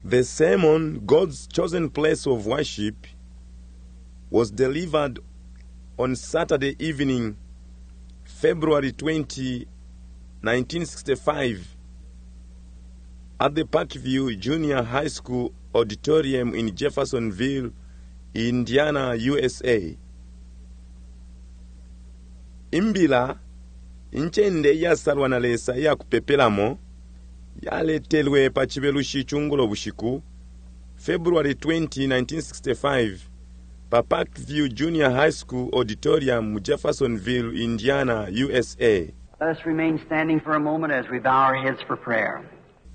The sermon, God's Chosen Place of Worship, was delivered on Saturday evening, February 20, 1965, at the Parkview Junior High School Auditorium in Jeffersonville, Indiana, USA. Imbila, incende iyasalwa na Lesa iya kupepelamo, yaletelwe pa Cibelushi cungulo bushiku, February 20, 1965, pa Parkview Junior High School Auditorium mu Jeffersonville, Indiana, USA. Let us remain standing for a moment as we bow our heads for prayer.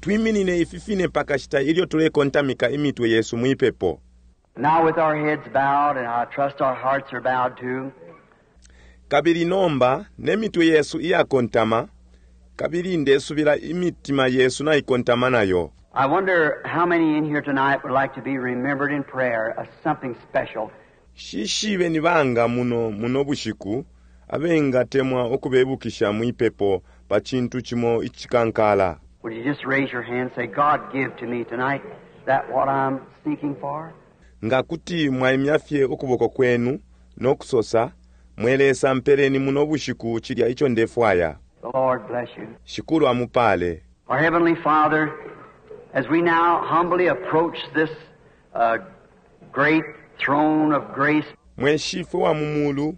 Twiminine ifi fine pakashita ilyo tulekontamika imitwe yesu mwipepo. Now, with our heads bowed, and I trust our hearts are bowed too, Kabili nomba ne mitwe yesu iyakontama, kabili ndesubila imitima yesu naikontama nayo. I wonder how many in here tonight would like to be remembered in prayer as something special. Shishibe ni banga muno muno bushiku abengatemwa ukubebukisha mwipepo pa cintu cimo icikankala. Would you just raise your hand and say, God, give to me tonight that what I'm seeking for? Nga kuti mwaimya fye ukuboko kwenu no kusosa, Mwe Lesa mpeleni muno bushiku cilya ico ndefwaya. The Lord bless you. Shikulu amupale. Our Heavenly Father, as we now humbly approach this great throne of grace, Mwe Shifwe wa mu Mulu,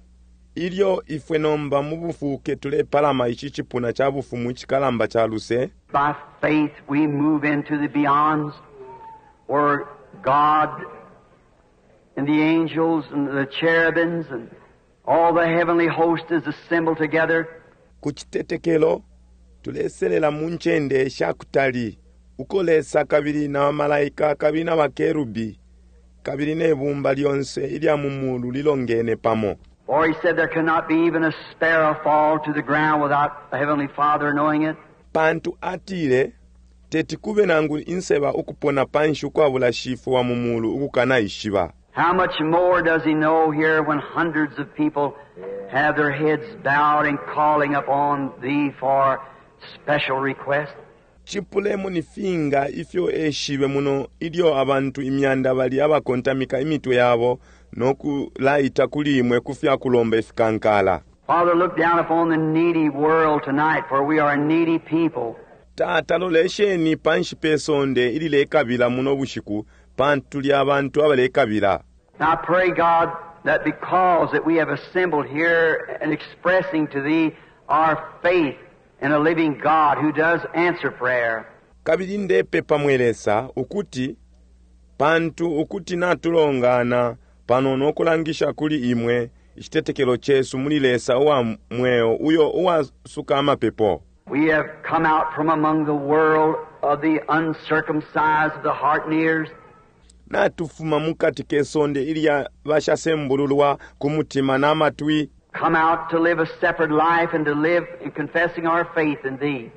ilyo ifwe nomba mu bufuuke tulepalama ici cipuna ca bufumu icikalamba ca luse, by faith we move into the beyonds where God and the angels and the cherubims and all the heavenly host is assembled together. Ku citetekelo tuleselela mu ncende sha kutali uko Lesa kabili na bamalaika kabili na bakerubi kabili ne bumba lyonse ilya mu mulu lilongene pamo. For he said there cannot be even a sparrow fall to the ground without the Heavenly Father knowing it. Pantu atile, Teti kube nangu inseba ukupona panshi ukwabula Shifwe wa mu Mulu ukukanaishiba. How much more does he know here when hundreds of people have their heads bowed and calling upon thee for special requests? Cipulemo ni finga ifyo eshibe muno ilyo abantu imyanda bali abakontamika imitwe yabo no kulaita kuli imwe ku fya kulomba ifikankala. Father, look down upon the needy world tonight, for we are a needy people. Tata, lolesheni panshi pe sonde ililekabila muno bushiku, pantu tuli abantu abalekabila. Now I pray, God, that because that we have assembled here and expressing to Thee our faith in a living God who does answer prayer. Kabili ndepepa, mwe Lesa, ukuti pantu ukuti natulongana pano no kulangisha kuli Imwe icitetekelo cesu muli Lesa uwa mweo uyo uwasuka amapepo. We have come out from among the world of the uncircumcised of the heart and ears. Natufuma mukati ke sonde ilya bashasembululwa ku mutima na matwi. Come out to live a separate life and to live in confessing our faith in Thee.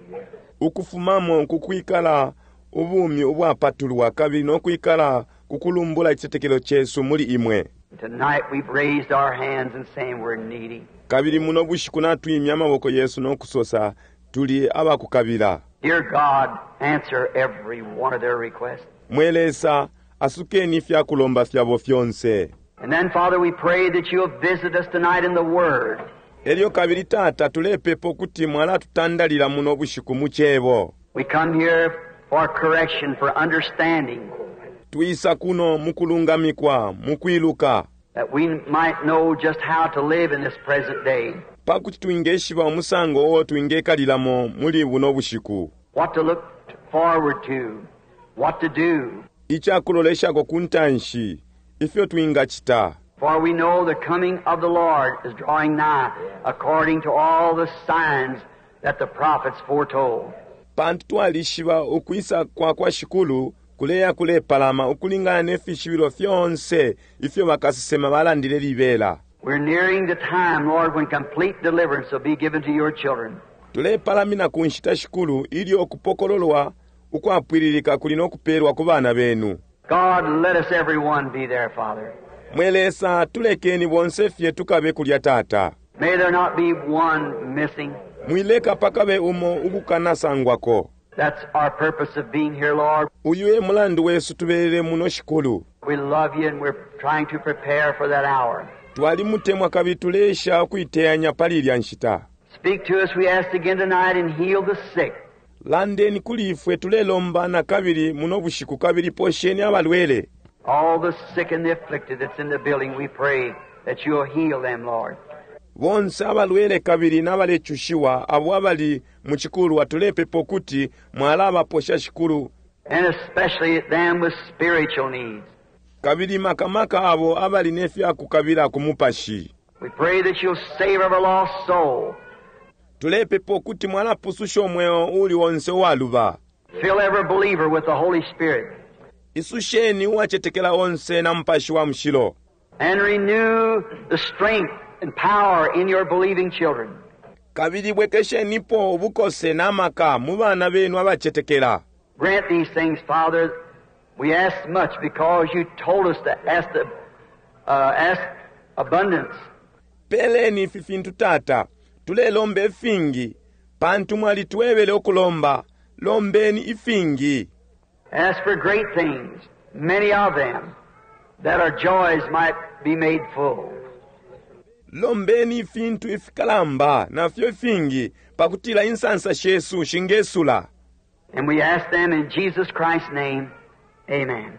Ukufumamo ku kwikala ubumi ubwapatulwa kabili no kwikala ku kulumbula icitetekelo cesu muli Imwe. Tonight we've raised our hands and saying we're needy. Kabili muno bushiku natwimya amaboko yesu no kusosa, Tuli abakukabila. Dear God, answer every one of their requests. Mwe Lesa, asukeni ifya kulomba fyabo fyonse. And then, Father, we pray that you'll visit us tonight in the Word. Elyo kabili, Tata, tulepepa ukuti mwalatutandalila muno bushiku mu Cebo. We come here for correction, for understanding. Twisa kuno mukulungamikwa, mukwiluka. That we might know just how to live in this present day. Pakuti twingeshiba umusango uo twingekalilamo muli buno bushiku. What to look forward to, what to do. Icakuloleshako ku ntanshi, ifyo twingacita. For we know the coming of the Lord is drawing nigh, according to all the signs that the prophets foretold. Pantu twalishiba ukwisa kwa kwa Shikulu kuleya kulepalama ukulingana ne fishibilo fyonse ifyo bakasesema balandile libela. We're nearing the time, Lord, when complete deliverance will be given to your children. Tulepalamina ku nshita, Shikulu, ilyo ukupokololwa ukwapwililika kuli no kupelwa ku bana benu. God, let us every one be there, Father. Mwe Lesa, tulekeni bonse fye tukabe kulya, Tata. May there not be one missing. Mwileka pakabe umo ukukanasangwako. That's our purpose of being here, Lord. Uyu e mulandu wesu tubelele muno, Shikulu. We love you and we're trying to prepare for that hour. Twalimutemwa kabili tuleesha ukuiteyanya pali ilya nshita. Speak to us, we ask again tonight, and heal the sick. Landeni kuli ifwe, tulelomba nakabili muno bushiku, kabili posheni abalwele. All the sick and the afflicted that's in the building, we pray that you'll heal them, Lord. Bonse abalwele kabili nabalecushiwa abo abali mu cikulwa, tulepepa ukuti mwalabaposha, Shikulu. And especially them with spiritual needs. Kabili makamaka abo abali ne fyakukabila ku mupashi. We pray that you'll save every lost soul. Tulepepa ukuti mwalapususha umweo uuli onse uwaluba. Fill every believer with the Holy Spirit. Isusheni uwacetekela onse na Mupashi wa Mushilo. And renew the strength and power in your believing children. Kabili bwekeshenipo ubukose na maka mu bana benu abacetekela. Grant these things, Father. We ask much because you told us to ask, the, ask abundance. Peleni ifi fintu, Tata. Tulelomba ifingi pantu mwalitwebele ukulomba. Lombeni ifingi. Ask for great things, many of them, that our joys might be made full. Lombeni ifintu ifikalamba nafyo ifingi pakutila insansa shesu shingesula. And we ask them in Jesus Christ's name. Amen.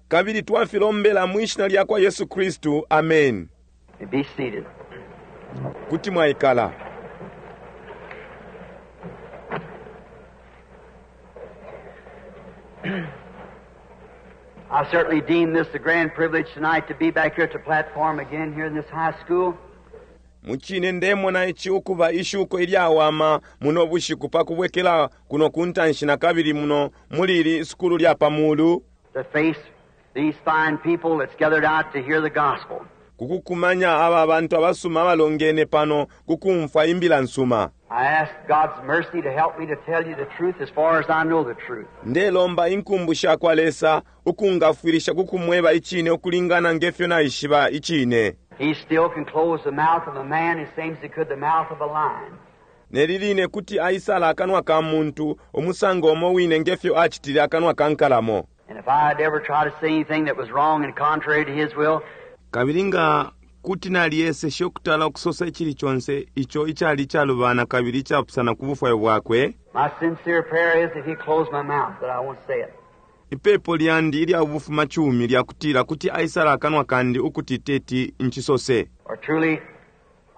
Kabili twafilombela mwi shina lya kwa Yesu Kristu. Amen. Be seated. Kuti mwaikala. I certainly deem this a grand privilege tonight to be back here at the platform again here in this high school. Mucine ndemona ici ukuba ishuko ilyawama muno bushiku pakubwekela kuno kuntanshi nakabili muno muli ili isukulu lya pamulu. To face these fine people that's gathered out to hear the gospel. Kukukumanya aba bantu abasuma abalongene pano kukumfwa imbila nsuma. I ask God's mercy to help me to tell you the truth as far as I know the truth. Ndelomba inkumbu sha kwa Lesa ukungafwilisha kukumweba icine ukulingana ngefyo naishiba icine. He still can close the mouth of a man as same as he could the mouth of a lion. Neli line kuti aisala akanwa ka muntu umusango umo wine ngefyo acitile akanwa ka nkalamo. And if I'd ever try to say anything that was wrong and contrary to his will, Kabili nga kuti naliyeseshe ukutala ukusosa icili conse ico icali icalubana kabili icapusana ku bufwayo bwakwe, my sincere prayer is if he close my mouth that I won't say it. Ipepo lyandi ilya bufumacumi lyakutila kuti aisala akanwa kandi ukuti teti ncisose. Or truly,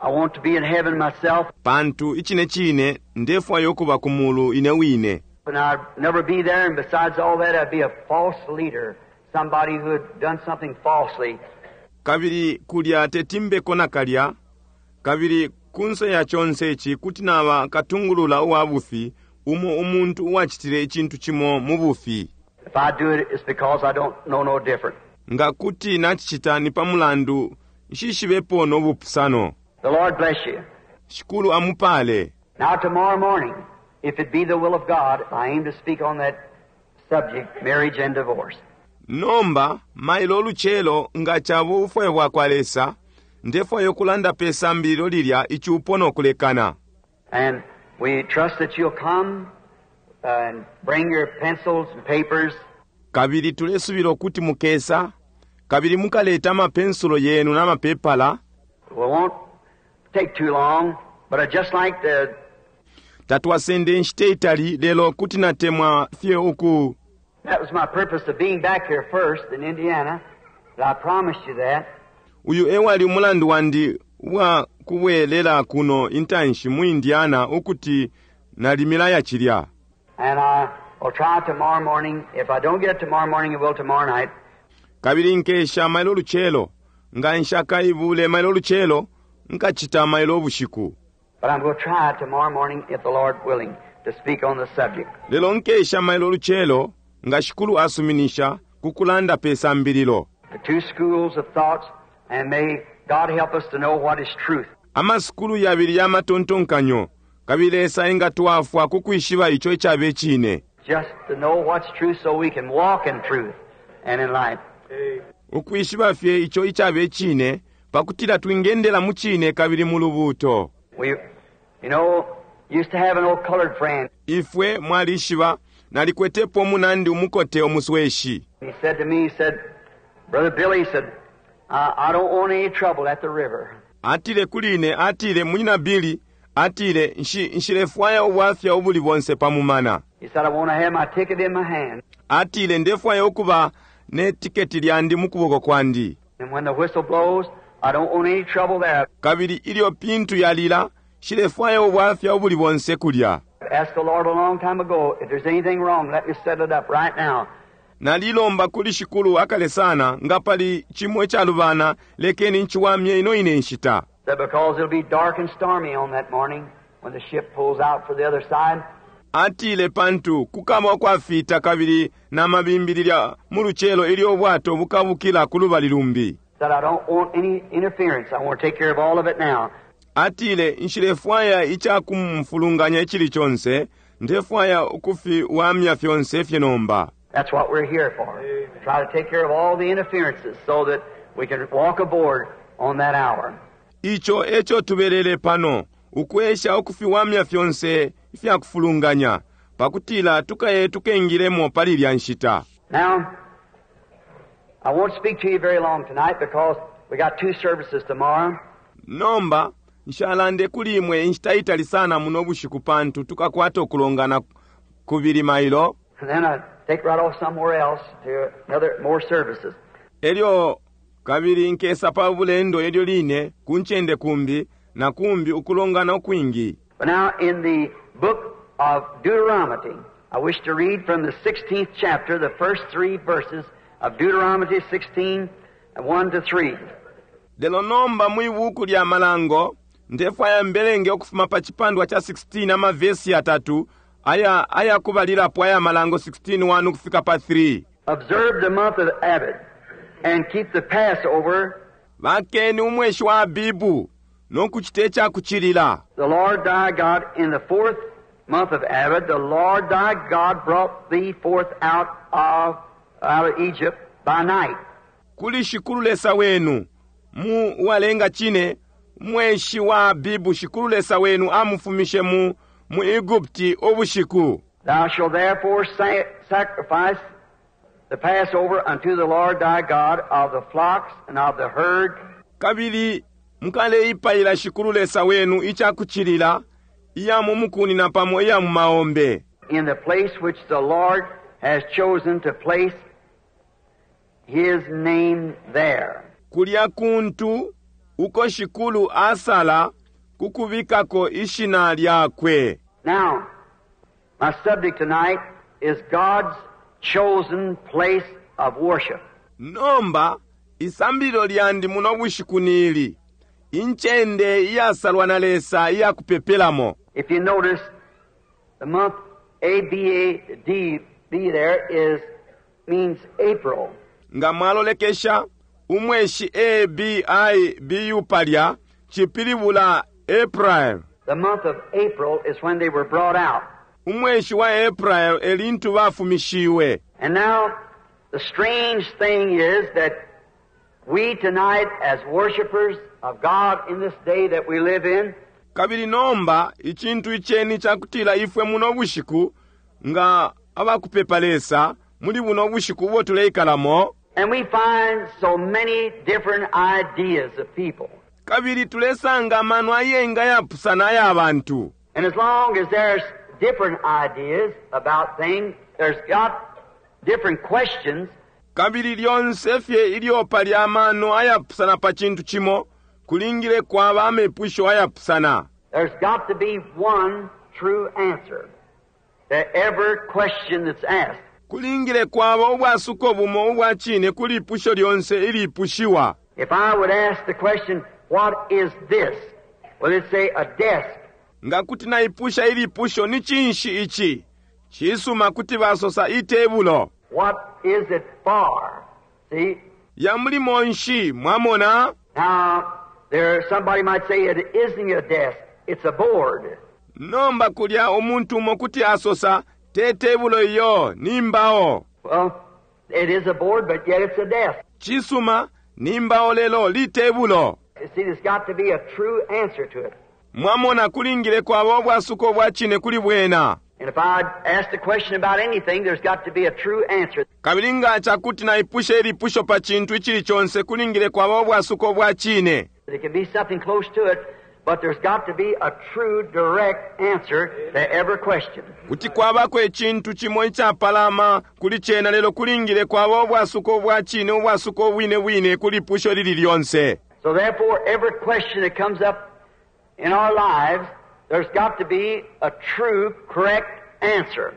I want to be in heaven myself. Pantu icine cine ndefwaya ukuba ku mulu ine wine. And I'd never be there, and besides all that, I'd be a false leader, somebody who had done something falsely. Kabili kulya teti mbeko nakalya, kabili kunse ya conse ici kuti naba katungulula uwa bufi, umo umuntu uwacitile icintu cimo mu bufi. If I do it, it's because I don't know no different. Nga kuti nacicita ni pa mulandu nshishibepo no bupusano. The Lord bless you. Shikulu amupale. Now tomorrow morning, if it be the will of God, I aim to speak on that subject, marriage and divorce. Nomba mailo ulucelo, nga caba ubufwayo bwakwa Lesa, ndefwaya ukulanda pe sambililo lilya, icupo no kulekana. And we trust that you'll come and bring your pencils and papers. Kabili tulesubila ukuti mukesa, kabili mukaleta amapensulo yenu na mapepala. We won't take too long, but I'd just like to... Tatwasende inshita itali, lelo kuti natemwa fye uku... That was my purpose of being back here first in Indiana. But I promised you that. Uyu ewali umulandu wandi uwa kubwelela kuno intanshi mu Indiana, ukuti nalimilaya cilya. And I will try tomorrow morning. If I don't get it tomorrow morning, I will tomorrow night. Kabili nkesha mailo lucelo. Nga nshakaibule mailo lucelo, nkacita mailo ubushiku. But I'm going to try tomorrow morning, if the Lord willing, to speak on the subject. Lelo nkesha mailo lucelo, nga Shikulu asuminisha, kukulanda pe sambililo. The two schools of thoughts, and may God help us to know what is truth. Amasukulu yabili ya matontonkanyo, kabili Lesa engatwafwa kukwishiba ico icabe cine. Just to know what's true so we can walk in truth and in light. Ukwishiba fye ico icabe cine, pakutila twingendela mu cine kabili mu lubuuto. We, you know, used to have an old colored friend. Ifwe mwalishiba, Nalikwetepo umunandi umukote umusweshi. He said to me, he said, Brother Billy, he said, I don't want any trouble at the river. Atile kuli ine, atile, Munyina Billy, atile, Nshi, nshilefwaya ubwafya ubuli bonse pa mumana. He said, I want to have my ticket in my hand. Atile, Ndefwaya ukuba ne tiketi lyandi mu kuboko kwandi. And when the whistle blows, I don't want any trouble there. Kabili ilyo pintu yalila, nshilefwaya ubwafya ubuli bonse kulya. Asked the Lord a long time ago, if there's anything wrong, let me settle it up right now. Nalilomba kuli Shikulu akale sana, nga pali cimo icalubana, lekeni nciwamye ino ine nshita. Said because it'll be dark and stormy on that morning when the ship pulls out for the other side. Atile pantu kukaba ukwafita kabili na mabimbi lilya mu lucelo ilyo ubwato bukabukila ku lubali lumbi. Said I don't want any interference. I want to take care of all of it now. Atile nshilefwaya icakumfulunganya icili conse, ndefwaya ukufiwamya fyonse fye nomba. That's what we're here for. Try to take care of all the interferences so that we can walk aboard on that hour. Ico eco tubelele pano, ukwesha ukufiwamya fyonse ifyakufulunganya, pakutila tukaye tukengilemo pali ilya nshita. Now, I won't speak to you very long tonight because we got 2 services tomorrow. Nomba, nshalande kuli imwe inshita itali sana muno bushiku pantu tukakwata ukulongana kubili mailo. And then I take right off somewhere else to another more services. Elyo kabili nkesa pa bulendo elyo line ku ncende kumbi na kumbi ukulongana ukwingi. But now in the book of Deuteronomy, I wish to read from the 16th chapter, the first 3 verses of Deuteronomy 16, 1 to 3. Lelo nomba mwi buku lya Malango, ndefwaya mbelenge ukufuma pa chipandwa cha 16 amavesi yatatu aya kubalilapo aya Malango 16, 1 ukufika pa 3. Observe the month of Abib and keep the Passover. Bakeni umweshi wa Abibu no kuchita icakuchilila. The Lord thy God in the 4th month of Abib, the Lord thy God brought thee forth out of Egypt by night. Kuli Shikulu Lesa wenu mu walenga chine mweshi wa Abibu, Shikulu Lesa wenu amufumishe mu Egupti ubushiku. Thou shalt therefore sacrifice the Passover unto the Lord thy God of the flocks and of the herd. Kabili mukaleipayila Shikulu Lesa wenu icakuchilila iya mu mukuni na pamo iya mu maombe. In the place which the Lord has chosen to place his name there. Kulya kuntu uko Shikulu asala kukubikako ishina lyakwe. Now, my subject tonight is God's chosen place of worship. Nomba, isambililo lyandi muno bushiku nili, incende iyasalwa na Lesa iyakupepelamo. If you notice, the month A B A D B there is means April. Nga mwalolekesha, umweshi A B I B U palya chipilibula April. The month of April is when they were brought out. Umweshi wa April elintu bafumishiwe. And now, the strange thing is that we tonight, as worshipers of God in this day that we live in, Kabili nomba, icintu iceni cakutila ifwe muno bushiku, nga abakupepa Lesa, muli buno bushiku ubo tuleikalamo, and we find so many different ideas of people. Kabili tulesanga amano ayenga yapusana aya bantu. And as long as there's different ideas about things, there's got different questions. Kabili lyonse fye ilyo pali amano ayapusana pa cintu cimo, kulingile kwaba amepusho ayapusana. There's got to be one true answer to every question that's asked. Kulingile kwaba ubwasuko bumo ubwa cine kuli ipusho lyonse ilipushiwa. If I would ask the question, what is this? Well, it'd say a desk. Nga kuti naipusha ilipusho ni cinshi ici? Cisuma kuti basosa itebulo. What is it for? See? Ya mulimo nshi, mwamona? Now, there somebody might say it isn't a desk, it's a board. Nomba kulya umuntu umo kuti asosa te tebulo iyo ni mbao. Well, it is a board, but yet it's a desk. Cisuma ni mbao lelo li tebulo. You see, there's got to be a true answer to it. Mwamona kulingile kwaba ubwasuko bwa cine kuli bwena. And if I ask the question about anything, there's got to be a true answer. Kabili nga cakuti naipusha ilipusho pa cintu icili conse, kulingile kwaba ubwasuko bwa cine. There can be something close to it, but there's got to be a true, direct answer to every question. Kuti kwabako icintu cimo icapalama kuli cena, lelo kulingile kwaba ubwasuko bwa cine, ubwasuko bwine bwine ku lipusho lili lyonse. So therefore, every question that comes up in our lives, there's got to be a true, correct answer.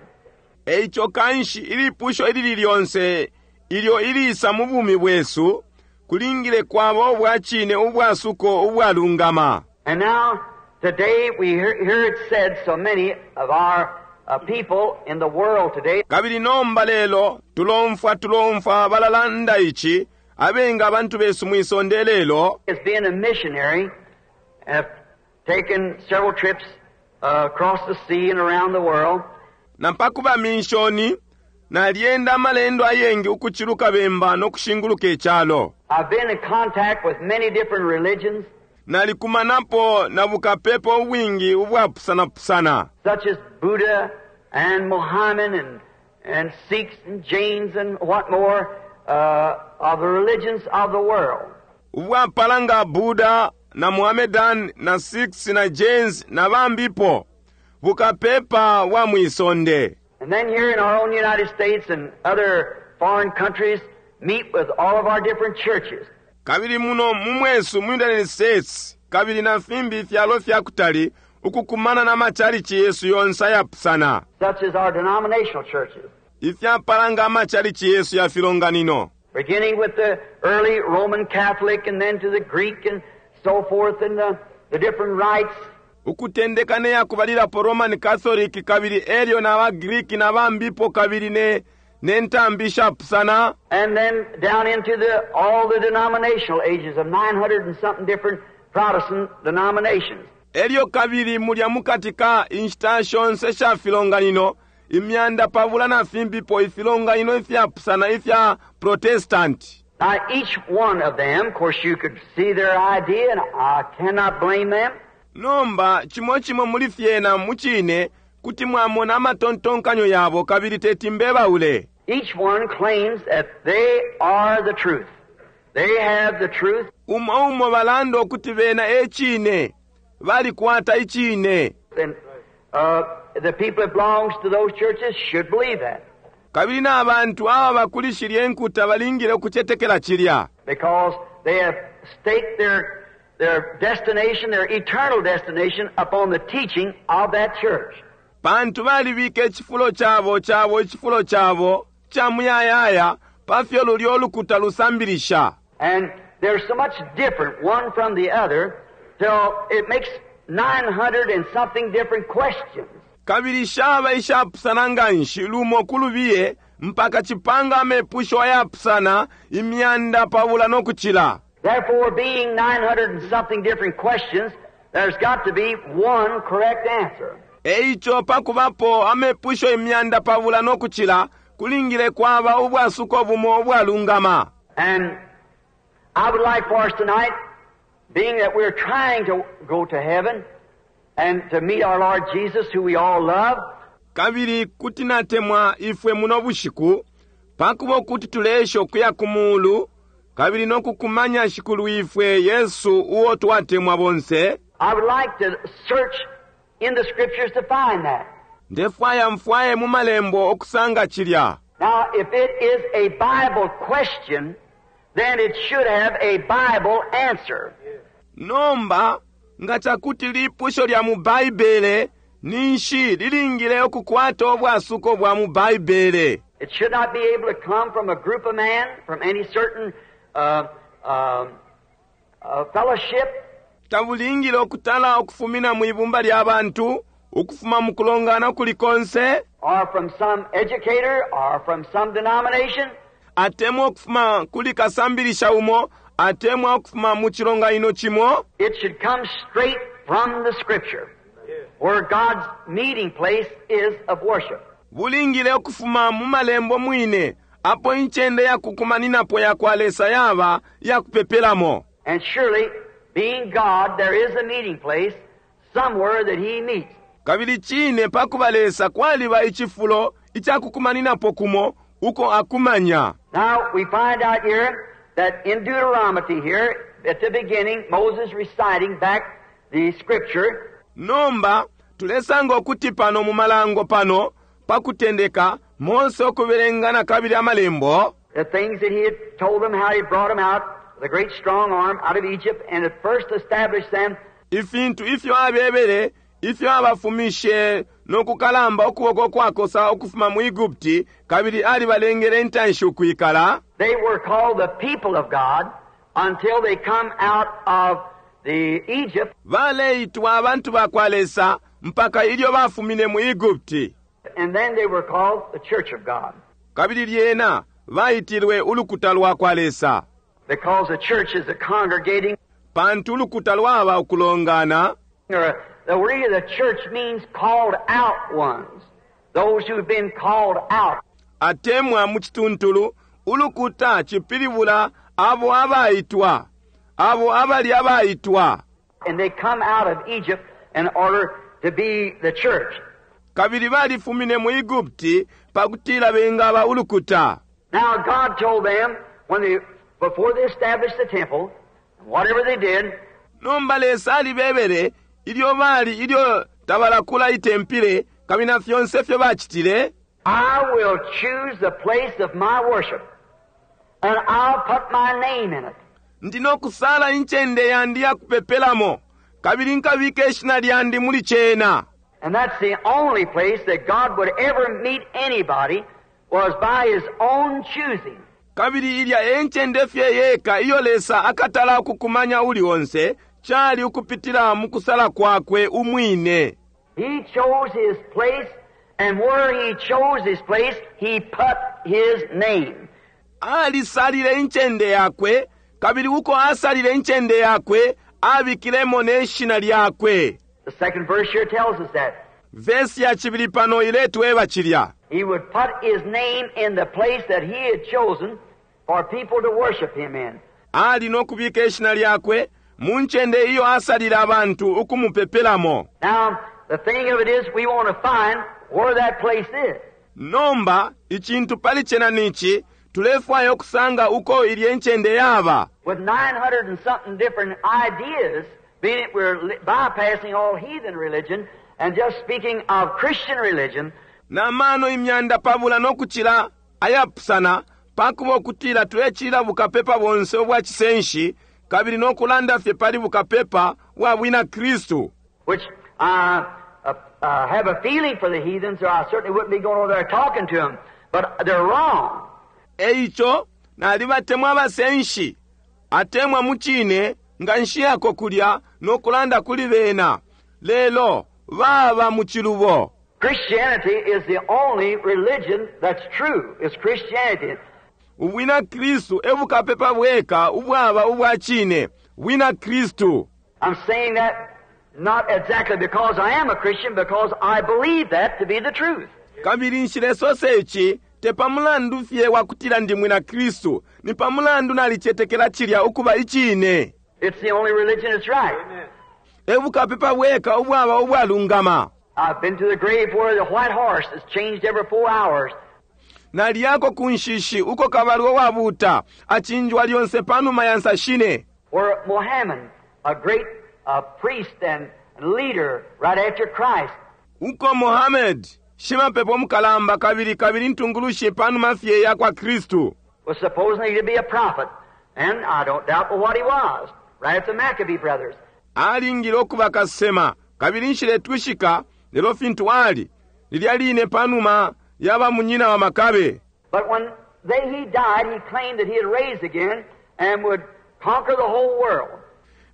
Eico kanshi ilipusho ilili lyonse ilyo ilisa mu bumi bwesu, kulingile kwaba ubwa cine ubwasuko ubwalungama. And now, today we hear it said so many of our people in the world today. Kabili nomba lelo tulomfwa balalanda ici, abengi abantu besu mwisonde lelo. As being a missionary, have taken several trips across the sea and around the world. Na pakuba minshoni, nalyenda amalendo ayengi ukuciluka bemba no kushinguluka icalo. I've been in contact with many different religions. Nalikumanapo na bukapepa ubwingi ubwapusanapusana. Such as Buddha and Mohammed and Sikhs and Jains and what more of the religions of the world. Ubwapala nga Buddha na Mohammedan na Sikhs na Jains na bambipo, bukapepa bwa mwisonde. And then here in our own United States and other foreign countries meet with all of our different churches. Kabili muno mu mwesu mu United States kabili na fimbi fyalo fya kutali ukukumana na machalichi yesu yonse ayapusana. Such as our denominational churches. Ifyapala nga amachalichi yesu ya filonganino. Beginning with the early Roman Catholic and then to the Greek and so forth and the different rites. Ukutendeka ne yakubalilapo Roman Catholic kabili elyo na ba Greek na bambipo kabili ne ntambi shapusana. And then down into all the denominational ages of 900 and something different Protestant denominations. Elyo kabili mulya mukati ka inshita shonse sha filonganino, imyanda pabula na fimbipo ifilonganino ifyapusana ifya Protestant. Now each one of them, of course you could see their idea and I cannot blame them. Nomba chimo chimo muli fyena muchine kuti mwamona amatontonkanyo yabo kabili teti mbebaule. Each one claims that they are the truth. They have the truth. Umo umo balanda ukuti bena e chine, balikwata ichine. And the people that belongs to those churches should believe that. Kabili na abantu aba bakulishilye enkuta balingile ukucetekela chilya. Because they have staked their destination, their eternal destination, upon the teaching of that church. Pantu balibika icifulo cabo, cabo, icifulo cabo, ca muyayaya, pafyo lulyo ulukuta lusambilisha. And they're so much different one from the other till it makes 900 and something different questions. Kabili shaba ishapusana nganshi lumo kulubiye mpaka chipanga amepusho ayapusana imyanda pabula nokuchila. Therefore, being 900 and something different questions, there's got to be one correct answer. Eicho pakubapo amepusho imyanda pabula nokuchila kulingile kwaba ubwasuko bumo ubwalungama. And I would like for us tonight, being that we're trying to go to heaven and to meet our Lord Jesus, who we all love. Kabili kuti natemwa ifwe muno bushiku, pakuba kuti tulesha ukuya ku mulu, kabili nokukumanya Shikulu ifwe Yesu uo twatemwa bonse. I would like to search in the scriptures to find that. Ndefwaya mfwaye mu malembo okusanga chilya. Now, if it is a Bible question, then it should have a Bible answer. Nomba, nga chakuti lipusho lya mu Baibele, ninshi lilingile okukwata obwasuko bwa mu Baibele. It should not be able to come from a group of men, from any certain fellowship. Tabulingile okutala okufumina mu ibumba lya bantu, ukufuma mu kulongana kuli konse. Or from some educator, or from some denomination. Atemwa okufuma kuli kasambilisha umo, atemwa okufuma mu chilonganino chimo. It should come straight from the scripture, where God's meeting place is of worship. Bulingile okufuma mu malembo mwine, apo incende ya kukumaninapo ya kwa Lesa yaba ya kupepelamo. And surely, being God, there is a meeting place somewhere that he meets. Kabili cine pakuba Lesa kwaliba icifulo icakukumaninapo kumo uko akumanya. Now we find out here that in Deuteronomy here, at the beginning, Moses reciting back the scripture. Nomba tulesanga ukuti pano mu Malango pano, pa kutendeka, Mose ukubelenga nakabili Amalembo. The things that he had told them, how he brought them out, the great strong arm, out of Egypt, and at first established them. Ifintu ifyo abebele, ifyo abafumishe no kukalamba ukuboko kwakosa ukufuma mu Egupti, kabili alibalengele intanshi ukwikala. They were called the people of God until they come out of the Egypt. Baleitwa abantu ba kwa Lesa mpaka ilyo bafumine mu Egupti. And then they were called the church of God. Kabili lyena baitilwe ulukuta lwa kwa Lesa. Because the church is a congregating. Pantu ulukuta lwaba ukulongana. Or the word the church means called out ones. Those who've been called out. Atemwa mu cituntulu, ulukuta cipilibula abo abaitwa, abo abali abaitwa. And they come out of Egypt in order to be the church. Kabili balifumine mu Egupti pakutila bengaba ulukuta. Now God told them when they, before they established the temple, whatever they did. Nomba Lesa alibebele ilyo bali ilyo tabalakula itempile kabili na fyonse ifyo bacitile. I will choose the place of my worship, and I'll put my name in it. Ndi no kusala incende yandi ya kupepelamo, kabili nkabika ishina lyandi muli cena. And that's the only place that God would ever meet anybody was by His own choosing. Kabili ilya e ncende fye yeka iyo Lesa akatala ukukumanya uli onse, cali ukupitila mu kusala kwakwe umwine. He chose His place, and where He chose His place, He put His name. Alisalile incende yakwe, kabili uko asalile incende yakwe, abikilemo ne shina lyakwe. The second verse here tells us that. Vesi ya cibili pano iletweba cilya. He would put His name in the place that He had chosen for people to worship Him in. Ali no kubika ishina lyakwe mu ncende iyo asalile abantu ukumupepelamo. Now, the thing of it is, we want to find where that place is. Nomba, icintu pali cena nici, tulefwaya ukusanga uko ilye ncende yaba. With 900 and something different ideas, being it we're bypassing all heathen religion and just speaking of Christian religion. Na mano imyanda pabula no kucila ayapusana, pakuba ukutila tulecilila bukapepa bonse ubwa cisenshi, kabili no kulanda fye pali bukapepa bwa bwina Kristu. Which I have a feeling for the heathens, or I certainly wouldn't be going over there talking to them, but they're wrong. Eico, nalibatemwa abasenshi, atemwa mu cine, nga nshiyako kulya no kulanda kuli bena, lelo baba mu cilubo. Christianity is the only religion that's true. It's Christianity. Ubwina Kristu e bukapepa bweka ubwaba ubwa cine, bwina Kristu. I'm saying that not exactly because I am a Christian, because I believe that to be the truth. Kabili nshilesosa ici te pa mulandu fye wa kutila ndi mwina Kristu, ni pa mulandu nalicetekela cilya ukuba icine. It's the only religion that's right. E bukapepa bweka ubwaba ubwalungama. I've been to the grave where the white horse is changed every 4 hours. Naliyako ku nshishi uko kabalwe wabuuta acinjwa lyonse panuma ya nsa shine. Where Mohammed, a great priest and leader right after Christ. Uko Mohammed, shimapepo mukalamba kabili kabili ntungulushi panuma fye ya kwa Kristu. Was supposedly to be a prophet, and I don't doubt what he was, right after the Maccabee brothers. Alingile ukuba kasema, kabili nshiletwishika lelo fintu ali, lilya line panuma ya ba munyina wa Makabe. But when he died, he claimed that he had raised again and would conquer the whole world.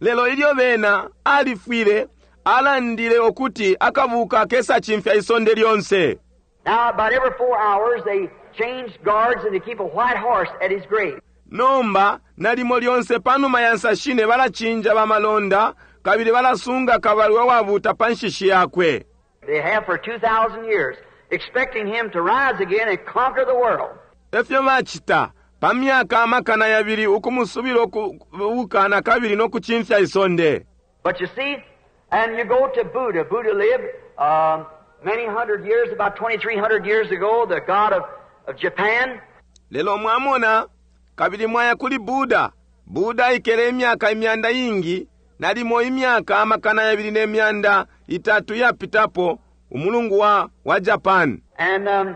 Lelo ilyo bena alifwile, alandile ukuti akabuka kesa chimfya isonde lyonse. Now about every 4 hours they change guards and they keep a white horse at his grave. Nomba nalimo lyonse panuma ya nsashine balachinja bamalonda kabili balasunga kabalwe wabuta pa nshishi yakwe. They have for 2,000 years, expecting him to rise again and conquer the world. Efyo bachita pa myaka amakana yabili ukumusubila ukubuka na kabili no kuchimfya isonde. But you see, and you go to Buddha. Buddha lived many hundred years, about 2,300 years ago, the god of Japan. Lelo mwamona, kabili mwaya kuli Buddha. Buddha aikele imyaka imyanda ingi, nalimo imyaka 2300 yapitapo, umulungu wa Japan. And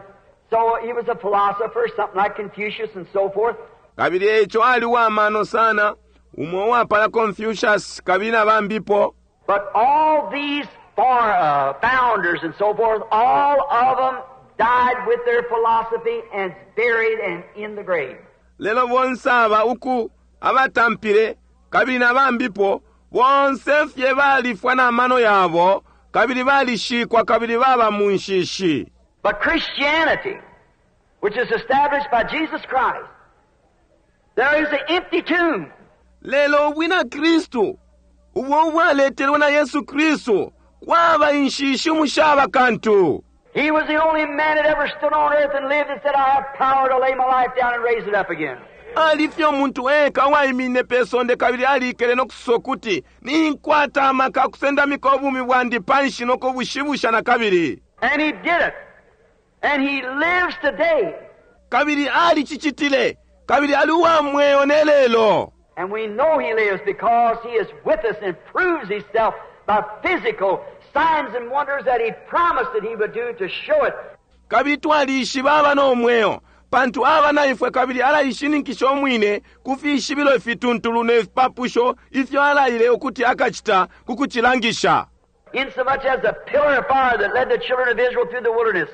so he was a philosopher, something like Confucius and so forth. Kabili eico ali uwamano sana, umo uwapala Confucius kabili na bambipo. But all these founders and so forth, all of them died with their philosophy and buried and in the grave. Lelo bonse aba uku abatampile kabili na bambipo, bonse fye balifwa na mano yabo, kabili balishikwa kabili baba mu nshishi. But Christianity, which is established by Jesus Christ, there is an empty tomb. Lelo ubwina Kristu, ubo ubwaletelwe na Yesu Kristu, kwaba inshishi umushaba kantu. He was the only man that ever stood on earth and lived and said, I have power to lay my life down and raise it up again. Ali fye umuntu eka uwaimine pe sonde kabili alikele no kusosa ukuti, Ninkwata amaka kusendamika ubumi bwandi panshi no kubushibusha na kabili. And he did it. And he lives today. Kabili alicicitile. Kabili ali uwa mweo ne lelo. And we know he lives because he is with us and proves himself by physical signs and wonders that he promised that he would do to show it. Kabili twalishiba aba no mweo, pantu aba na ifwe kabili alaishininkisha umwine ku fishibilo ifituntulu ne fipapusho ifyo alaile ukuti akacita ku kucilangisha. Insomuch as the pillar of fire that led the children of Israel through the wilderness,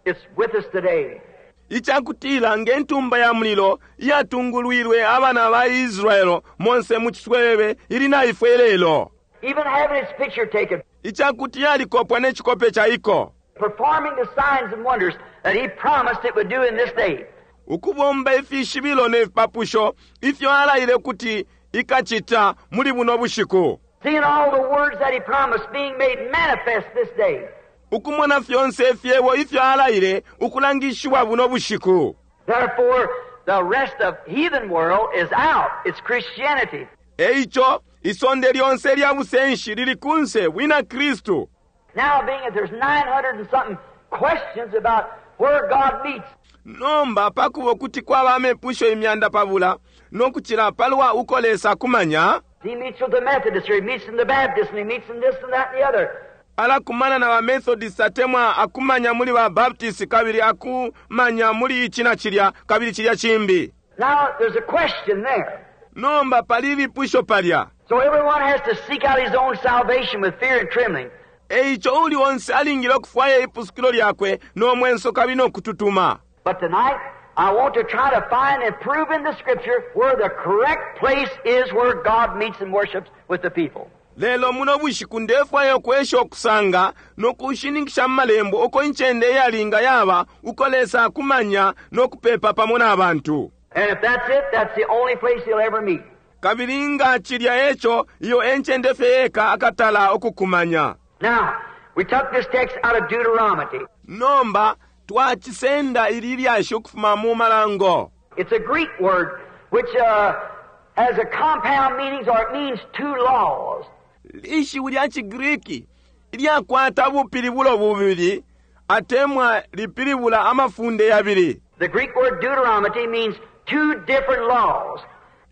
it's with us today. Icakutila nge ntumba ya mulilo iyatungulwilwe abana ba Israel monse mu ciswebebe ili na ifwe lelo. Even having its picture taken. Icakuti yalikopwa ne cikope ca iko. Performing the signs and wonders that he promised it would do in this day. Ukubomba ifishibilo ne fipapusho ifyo alaile ukuti ikacita muli buno bushiku. Seeing all the words that he promised being made manifest this day. Ukumona fyonse ifyebo ifyo alaile ukulangishiwa buno bushiku. Therefore, the rest of heathen world is out. It's Christianity. Eico, isonde lyonse lya busenshi lili kunse bwina Kristu. Now being that there's 900 and something questions about where God meets. Nomba pakuba kuti kwaba amepusho 200 no kucila palwa uko Lesa akumanya. He meets with the Methodists, or he meets in the Baptists, and he meets in this and that and the other. Alakumana na ba Methodists atemwa akumanya muli ba Baptists kabili akumanya muli ichi na chilya kabili chilya chimbi. Now there's a question there. Nomba pali ilipusho palya. So everyone has to seek out his own salvation with fear and trembling. Eico uli onse alingile okufwaya ipusukilo lyakwe no mwenso kabili no kututuma. But tonight I want to try to find and prove in the Scripture where the correct place is where God meets and worships with the people. Lelo muno bushiku ndefwaya ukwesha ukusanga no kushininkisha mu malembo uko incende iyalinga yaba uko Lesa akumanya no kupepa pamo na bantu. And if that's it, that's the only place he'll ever meet. Kabili nga cilya eco, iyo e ncende fye yeka akatala ukukumanya. Now, we took this text out of Deuteronomy. Nomba, twacisenda ili lyashi ukufuma mu malango. It's a Greek word which has a compound meanings, or it means two laws. Lishiwi lya ciGriki ilyakwata bupilibulo bubili atemwa lipilibula amafunde yabili. The Greek word Deuteronomy means two different laws.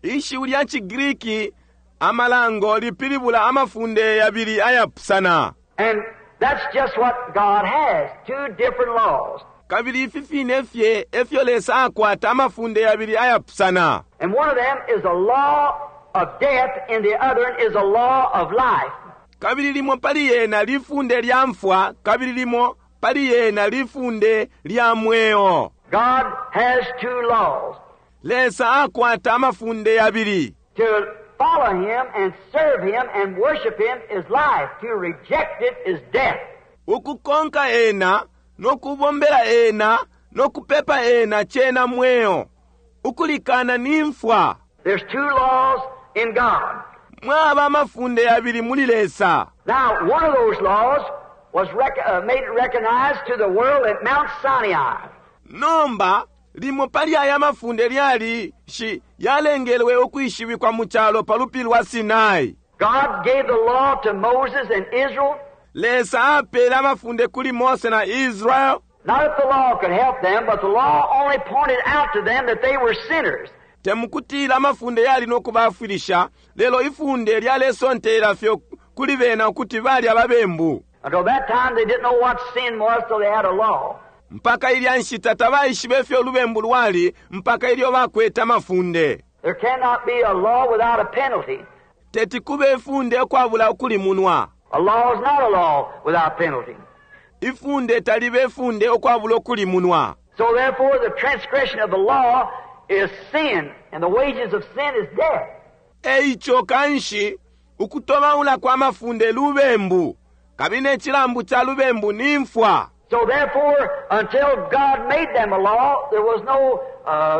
Ishiwi lya ciGriki amalango lipilibula amafunde yabili ayapusana. And that's just what God has, two different laws. Kabili ifi fine fye efyo Lesa akwata amafunde yabili ayapusana. And one of them is a law of death and the other is a law of life. Kabili limo pali yena lifunde lya mfwa, kabili limo pali yena lifunde lya mweo. God has two laws. Lesa akwata amafunde yabili. To follow him and serve him and worship him is life. To reject it is death. Ukukonka ena, no kubombela ena, no kupepa ena chena mweo. Ukulikana ni mfwa. There's two laws in God. Mwaba amafunde yabili muli Lesa. Now, one of those laws was made recognized to the world at Mount Sinai. Nomba, limo pali aya mafunde lyali shi yalengelwe ukwishibikwa mu calo pa lupili lwa Sinai. God gave the law to Moses and Israel. Lesa apele amafunde kuli Mose na Israel. Not that the law could help them, but the law only pointed out to them that they were sinners. Temukutila amafunde yali no kubafwilisha, lelo ifunde lyalesontelela fye kuli bena ukuti bali ababembu. Until that time, they didn't know what sin was till they had a law. Mpaka ilya nshita tabaishibe ifyo ulubembu lwali mpaka ilyo bakwete amafunde. There cannot be a law without a penalty. Teti kube ifunde ukwabula ukulimunwa. A law is not a law without penalty. Ifunde talibe ifunde ukwabula ukulimunwa. So therefore, the transgression of the law is sin, and the wages of sin is death. Eico kanshi ukutobaula kwa mafunde lubembu, kabili ne cilambu ca lubembu ni mfwa. So therefore, until God made them a law, there was no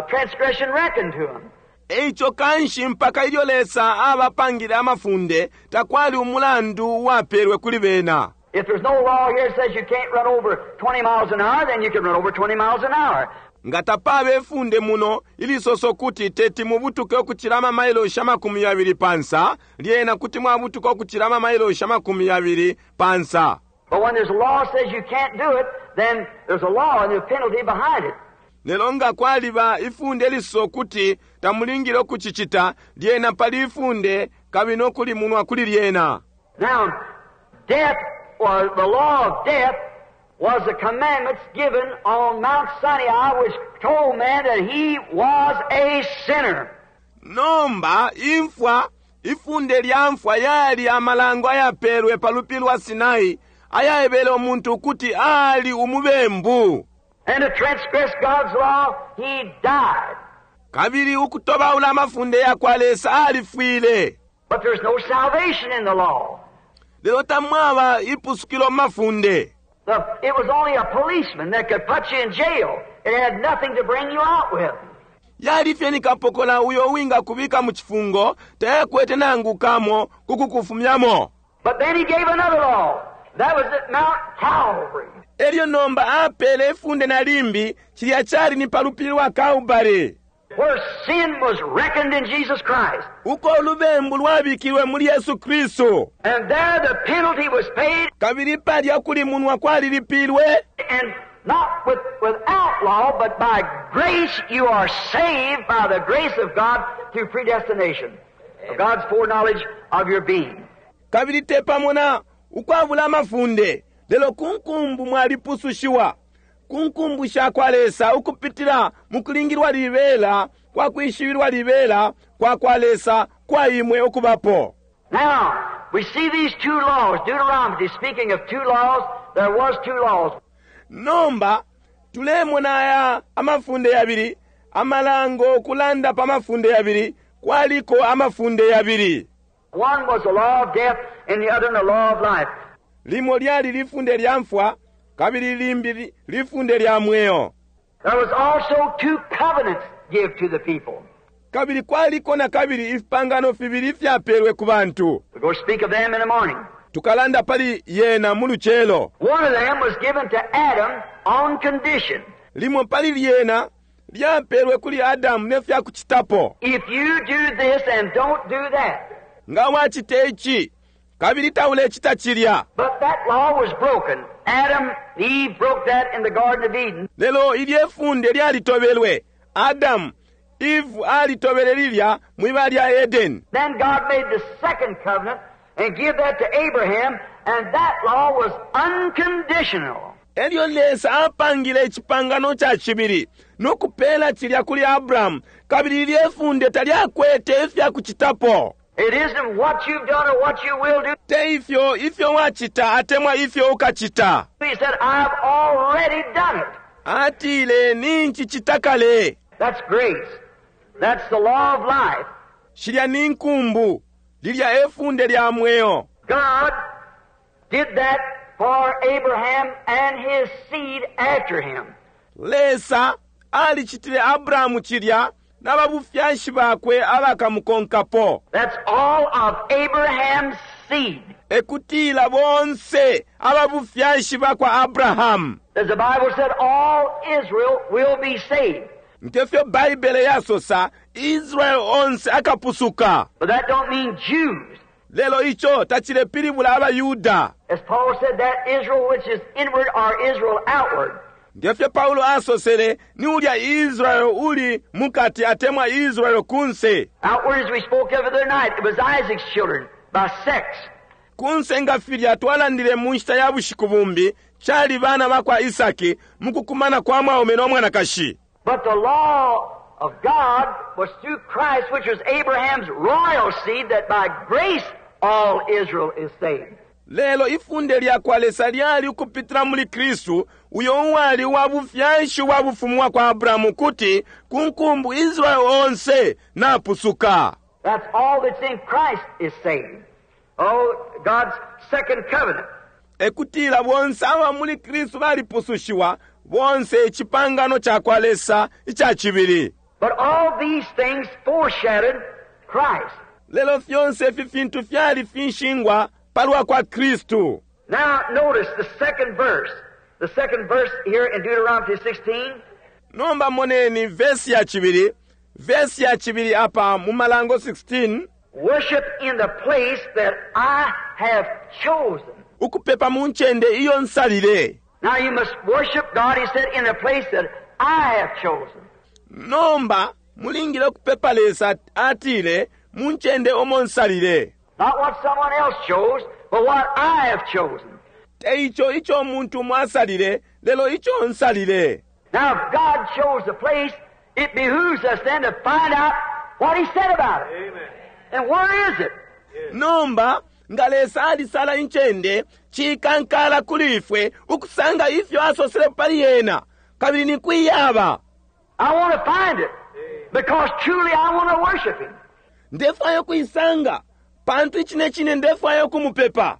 transgression reckoned to them. Eico kanshi mpaka ilyo Lesa abapangile amafunde, takwali umulandu uwapelwe kuli bena. If there's no law here that says you can't run over 20 miles an hour, then you can run over 20 miles an hour. Nga tapaba ifunde muno ilisosa ukuti teti mubutuke ukucila amamailoshi 20 pa nsa, lyena kuti mwabutuka ukucila amamailoshi 20 pa nsa. But when there's a law that says you can't do it, then there's a law and there's a penalty behind it. Lelo nga kwaliba ifunde lisosa ukuti tamulingile ukucicita, lyena pali ifunde kabili no kulimunwa kuli lyena. Now, death was the law of death was the commandments given on Mount Sinai, which told man that he was a sinner. Nomba imfwa, ifunde lya mfwa yali amalango ayapelwe pa lupili lwa Sinai ayaebele umuntu ukuti ali umubembu. And to transgress God's law, he died. Kabili ukutobaula amafunde ya kwa Lesa alifwile. But there's no salvation in the law. Lelo tamwaba ipusukilo mu mafunde. It was only a policeman that could put you in jail. It had nothing to bring you out with. Yali fye ni kapokola uyo uwinga kubika mu cifungo, tayakwete nangu kamo kukukufumyamo. But then he gave another law. That was at Mount Calvary. Elyo nomba apele ifunde na limbi, cilya cali ni pa lupili lwa Kalbale. Where sin was reckoned in Jesus Christ. Uko ulubembu lwabikilwe muli Yesu Kristu. And there the penalty was paid. Kabili palya kulimunwa kwalilipilwe. And not without law, but by grace you are saved by the grace of God through predestination. Of God's foreknowledge of your being. Kabili te pamo na ukwabula amafunde, lelo ku nkumbu mwalipusushiwa. Ku nkumbu sha kwa Lesa ukupitila mu kulingilwa libela kwa kwishibilwa libela kwa kwa Lesa kwa imwe ukubapo. Now, we see these two laws. Deuteronomy, speaking of two laws, there was two laws. Nomba, tulemona aya amafunde yabili, amalango kulanda pa mafunde yabili, kwaliko amafunde yabili. One was the law of death and the other the law of life. Limo lyali lifunde lya mfwa, kabili limbi lifunde lya mweo. There was also two covenants give to the people. Kabili kwaliko na kabili ifipangano fibili ifyapelwe ku bantu. We're going to speak of them in the morning. Tukalanda pali yena mu lucelo. One of them was given to Adam on condition. Limo pali lyena lyapelwe kuli Adamu ne fya kucitapo. If you do this and don't do that. Nga wacita ici, kabili taulecita cilya. But that law was broken. Adam, Eve broke that in the Garden of Eden. Lelo ilye funde lyalitobelwe. Adam, Eve alitobele lilya mwiba lya Eden. Then God made the second covenant and give that to Abraham, and that law was unconditional. Elyo Lesa apangile icipangano ca cibili no kupela cilya kuli Abraham, kabili ilye funde talyakwete ifya kucitapo. It isn't what you've done or what you will do. Te ifyo, ifyo wacita atemwa ifyo ukacita. He said, I've already done it. Atile, nincicita kale. That's grace. That's the law of life. Shilya ni nkumbu. Lilya efunde lya mweo. God did that for Abraham and his seed after him. Lesa alicitile Abrahamu cilya na babufyashi bakwe abakamukonkapo. That's all of Abraham's seed. Ekutila bonse ababufyashi bakwa Abrahamu. As the Bible said, all Israel will be saved. Ngefyo Baibele yasosa, Israel onse akapusuka. But that don't mean Jews. Lelo ico tacilepilibula abaYuda. As Paul said, that Israel which is inward or Israel outward. Ngefyo Paulo asosele, ni ulya Israel uli mukati atemwa Israel kunse. Outward, as we spoke of the other night, it was Isaac's children by sex. Kunse nga filya twalandile mu nshita ya bushiku bumbi, cali bana bakwa Isaki mu kukumana kwa mwaume no mwanakashi. But the law of God was through Christ, which was Abraham's royal seed, that by grace all Israel is saved. Lelo ifunde lya kwa Lesa lyali ukupitila muli Kristu, uyo uwali uwa bufyashi ubwa bufumu bwa kwa Abrahamu, kuti ku nkumbu Israel onse napusuka. That's all that's in Christ is saved. Oh, God's second covenant. E kutila bonse aba muli Kristu balipusushiwa, bonse icipangano ca kwa Lesa ica cibili. But all these things foreshadowed Christ. Lelo fyonse ifi fintu fyali finshingwa palwa kwa Kristu. Now notice the second verse. The second verse here in Deuteronomy 16. Nomba moneni vesi ya cibili, vesi ya cibili apa mu Malango 16. Worship in the place that I have chosen. Ukupepa mu ncende iyo nsalile. Now you must worship God, he said, in the place that I have chosen. Nomba mulingile ukupepa Lesa, atile, mu ncende omo nsalile. Not what someone else chose, but what I have chosen. Te ico ico umuntu umo asalile, lelo ico nsalile. Now if God chose the place, it behooves us then to find out what he said about it. Amen. And where is it? Nomba nga Lesa alisala incende, cikankala kuli ifwe ukusanga ifyo asosele pali yena, kabili ni kwi yaba. I want to find it, because truly I want to worship him. Ndefwaya ukuisanga, pantu icine cine ndefwaya ukumupepa.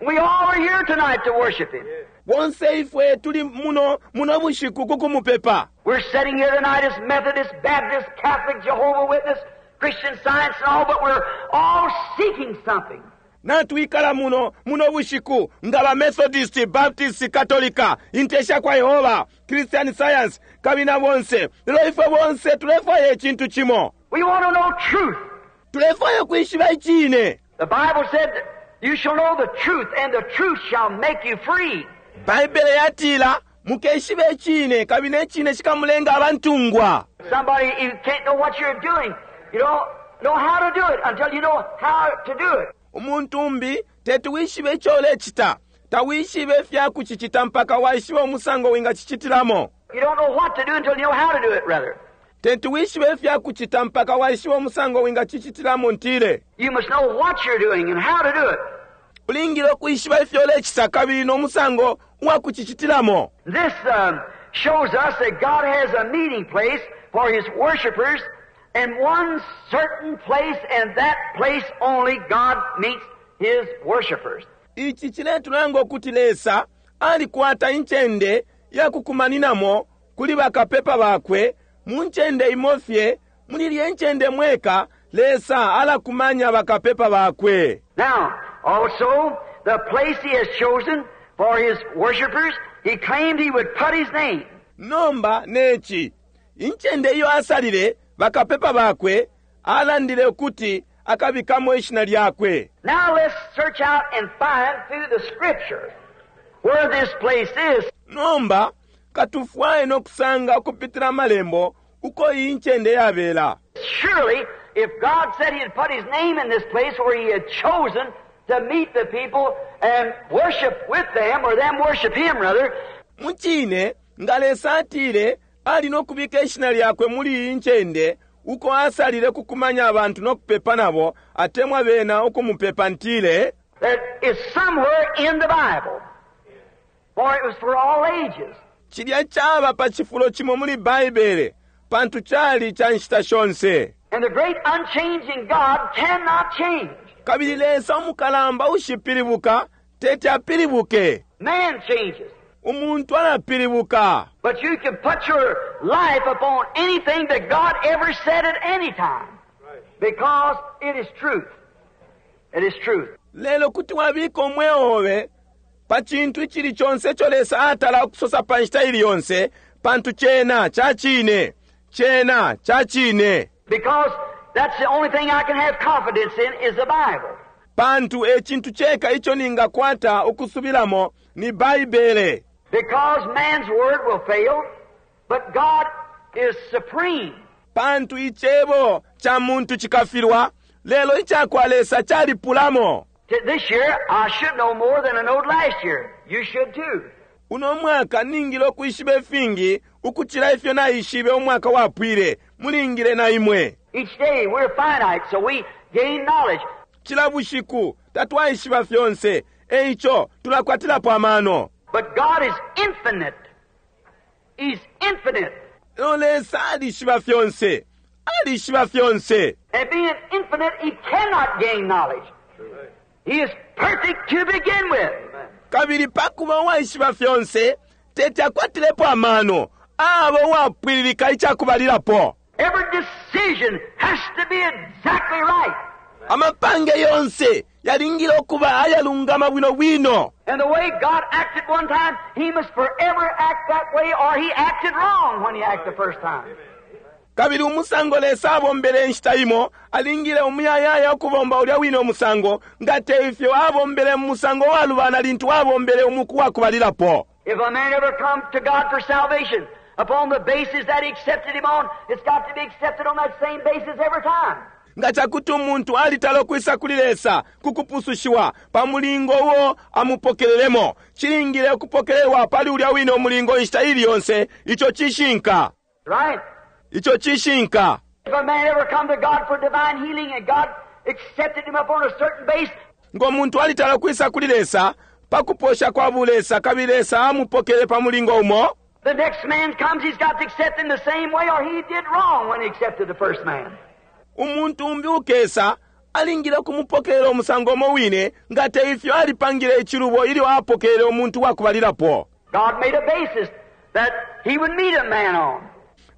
We all are here tonight to worship him. Bonse ifwe tuli muno muno bushiku ku kumupepa. We're sitting here tonight as Methodist, Baptist, Catholic, Jehovah's Witness, Christian Science and all, but we're all seeking something. Natwikala muno muno bushiku nga ba Methodist, Baptist, Katolika, Inte sha kwa Yehova, Christian Science, kabili na bonse. Lelo ifwe bonse tulefwaya icintu cimo. We want to know truth. Tulefwaya ukwishiba icine. The Bible said, you shall know the truth, and the truth shall make you free. Baibele yatila, mukeshibe icine, kabili ne cine cikamulenga abantungwa. Somebody, you can't know what you're doing. You don't know how to do it until you know how to do it. Umuntu umbi teti wishibe ico ulecita. Tawishibe ifya kucicita mpaka waishiba umusango wingacicitilamo. You don't know what to do until you know how to do it, rather. Teti wishibe ifya kucita mpaka waishiba umusango wingacicitilamo, ntile. You must know what you're doing and how to do it. Ulingile ukwishiba ifyo ulecita kabili no musango uwa kucicitilamo. This shows us that God has a meeting place for His worshipers in one certain place, and that place only God meets His worshipers. Ici ciletulanga ukuti Lesa alikwata incende ya kukumaninamo kuli bakapepa bakwe mu ncende imo fye, muli ilya incende mweka Lesa alakumanya bakapepa bakwe. Now, also, the place He has chosen for His worshipers, He claimed He would put His name. Nomba neci, incende iyo asalile bakapepa bakwe, alandile ukuti akabikamo ishina lyakwe. Now let's search out and find through the Scripture where this place is. Nomba katufwaye no kusanga ukupitila amalembo uko iyi ncende yabela. Surely, if God said He had put His name in this place where He had chosen to meet the people and worship with them, or them worship Him rather. Mucine, nga Lesa atile ali no kubika ishina lyakwe muli iyi ncende uko asalile kukumanya abantu no kupepa nabo, atemwa bena ukumupepa, ntile. That is somewhere in the Bible, for it was for all ages. Cilya caba pa cifulo cimo muli Baibele, pantu cali ca nshita shonse. And the great unchanging God cannot change. Kabili Lesa umukalamba ushipilibuka teti apilibuke. Man changes. Umuntu alapilibuka. But you can put your life upon anything that God ever said at any time. Because it is truth. It is truth. Lelo kuti wabika umweo obe pa cintu icili conse ico Lesa atala ukusosa pa nshita ili yonse, pantu cena ca cine. Cena ca cine. Because that's the only thing I can have confidence in is the Bible. Pantu e cintu ceka ico ningakwata ukusubilamo ni Baibele. Because man's word will fail, but God is supreme. Pantu icebo ca muntu cikafilwa, lelo icakwa Lesa calipulamo. This year, I should know more than I knowed last year. You should too. Uno mwaka ningile ukwishiba ifingi ukucila ifyo naishibe umwaka wapwile. Mulingile na imwe. Each day we're finite, so we gain knowledge. Cila bushiku tatwaishiba fyonse, e ico tulakwatilapo amano. But God is infinite. He's infinite. Lelo Lesa alishiba fyonse. Alishiba fyonse. And being infinite, He cannot gain knowledge. He is perfect to begin with. Kabili pa kuba uwaishiba fyonse, teti akwatilepo amano. Aba uwapwililika icakubalilapo. Every decision has to be exactly right. Amapange yonse yalingile ukuba ayalungama bwino bwino. And the way God acted one time, He must forever act that way, or He acted wrong when He acted the first time. Kabili umusango Lesa abombele inshita imo, alingile umuyayaya ukubomba ulya wine umusango, nga te ifyo abombele mu musango walubana lintu abombele umuku wa kubalilapo. If a man ever come to God for salvation, upon the basis that he accepted him on, it's got to be accepted on that same basis every time. Nga cakuti umuntu alitala ukwisa kuli Lesa ku kupusushiwa pa mulingo uo amupokelelemo, cilingile ukupokelelwa pali ulya wine umulingo inshita ili yonse. Ico cishinka. Right? Ico cishinka. If a man ever come to God for divine healing and God accepted him upon a certain base, Ngo muntu alitala ukwisa kuli Lesa pa kuposha kwa bulesa kabili Lesa amupokele pa mulingo umo, the next man comes, he's got to accept him the same way, or he did wrong when he accepted the first man. Umuntu umbi ukesa alingile ukumupokelela umusango umo wine, nga te ifyo alipangile icilubo ilyo apokelele umuntu wa kubalilapo. God made a basis that he would meet a man on.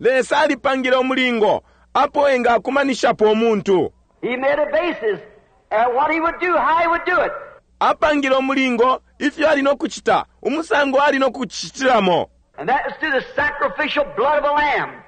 Lesa alipangile umulingo apo engakumanishapo umuntu. He made a basis at what he would do, how he would do it. Apangile umulingo ifyo ali no kucita, umusango ali no kucitilamo. And that was through the sacrificial blood of a lamb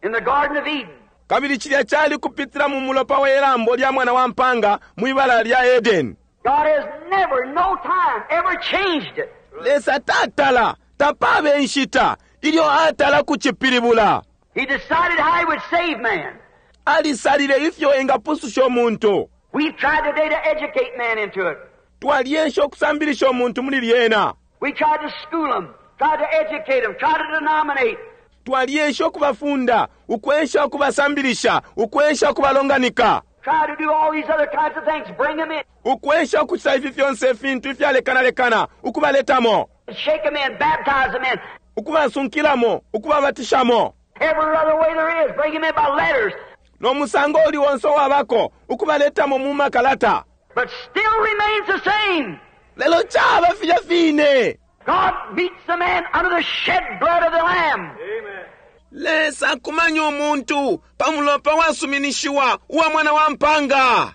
in the Garden of Eden. Kabili cilya cali kupitila mu mulopa we lambo lya mwana wa mpanga mwibala lya Edeni. God has never, no time, ever changed it. Lesa tatala, tapabe inshita ilyo atala kucipilibula. He decided how he would save man. Alisalile ifyo engapususha umuntu. We've tried today to educate man into it. Twaliesha ukusambilisha umuntu muli lyena. We tried to school them, tried to educate them, tried to denominate. Twaliesha ukubafunda, ukwesha ukubasambilisha, ukwesha ukubalonganika. Try to do all these other kinds of things, bring them in. Ukwesha ukucita ifi fyonse ifintu ifyalekanalekana, ukubaletamo. Shake them in, baptize them in. Ukubasunkilamo, ukubabatishamo. Every other way there is, bring them in by letters. No musango uli wonse wabako, ukubaletamo mu makalata. But still remains the same. Lelo caba filya fine. God meets the man under the shed blood of the Lamb. Amen. Lesa akumanya umuntu pa mulopa wasuminishiwa uwa mwana wa mpanga.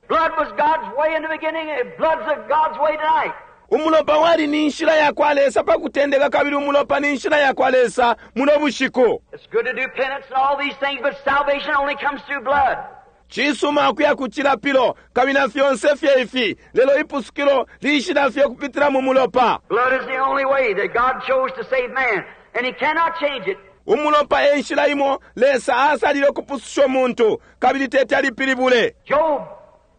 Blood was God's way in the beginning, and blood's God's way tonight. Umulopa wali ni nshila ya kwa Lesa pa kutendeka, kabili umulopa ni nshila ya kwa Lesa muno bushiku. It's good to do penance and all these things, but salvation only comes through blood. Cisuma ukuya ku cilapilo kabili na fyonse fye ifi, lelo ipusukilo lishila fye kupitila mu mulopa. Blood is the only way that God chose to save man, and he cannot change it. Umulopa e nshila imo Lesa asalile ukupususha umuntu, kabili teti alipilibule. Job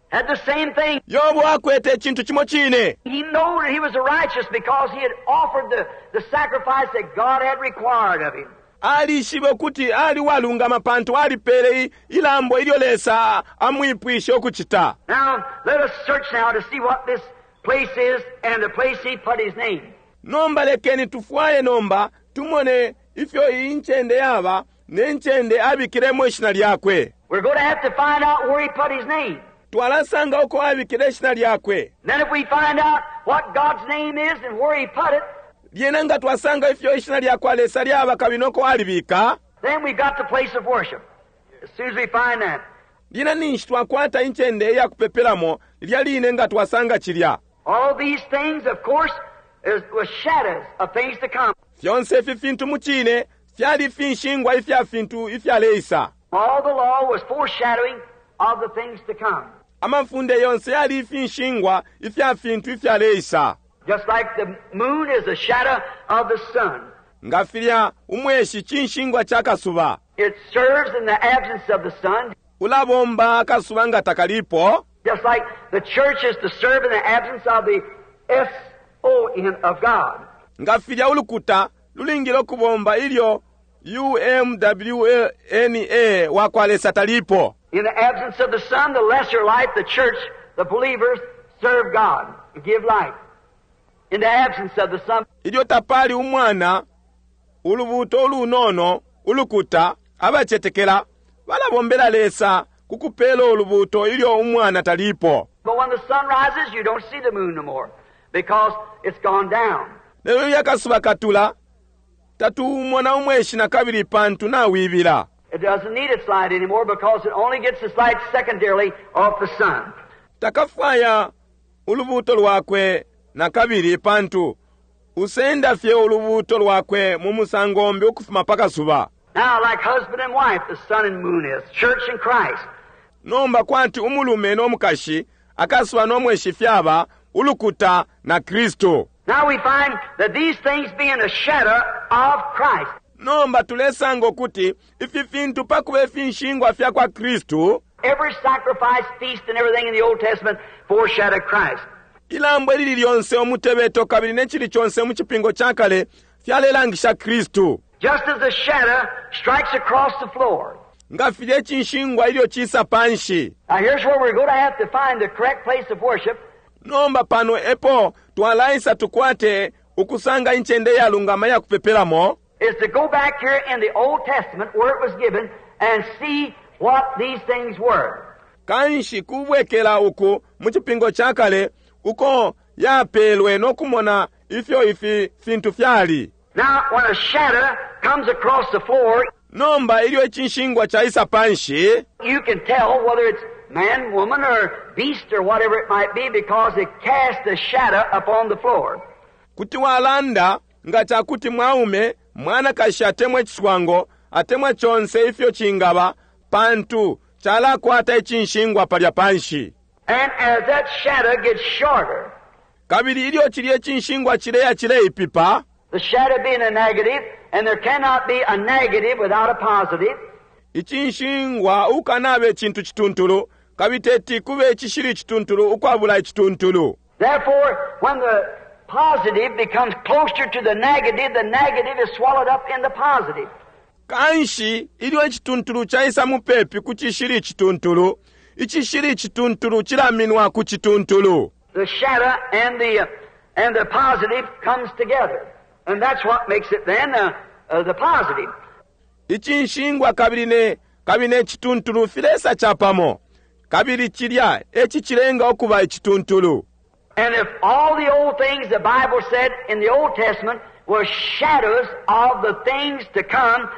had the same thing. Yobo akwete icintu cimo cine. He knew that he was righteous because he had offered the sacrifice that God had required of him. Alishibe ukuti ali walungama pantu alipele ilambo ilyo Lesa amwipwishe ukucita. Now, let us search now to see what this place is and the place he put his name. Nomba lekeni tufwaye nomba tumone ifyo iyi ncende yaba ne ncende abikilemo ishina lyakwe. We're going to have to find out where he put his name. Twalasanga uko abikile ishina lyakwe. Then if we find out what God's name is and where he put it, lyena nga twasanga ifyo ishina lyakwa Lesa lyaba kabili noko alibika, then we've got the place of worship. As soon as we find that. Lyena ninshi twakwata incende iya kupepelamo lilya line nga twasanga cilya. All these things, of course, was shadows of things to come. Fyonse ifi fintu mu cine fyali finshingwa ifya fintu ifyaleisa. All the law was foreshadowing of the things to come. Amafunde yonse yali ifinshingwa ifya fintu ifyaleisa. Just like the moon is a shadow of the sun. Nga filya umweshi cinshingwa ca kasuba. It serves in the absence of the sun. Ulabomba akasuba nga takalipo. Just like the church is to serve in the absence of the S-O-N of God. Nga filya ulukuta lulingile ukubomba ilyo U-M-W-N-A wakwa Lesa talipo. In the absence of the sun, the lesser light, the church, the believers, serve God, give light. In the absence of the sun. Ilyo tapali umwana, ulubuuto ulunono, ulukuta, abacetekela, balabombela Lesa ku kupela ulubuuto ilyo umwana talipo. But when the sun rises, you don't see the moon no more, because it's gone down. Lelo ilyo akasuba katula, tatuumona umweshi na kabili pantu nawibila. It doesn't need its light anymore because it only gets its light secondarily off the sun. Takafwaya ulubuuto lwakwe na kabili pantu usenda fye ulubuuto lwakwe mu musango umbi ukufuma pa kasuba. Now, like husband and wife, the sun and moon is, church and Christ. Nomba kwati umulume no mukashi, akasuba no mweshi fyaba, ulukuta na Kristu. Now we find that these things being a shadow of Christ. Nomba tulesanga ukuti ifi fintu pa kuba ifinshingwa fya kwa Kristu, Every sacrifice, feast, and everything in the Old Testament foreshadowed Christ. Ilambo ilili lyonse, umutebeto, kabili ne cili conse mu Cipingo ca Kale fyalelangisha Kristu. Just as the shadow strikes across the floor. Nga filya icinshingwa ilyo cisa panshi. Now here's where we're going to have to find the correct place of worship. Nomba pano epo twalaisa tukwate ukusanga incende iyalungama iya kupepelamo. Is to go back here in the Old Testament where it was given and see what these things were. Kanshi kubwekela uku mu Cipingo ca Kale uko yapelwe no kumona ifyo ifi fintu fyali. Now, when a shadow comes across the floor, Nomba ilyo icinshingwa caisa panshi, you can tell whether it's man, woman, or beast, or whatever it might be, because it casts a shadow upon the floor. Kuti walanda nga cakuti mwaume, mwanakashi atemwa iciswango, atemwa conse ifyo cingaba, pantu calakwata icinshingwa palya panshi. And as that shadow gets shorter, Kabili ilyo cilye cinshingwa cileya cileipipa, the shadow being a negative, and there cannot be a negative without a positive. Icinshingwa ukanaba icintu cituntulu, kabili teti kube icishili icituntulu ukwabula icituntulu. Therefore, when the positive becomes closer to the negative, the negative is swallowed up in the positive. Kanshi, ilyo icituntulu caisa mupepi ku cishili icituntulu, icishili icituntulu cilaminwa ku cituntulu. The shadow and the, and the positive comes together. And that's what makes it then uh, uh, the positive. Icinshingwa kabili ne, kabili ne cituntulu filesa capamo, kabili cilya e cicilenga ukuba icituntulu. And if all the old things the Bible said in the Old Testament were shadows of the things to come,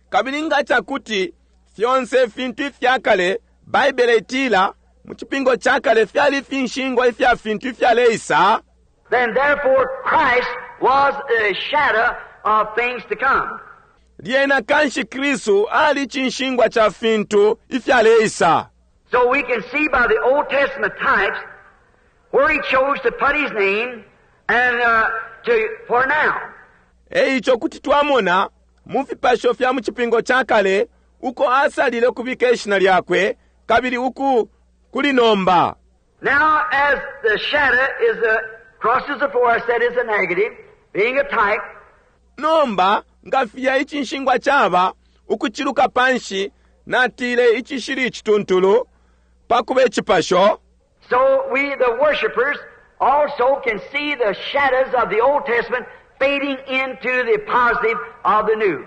Kabili nga cakuti fyonse ifintu ifya kale, Baibele itila, mu Cipingo ca Kale fyali ifinshingwa ifya fintu ifyaleisa, then therefore Christ was a shadow of things to come. Lyena kanshi Kristu ali cinshingwa ca fintu ifyaleisa. So we can see by the Old Testament types where he chose to put his name and uh, to, for now. E ico kuti twamona mu fipasho fya mu Cipingo ca Kale uko asalile ukubika ishina lyakwe kabili uku kuli nomba. Now, as the shadow is a, crosses the floor, I said is a negative, being a type. Nomba, nga filya icinshingwa caba, ukuciluka panshi, natile icishili icituntulu, pa kuba icipasho. So we, the worshipers, also can see the shadows of the Old Testament fading into the positive of the New.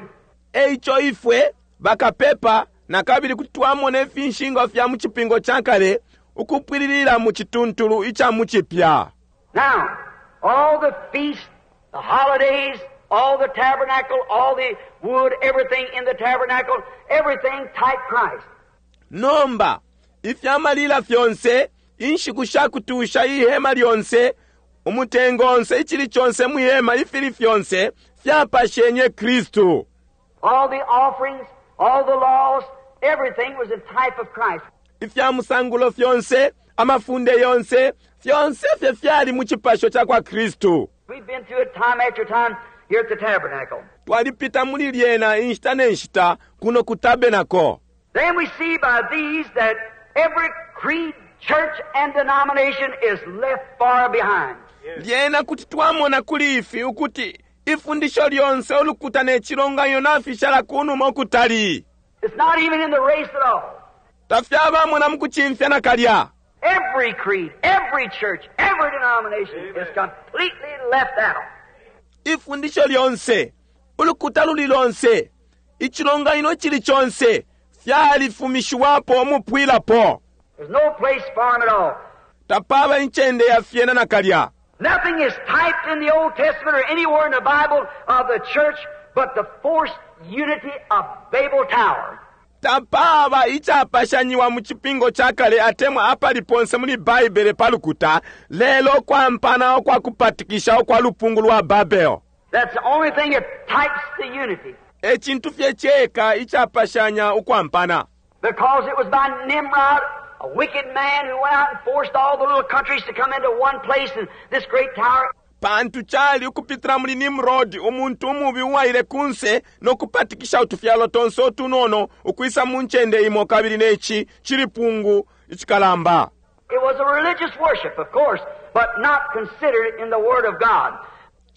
Eico ifwe, bakapepa, nakabili kuti twamona ifinshingwa fya mu Cipingo ca Kale ukupwililila mu cituntulu ica mu Cipya. Now, all the feasts, the holidays, all the tabernacle, all the wood, everything in the tabernacle, everything type Christ. Nomba, ifya malila fyonse, inshiku sha kutusha, ihema lyonse, umutengo onse, icili conse mwi hema, ifili fyonse, fyapashenye Kristu. All the offerings, all the laws, everything was a type of Christ. Ifya musangulo fyonse, amafunde yonse, fyonse fye fyali mu cipasho cakwa Kristu. We've been through it time after time here at the tabernacle. Twalipita muli lyena inshita ne nshita kuno ku tabernacle. Then we see by these that every creed, church, and denomination is left far behind. Lyena kuti twamona kuli ifi ukuti ifundisho lyonse, ulukuta ne cilonganino nafishala kunuma ukutali. It's not even in the race at all. Tafyabamo na mukucimfya nakalya. Every creed, every church, every denomination is completely left out. Ifundisho lyonse, ulukuta luli lonse, icilonganino icili conse fyalifumishiwapo umupwilapo. There's no place for them at all. Tapaba incende ya fyena nakalya. Nothing is typed in the Old Testament or anywhere in the Bible of the church but the forced unity of Babel Tower. Tapaba icapashanyiwa mu Cipingo ca Kale atemwa apali ponse muli Baibele pa lukuta, lelo ukwampana ukwa kupatikisha ukwa lupungu lwa Babel. That's the only thing that types the unity. E cintu fye ceka icapashanya ukwampana. Because it was by Nimrod, a wicked man who went out and forced all the little countries to come into one place in this great tower. Pantu cali ukupitila muli Nimrod, umuntu umubi uwaile kunse no kupatikisha utufyalo tonse utunono ukwisa mu ncende imo kabili ne ci cilipungu icikalamba. It was a religious worship, of course, but not considered in the Word of God.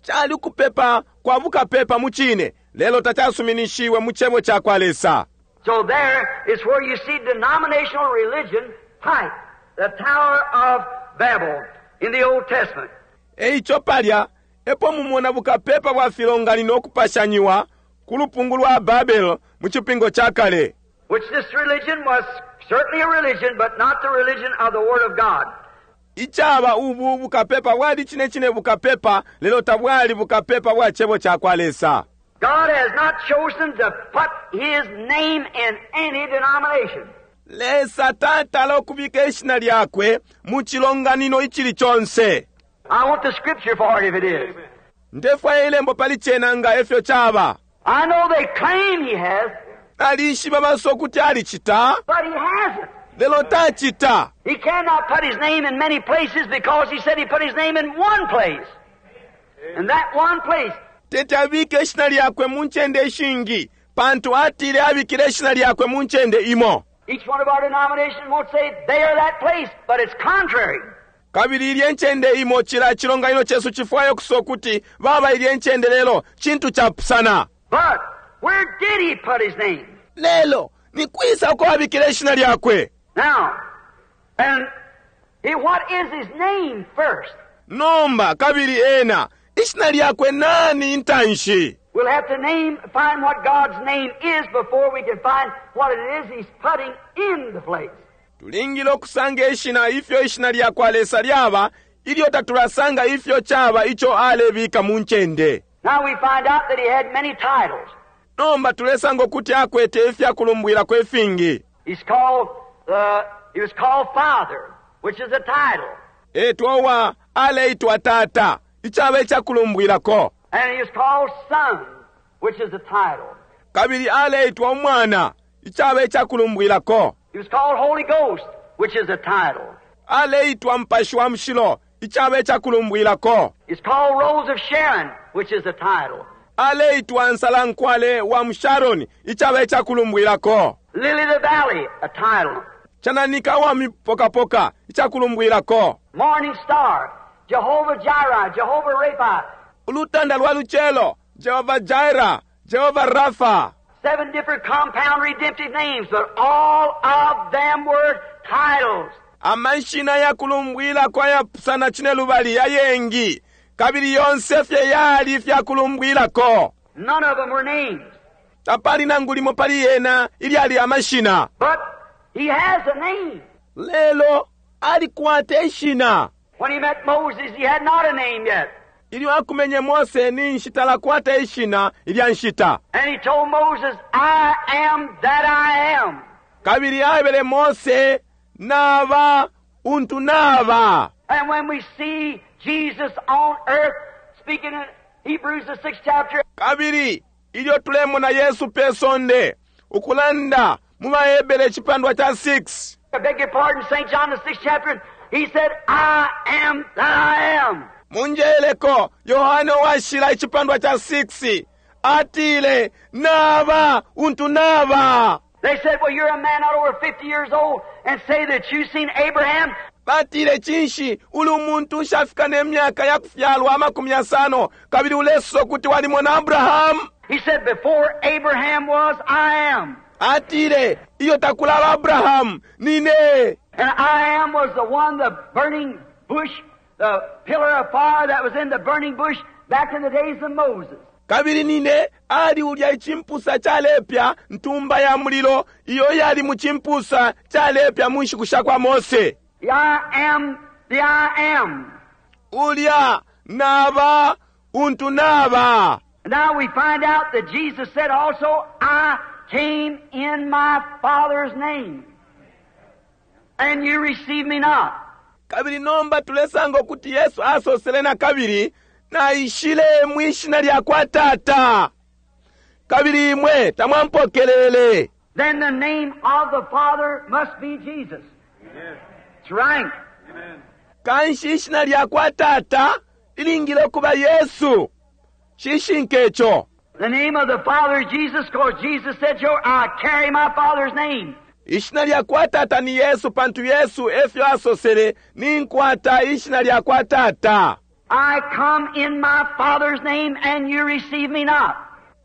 Cali ukupepa kwa bukapepa mu cine, lelo tacasuminishiwe mu Cebo ca kwa Lesa. So there is where you see denominational religion type, the Tower of Babel in the Old Testament. E ico palya epo mumona bukapepa bwa filonganino ukupashanyiwa ku lupungu lwa Babel mu Cipingo ca Kale. Which this religion was certainly a religion, but not the religion of the Word of God. Icaba ubu bukapepa bwali cine cine bukapepa, lelo tabwali bukapepa bwa Cebo ca kwa Lesa. God has not chosen to put His name in any denomination. Lesa tatala ukubika ishina lyakwe mu cilonganino icili conse. I want the scripture for it if it is. Ndefwaya ilembo pali cena nga efyo caba. I know they claim He has. Nalishiba basosa ukuti alicita. But He hasn't. Lelo tacita. He cannot put His name in many places because He said He put His name in one place. And that one place. Teti abike ishina lyakwe mu ncende ishingi, pantu atile abikile ishina lyakwe mu ncende imo. Each one of our denominations won't say they are that place, but it's contrary. Kabili ilye ncende imo cila cilonganino cesu cifwaya ukusosa ukuti baba ilye ncende lelo cintu capusana. But where did he put his name? Lelo ni kwisa uko abikile ishina lyakwe? Now, and he, what is his name first? Nomba, kabili ena, ishina lyakwe nani intanshi? We'll have to name, find what God's name is before we can find what it is he's putting in the place. Tulingile ukusanga ishina ifyo ishina lya kwa Lesa lyaba ilyo tatulasanga ifyo caba ico alebika mu ncende. Now we find out that he had many titles. Nomba tulesanga ukuti akwete ifya kulumbwilako ifingi. He's called, uh, he was called Father, which is a title. Etwa uwa aleitwa Tata, icaba ica kulumbwilako. And he was called Son, which is a title. Kabili aleitwa Umwana, icaba ica kulumbwilako. He was called Holy Ghost, which is a title. Aleitwa Mupashi wa Mushilo, icaba ica kulumbwilako. He's called Rose of Sharon, which is a title. Aleitwa Nsalankwale wa mu Sharoni, icaba ica kulumbwilako. Lily of the Valley, a title. Cananika wa mipokapoka, ica kulumbwilako. Morning Star, Jehovah Jireh, Jehovah Rapha. Ulutanda lwa lucelo, Jehovah Jireh, Jehovah Rapha. Seven different compound redemptive names, but all of them were titles. Amashina ya kulumbwilako ayapusana cinelubali ayengi, kabili yonse fye yali fya kulumbwilako. None of them were names. Tapali nangu limo pali yena ilyali amashina. But he has a name. Lelo alikwata ishina. When he met Moses, he had not a name yet. Ilyo akumenye Mose ninshi talakwata ishina ilya nshita. And he told Moses, I am that I am. Kabili aebele Mose, Naba untu naba. And when we see Jesus on earth speaking in Hebrews the 6th chapter. Kabili ilyo tulemona Yesu pe sonde ukulanda mu baHebere icipandwa ca 6. I beg your pardon, St. John the sixth chapter, he said, I am that I am. Munjeleko Yohane washila icipandwa cha 6 atile naba untu naba. They said, Well, you're a man not over 50 years old and say that you've seen Abraham. Batile cinshi uli umuntu ushafika ne myaka ya kufyalwa 50 kabili ulesosa ukuti walimona Abrahamu. He said, Before Abraham was, I am. Atile iyo takulaba Abrahamu nine. And I am was the one, the burning bush, the pillar of fire that was in the burning bush back in the days of Moses. Kabili nine ali ulya icimpusa calepya ntumba ya mulilo iyo yali mu cimpusa calepya mu nshiku sha kwa Mose. The I am, the I am. Ulya naba untu naba. Now we find out that Jesus said also, I came in my Father's name, and you receive me not. Kabili nomba tulesanga ukuti Yesu asosele na kabili, naishile mwishina lya kwa Tata, kabili imwe tamwampokelele. Then the name of the Father must be Jesus. That's right. Kanshi ishina lya kwa Tata lilingile ukuba Yesu. Cishinka ico. The name of the Father is Jesus, because Jesus said, Sure, I carry my Father's name. Ishina lya kwa Tata ni Yesu, pantu Yesu efyo asosele, ninkwata ishina lya kwa Tata. I come in my Father's name, and you receive me not.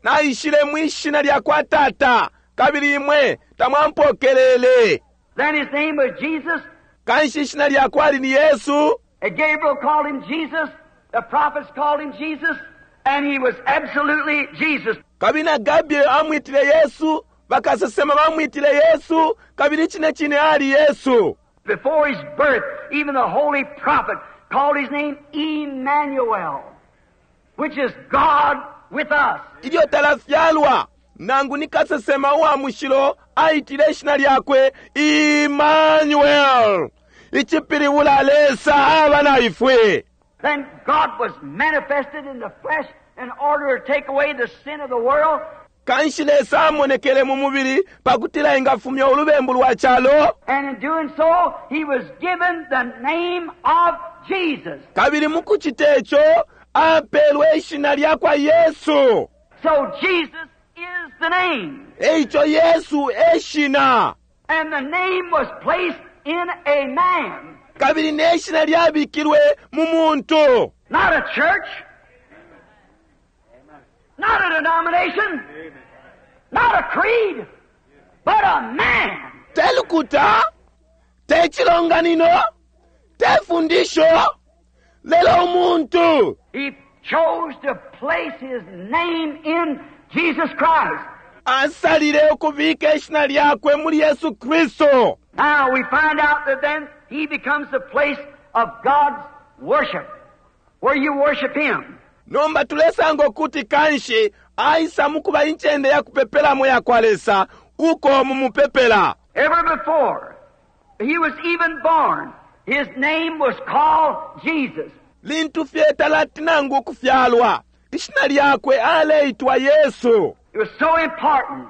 Naishile mwishina lya kwa Tata, kabili imwe tamwampokelele. Then his name was Jesus. Kanshi ishina lya kwali ni Yesu. And Gabriel called him Jesus. The prophets called him Jesus. And he was absolutely Jesus. Kabili na Gabriel amwitile Yesu, bakasesema bamwitile Yesu, kabili cine cine ali Yesu. Before his birth, even the holy prophet called his name Emmanuel, which is God with us. Ilyo talafyalwa, nangu ni kasesema uwa mushilo aitile ishina lyakwe Emmanuel, icipilibula Lesa aba na ifwe. Then God was manifested in the flesh in order to take away the sin of the world. Kanshi Lesa amonekele mu mubili pakutila engafumya ulubembu lwa calo. And in doing so, he was given the name of Jesus. Kabili mukucita ico apelwe ishina lya kwa Yesu. So Jesus is the name. Eico Yesu eshina. And the name was placed in a man. Kabili neshina lyabikilwe mu muntu. Not a church. Not a denomination. Not a creed. But a man. Te lukuta, te chilonganino, te fundisho, lelo umuntu. He chose to place his name in Jesus Christ. Asalile ukubika ishina lyakwe muli Yesu Kristo. Now we find out that then he becomes the place of God's worship, where you worship him. Nomba tulesanga ukuti kanshi aisa mukuba incende ya kupepelamo ya kwa Lesa, uko mumupepela. Ever before he was even born, his name was called Jesus. Lintu fye talati nangu ukufyalwa, ishina lyakwe aleitwa Yesu. It was so important.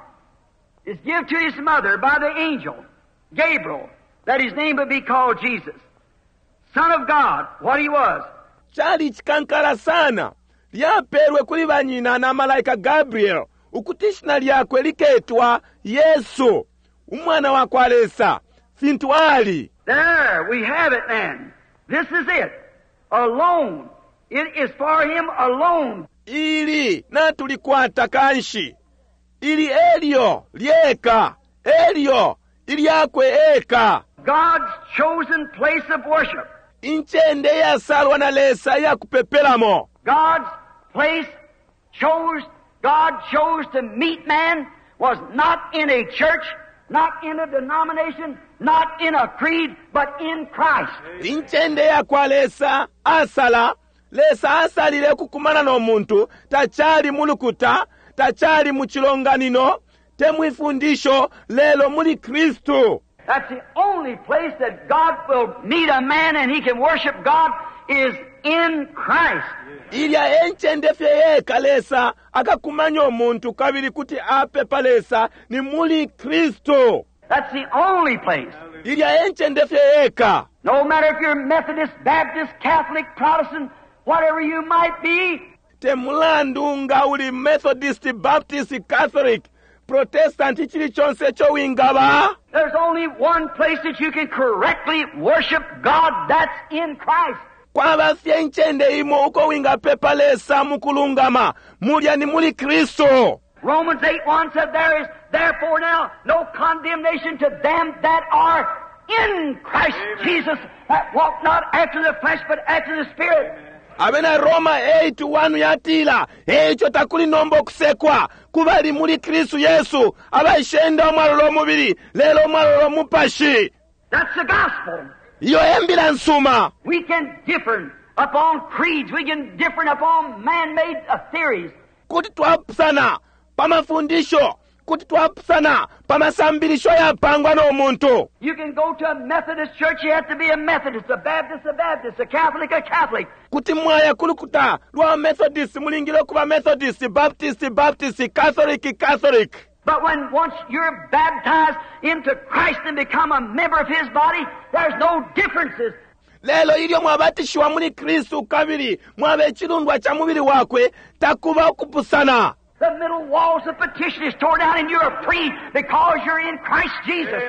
It's given to his mother by the angel, Gabriel, that his name would be called Jesus. Son of God, what he was. Cali chikankala sana. Lyapelwe kuli banyina na malaika Gabriel, ukuti ishina lyakwe liketwa Yesu, umwana wa kwa Lesa, fintu ali. There we have it then. This is it. Alone. It is for him alone. Ili natulikwata kanshi. Ili elyo lyeka, elyo ilyakwe eka. God's chosen place of worship. Incende yasalwa na Lesa yakupepelamo. God's place chose, God chose to meet man was not in a church, not in a denomination, not in a creed, but in Christ. Incende yakwa Lesa asala, Lesa asalile kukumana no muntu, tachali mulukuta, tachali muchilonganino, te mwifundisho, lelo muli Kristu. That's the only place that God will meet a man and he can worship God is in Christ. Ilya encende fye yeka Lesa akakumanya omuntu kabili kuti apepa Lesa ni muli Kristu. That's the only place. Ilya e ncende fye yeka. No matter if you're Methodist, Baptist, Catholic, Protestant, whatever you might be, Te mulandu nga uli Methodist, Baptist, Catholic, Protestant, chili chonse icho wingaba, there's only one place that you can correctly worship God, that's in Christ. Kwaba fye incende imo uko wingapepa Lesa mukulungama, mulya ni muli Kristu. Romans 8:1 said, There is therefore now no condemnation to them that are in Christ Jesus, that walk not after the flesh, but after the Spirit. Abena Roma 8:1 yatila, eico takuli nomba okusekwa kubali muli Kristu Yesu, abaishenda umwalola umubili lelo umwalola umupashi. That's the gospel. Iyo e mbila nsuma. We can differ upon creeds. We can differ upon man-made theories. Kuti twapusana pa mafundisho, kuti twapusana pa masambilisho yapangwa no muntu. You can go to a Methodist church, you have to be a Methodist, a Baptist, a Baptist, a Catholic, a Catholic. Kuti mwaya kulukuta lwa Methodist, mulingile kuba Methodist, Baptist, Baptist, Catholic, Catholic. But when once you're baptized into Christ and become a member of His body, there's no differences. Lelo ilyo mwabatishiwa muli Kristu kabili mwaba icilundwa ca mubili wakwe, takuba ukupusana. The middle walls of petition is torn down and you're free because you're in Christ Jesus.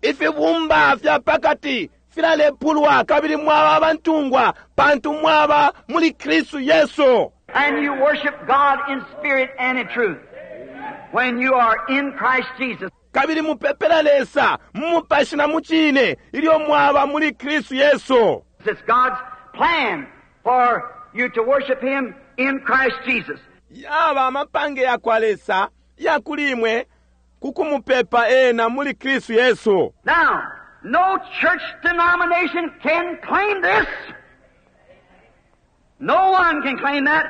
Ifibumba fya pakati filalepulwa kabili mwaba abantungwa pantu mwaba muli Kristu Yesu. And you worship God in spirit and in truth when you are in Christ Jesus. Kabili mupepela Lesa mu mupashi na mu cine ilyo mwaba muli Kristu Yesu. It's God's plan for you to worship Him in Christ Jesus. Yaba amapange ya kwa Lesa ya kuli imwe kukumupepa ena muli Kristu Yesu. Now, no church denomination can claim this. No one can claim that.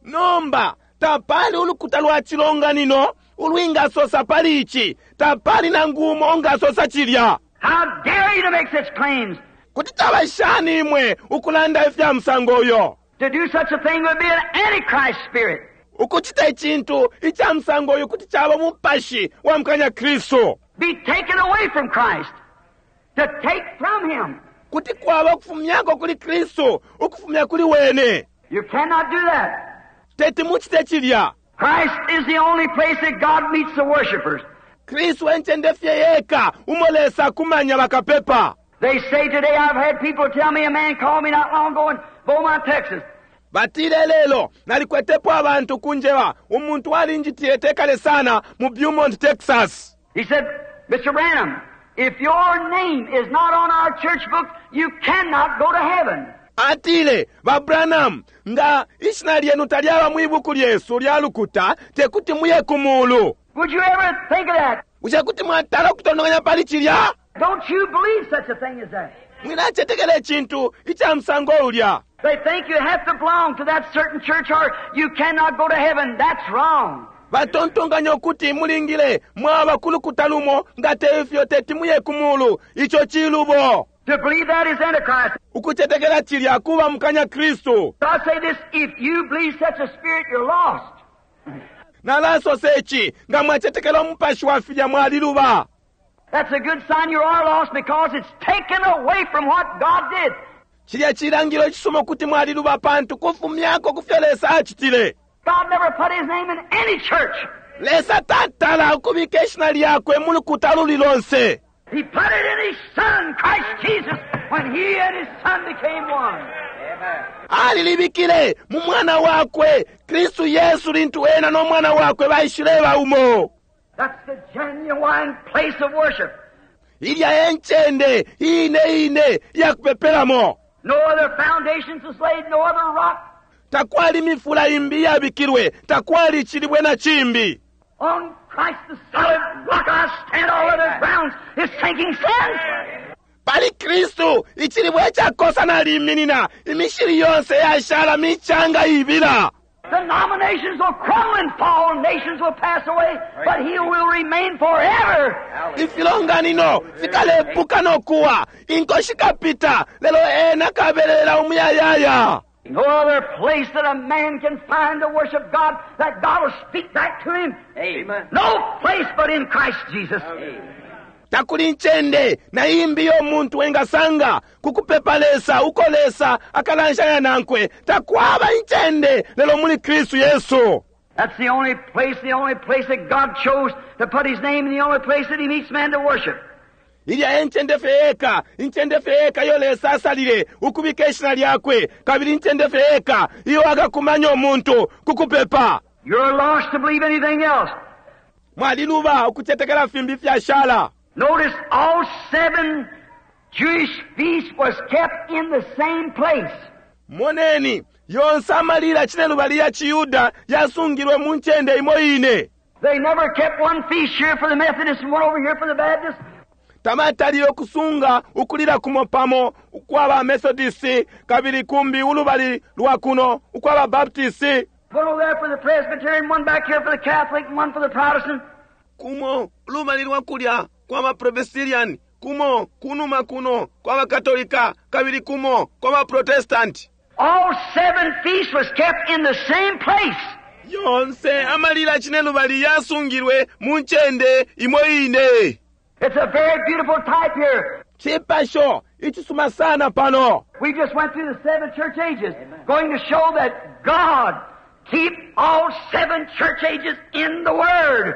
Nomba, tapali ulukuta lwa chilonganino ulwingasosa pali ichi, tapali nangu umo ongasosa chilya. How dare you to make such claims? Kuti taba shani imwe ukulanda ifya musango uyo? To do such a thing would be an antichrist spirit. Ukuchita ichintu icha musango uyu kuti chaba mupashi wa mukanya Kristu. Be taken away from Christ. To take from Him. Kuti kwaba ukufumyako kuli Kristu, ukufumya kuli wene. You cannot do that. Teti muchite chilya. Christ is the only place that God meets the worshipers. Kristu encende fye yeka umo Lesa kumanya bakapepa. They say today, I've had people tell me, a man called me not long ago in Beaumont, Texas. Batile lelo, nalikwetepo abantu kunjeba, umuntu alinjitile tekale sana mu Beaumont, Texas. He said, Mr. Branham, if your name is not on our church book, you cannot go to heaven. Atile, ba Branham, nga ishina lyenu talyaba mu ibuku lyesu lya lukuta, tekuti muye ku mulu. Would you ever think of that? Bushe kuti mwatala ukutondonkanya pali chilya? Don't you believe such a thing as that? Mwilachetekela ichintu icha musango ulya. They think you have to belong to that certain church or you cannot go to heaven. That's wrong. Batontonkanya ukuti mulingile mwaba kulukuta lumo nga teifyo teti muye ku mulu. Icho chilubo. To believe that is Antichrist. Ukuchetekela chilya kuba mukanya Kristu. I say this, if you believe such a spirit, you're lost. Nalasosa ichi, nga mwachetekela umupashi wa filya mwaliluba. That's a good sign you are lost because it's taken away from what God did. Chilya chilangilo ichisuma kuti mwaliluba pantu kufumyako kufyo Lesa achitile. God never put His name in any church. Lesa tatala ukubika ishina lyakwe mu lukuta luli lonse. He put it in His Son, Christ Jesus, when He and His Son became one. Amen. Alilibikile mu mwana wakwe Kristu Yesu lintu ena no mwana wakwe baishileba umo. That's the genuine place of worship. Ilya enchende ine ine ya kupepelamo. No other foundations was laid, no other rock. Takwali mifula imbi yabikilwe, takwali chilibwe na chimbi. On Christ the solid rock I stand, all other grounds is sinking sand. Pali Kristu ichilibwe chakosa naliminina, imishiri yonse yashala michanga ibila. Denominations will crumble and fall, nations will pass away, but He will remain forever. Ifilonganino fikalepuka nokuwa, inko shikapita, lelo ena kabelela umuyayaya. No other place that a man can find to worship God that God will speak back to him. Amen. No place but in Christ Jesus. Amen. Takuli incende na imbi iyo umuntu engasanga ku kupepa Lesa uko Lesa akalanshanya nankwe. Takwaba incende lelo muli Kristu Yesu. That's the only place, the only place that God chose to put His name, and the only place that He meets man to worship. Ilya e ncende fye yeka, incende fye yeka iyo Lesa asalile ukubika ishina lyakwe, kabili incende fye yeka iyo akakumanya umuntu ku kupepa. You're lost to believe anything else. Mwaliluba ukucetekela fimbi ifyashala. Notice all seven Jewish feasts was kept in the same place. Moneni, yonse amalila cinelubali ya ciYuda yasungilwe mu ncende imo ine. They never kept one feast here for the Methodists and one over here for the Baptists. Tabatalile ukusunga ukulila kumo pamo ukwa ba Methodisti kabili kumbi ulubali lwa kuno ukwa ba Baptisti. One over there for the Presbyterian, one back here for the Catholic, and one for the Protestant. Kumo ulubali lwa kulya kwa ba Presbyterian, kumo kunuma kuno kwa ba Katolika, kabili kumo kwa ba Protestant. All seven feasts was kept in the same place. Yonse amalila cinelubali yasungilwe mu ncende imo ine. It's a very beautiful type here. Cipasho icisuma sana pano. We just went through the seven church ages, going to show that God keep all seven church ages in the Word.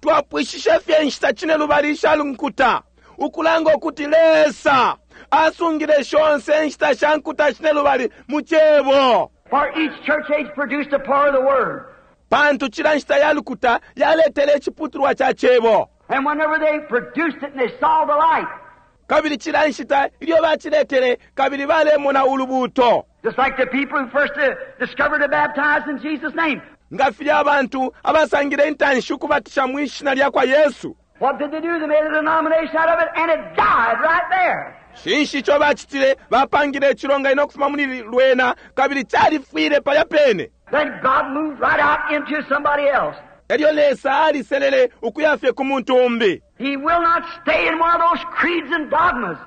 Twapwishishe fye inshita cinelubali isha nkuta, ukulanga ukuti Lesa asungile shonse inshita sha nkuta cinelubali mu Cebo. For each church age produced a part of the Word. Pantu cila nshita ya lukuta yaletele iciputulwa ca Cebo. And whenever they produced it and they saw the light, Kabili cila nshita ilyo baciletele kabili balemona ulubuuto. just like the people who first discovered to baptize in Jesus' name. Nga filya abantu abasangile intanshi ukubatisha mwi shina lya kwa Yesu. What did they do? They made a denomination out of it and it died right there. Cinshi ico bacitile? Bapangile icilonganino ukufuma muli lwena kabili califwile palya pene. Then God moved right out into somebody else. Elyo Lesa aliselele ukuya fye ku muntu umbi. He will not stay in one of those creeds and dogmas.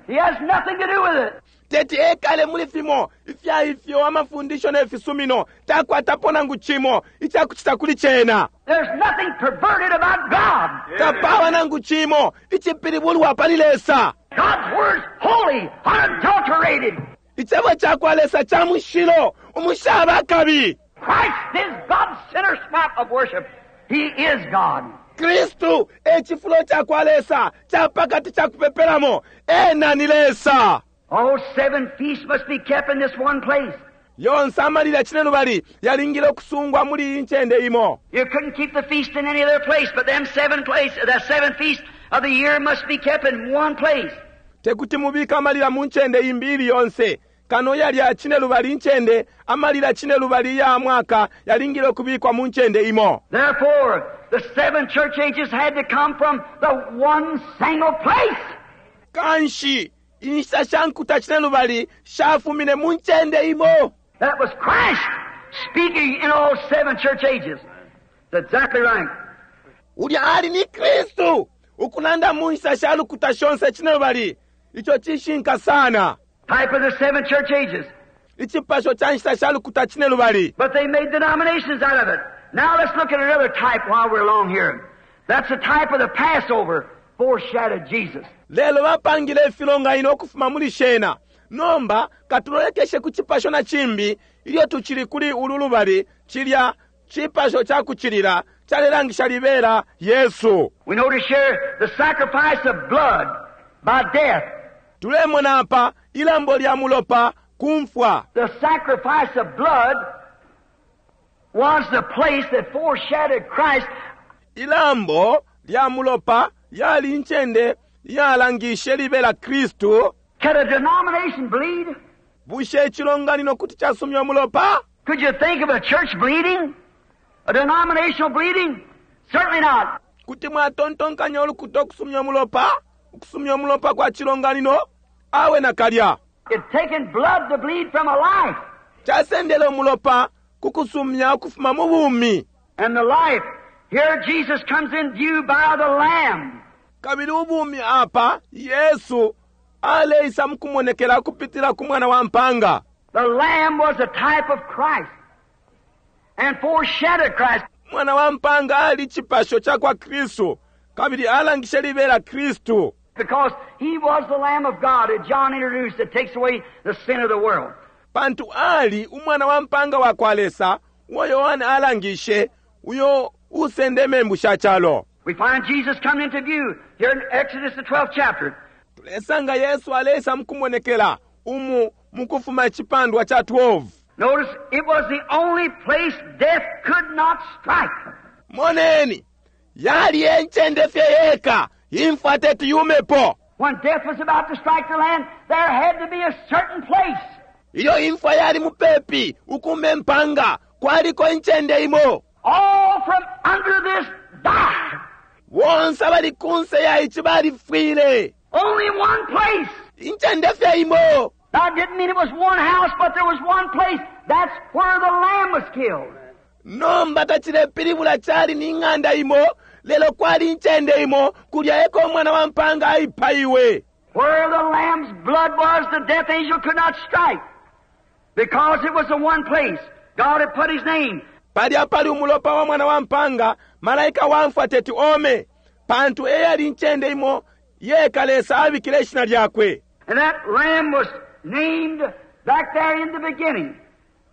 He has nothing to do with it. Teti ekale muli fimo ifya ifyo amafundisho ne fisumino, takwatapo nangu cimo icakucita kuli cena. There's nothing perverted about God. Tapaba nangu cimo icipilibulwa pali Lesa. God's word's holy, unadulterated. Icebo cakwa Lesa ca mushilo, umushaba akabi. Christ is God's center spot of worship. He is God. Kristu e cifulo cakwa Lesa ca pakati ca kupepelamo. Ena ni Lesa. All seven feasts must be kept in this one place. Yonse amalila cinelubali yalingile ukusungwa muli iyi ncende imo. You couldn't keep the feast in any other place, but them seven places, the seven feasts of the year must be kept in one place. Tekuti mubike amalila mu ncende imbi ili yonse, kano yalya cinelubali incende, amalila cinelubali ya mwaka yalingile ukubikwa mu ncende imo. Therefore, the seven church ages had to come from the one single place. Kanshi, inshita sha nkuta cinelubali shafumine mu ncende imo. That was Christ speaking in all seven church ages. That's exactly right. Ulya ali ni Kristu ukulanda mu nshita sha lukuta shonse cinelubali. Ico cishinka sana. Type of the seven church ages. Icipasho ca nshita sha lukuta cinelubali. But they made denominations out of it. Now let's look at another type while we're along here. That's the type of the Passover foreshadowed Jesus. Lelo bapangile ifilonganino ukufuma muli shena. Nomba katulolekeshe ku cipasho na cimbi ilyo tucili kuli ulu lubali, cilya cipasho ca kucilila calelangisha libela Yesu. We notice here the sacrifice of blood by death. Tulemona apa ilambo lya mulopa ku mfwa. The sacrifice of blood was the place that foreshadowed Christ. Ilambo lya mulopa yali incende yalangishe libela Kristu. Can a denomination bleed? Bushe icilonganino kuti casumya umulopa? Could you think of a church bleeding? A denominational bleeding? Certainly not. Kuti mwatontonkanya ulukuta ukusumya umulopa? Ukusumya umulopa kwa cilonganino? Awe nakalya. It's taken blood to bleed from a life. Casendele umulopa ku kusumya ukufuma mu bumi. And the life, here Jesus comes in view by the Lamb. Kabili ubumi apa, Yesu aleisa mukumonekela ukupitila ku mwana wa mpanga. The Lamb was a type of Christ and foreshadowed Christ. Mwana wa mpanga ali cipasho ca kwa Kristu. Kabili alangishe libela Kristu. Because he was the Lamb of God that John introduced that takes away the sin of the world. Pantu ali umwana wa mpanga wa kwa Lesa uo Yohane alangishe uyo usende membu sha calo. We find Jesus coming into view here in Exodus the 12th chapter. Tulesanga Yesu aleisa mukumonekela umu mukufuma icipandwa cha 12. Notice it was the only place death could not strike. Moneni, yali encende fye yeka imfwa teti yumepo. When death was about to strike the land, there had to be a certain place. Ilyo imfwa yali mupepi ukume mpanga kwaliko incende imo. All from under this died. Bonse abali kunse ya ici balifwile. Only one place. Incende fye imo. That didn't mean it was one house, but there was one place. That's where the lamb was killed. Nomba tacilepilibula cali ni ng'anda imo, lelo kwali incende imo kulya eko umwana wa mpanga aipaiwe. Where the lamb's blood was, the death angel could not strike. Because it was the one place. God had put his name. Palya pali umulopa wa mwana wa mpanga, malaika wa mfwa teti ome, pantu eyali incende imo yeka Lesa abikile ishina lyakwe. And that lamb was named back there in the beginning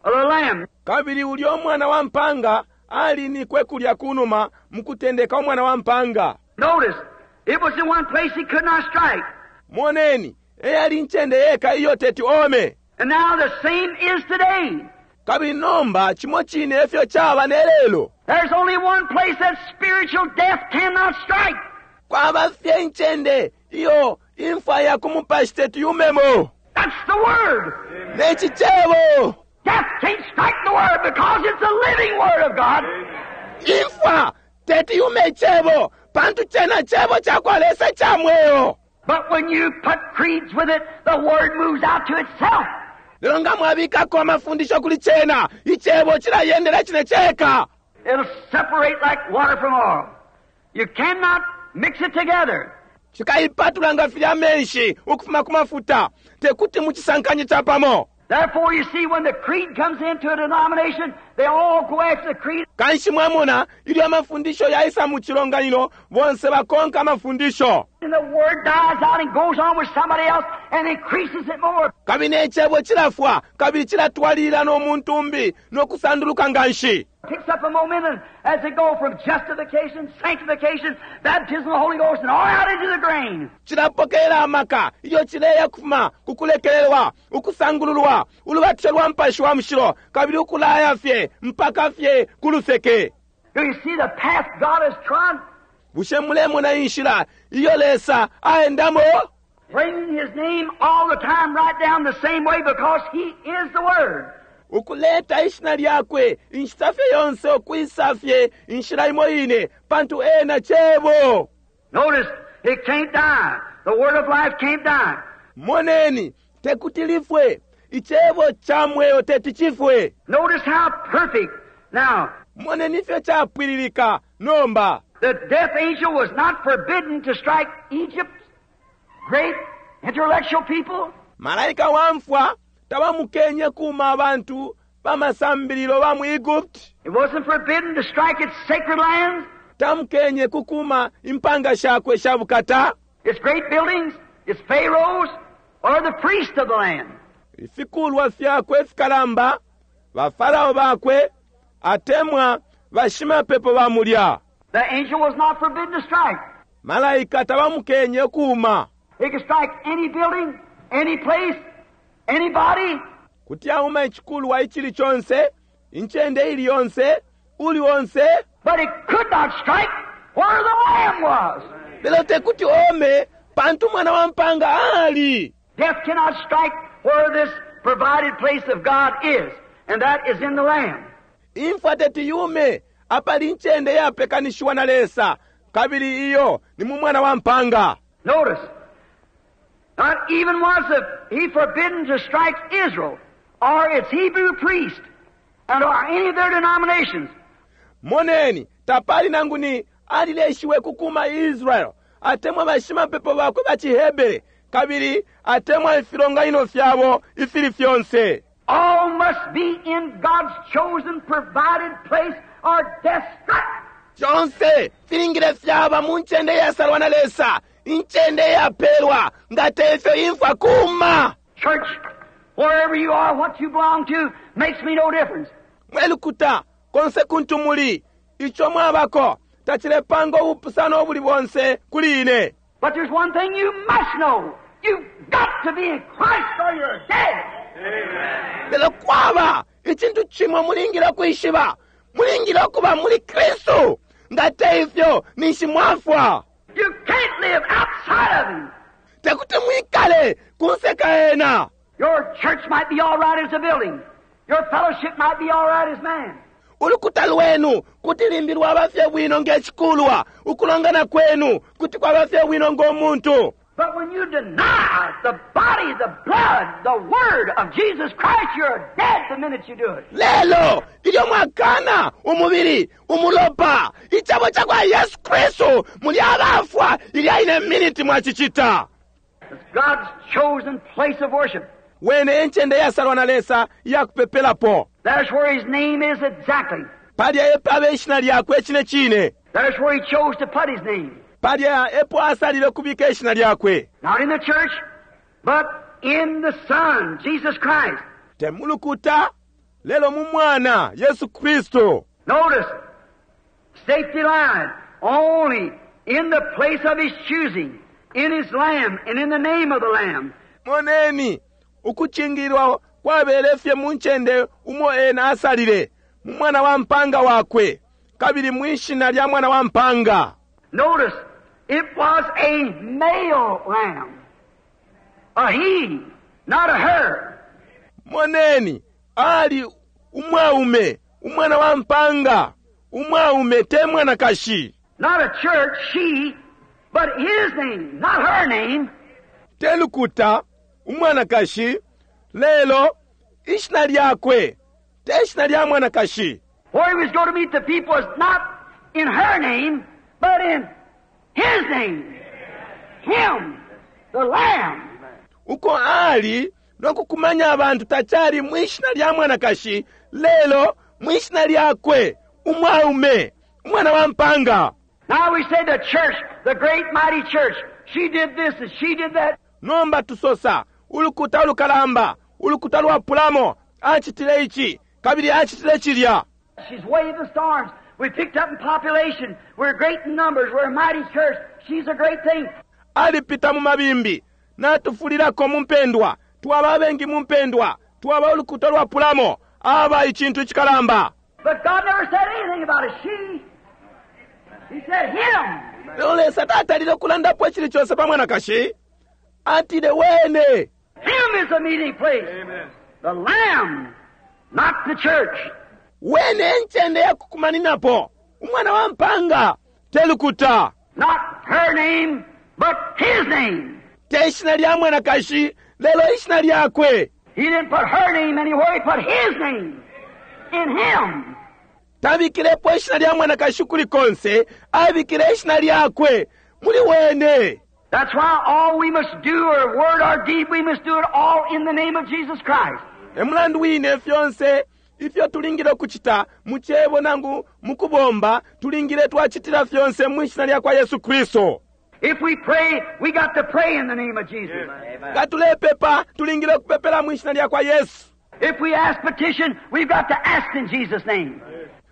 of the lamb. Kabili ulya umwana wa mpanga alinikwe kulya kunuma mukutendeka umwana wa mpanga. Notice, it was the one place he could not strike. Moneni, eyali incende yeka iyo teti ome. And now the same is today. Kabili nomba chimo chine efyo chaba ne lelo. There's only one place that spiritual death cannot strike. Kwaba fye incende iyo imfwa ya kumupashi teti yumemo. That's the Word. Neci cebo. Death can't strike the Word because it's the living Word of God. Imfwa teti yume cebo pantu chena cebo chakwa Lesa cha mweo. But when you put creeds with it, the Word moves out to itself. Lelo nga mwabikako amafundisho kuli chena, icebo chilayendera chine cheka. It'll separate like water from oil. You cannot mix it together. Chikaipatula nga filya amenshi ukufuma ku mafuta, tekuti muchisankanye chapamo. Therefore, you see, when the creed comes into a denomination, they all go after the creed. Kanshi mwamona ilyo amafundisho yaisa mu chilonganino, bonse bakonka amafundisho. And the Word dies out and goes on with somebody else and increases it more. Kabili n'ecebo chilafwa, kabili chilatwalilila n'omuntu umbi n'okusanduluka nga nshi. Picks up a momentum as they go from justification, sanctification, baptism of the Holy Ghost, and all out into the grain. Chilapokelela amaka ilyo chileya kufuma kukulekelelwa, ukusangululwa, ulubatisho lwa mpashi wa mushilo, kabili ukulaya fye mpaka fye kuluseke. Do you see the path God has trod? Bushe mulemona inshila iyo Lesa aendamo? Bringing His name all the time right down the same way because He is the Word. Ukuleta ishina lyakwe inshita fye yonse ukwisa fye inshila imo ine pantu ena cebo. Notice, it can't die. The Word of life can't die. Moneni, tekuti lifwe. Icebo cha mweo teti chifwe. Notice how perfect. Now, Moneni fye chapwililika nomba. the death angel was not forbidden to strike Egypt's great intellectual people. Malaika wa mfwa tabamukenye kuma abantu bamasambililo ba mu Egypt. It wasn't forbidden to strike its sacred lands, Tamukenye kukuma impanga shakwe sha bukata. its great buildings, its pharaohs, or the priests of the land. Ifikulwa fyakwe fikalamba, bafarao bakwe, atemwa bashimapepo ba mulya. The angel was not forbidden to strike. Malaika tabamukenye kuma. He could strike any building, any place, anybody. Kuti auma ichikulwa ichili chonse, incende ili yonse, uli onse. But it could not strike where the lamb was. Lelo tekuti ome, pantu mwana wa mpanga ali. Death cannot strike where this provided place of God is, and that is in the Lamb. Imfwa teti yume, apali incende yapekanishiwa na Lesa, kabili iyo ni mu mwana wa mpanga. Notice, not even was he forbidden to strike Israel or its Hebrew priest and or any of their denominations. Moneni, tapali nangu ni alileshiwe kukuma Israel, atemwa bashimapepo bakwe ba Chihebere, kabili atemwa ifilonganino fyabo ifili fyonse. All must be in God's chosen, provided place or death struck. Fyonse filingile fyaba mu ncende iyasalwa na Lesa, incende iyapelwa, nga tefyo imfwa kuma. Church, wherever you are, what you belong to, makes me no difference. Mwe lukuta, konse kuntu muli, ico mwabako, tacilepanga ubupusano ubuli bonse kuli ine. But there's one thing you must know. You've got to be in Christ or you're dead. Lelo kwaba icintu cimo mulingile ukwishiba, mulingile ukuba muli Kristu, nga te ifyo ninshi mwafwa. You can't live outside of Him. Tekuti mwikale kunse ka ena. Your church might be all right as a building. Your fellowship might be all right as man. Ulukuta lwenu kuti limbi lwaba fye bwino nge cikulwa, ukulongana kwenu kuti kwaba fye bwino ngo muntu. But when you deny the body, the blood, the word of Jesus Christ, you're dead the minute you do it. Lelo ilyo mwakana umubili, umulopa, icebo ca kwa Yesu Kristu, muli abafwa ilya ine miniti mwacicita. It's God's chosen place of worship. Wene encende yasalwa na Lesa iya kupepelapo. That's where His name is exactly. Palya epo ishina lyakwe cine cine. That's where He chose to put His name. Palya epo asalile kubika ishina lyakwe. Not in the church, but in the Son, Jesus Christ. Te mulukuta, lelo mu mwana, Yesu Kristu. Notice, safety line, only in the place of His choosing, in His Lamb, and in the name of the Lamb. Moneni, ukucingilwa kwabele fye mu ncende umo ena asalile, mu mwana wa mpanga wakwe, kabili mwishina lya mwana wa mpanga. Notice, it was a male lamb. A he, not a her. Moneni, ali umwaume, umwana wa mpanga, umwaume te mwanakashi. Not a church, she, but his name, not her name. Te lukuta, umwanakashi, lelo ishina lyakwe, te ishina lya mwanakashi. Where he was going to meet the people was not in her name, but in his name. Him, the Lamb. Uko ali nokukumanya abantu tachali mwishina lya mwanakashi, lelo mwishina lyakwe, umwaume, umwana wa mpanga. Now we say the church, the great mighty church, she did this and she did that. Nomba tusosa, ulukuta ulukalamba, ulukuta lwa pulamo, acitile ichi, kabili acitile chilya. She's waved the storms. We picked up in population. We're great in numbers. We're a mighty church. She's a great thing. Alipita mu mabimbi, natufulilako mu mpendwa, twaba abengi mu mpendwa, twaba ulukuta lwa pulamo, aba icintu icikalamba. But God never said anything about a she. He said him. Lelo Lesa tatalile kulandapo icili conse pa mwanakashi. Atile wene. Him is the meeting place. Amen. The Lamb, not the church. Wene encende ya kukumaninapo, umwana wa mpanga, te lukuta. Not her name, but his name. Te ishina lya mwanakashi, lelo ishina lyakwe. He didn't put her name anywhere, he put his name in him. Tabikilepo ishina lya mwanakashi kuli konse, abikile ishina lyakwe muli wene. That's why all we must do, or word or deed, we must do it all in the name of Jesus Christ. Emulandu wine fyonse ifyo tulingile kuchita mu cebo nangu mu kubomba, tulingile twachitila fyonse mu ishina lya kwa Yesu Kristo. If we pray, we got to pray in the name of Jesus. Nga tulepepa, tulingile kupepela mu ishina lya kwa Yesu. If we ask petition, we've got to ask in Jesus' name.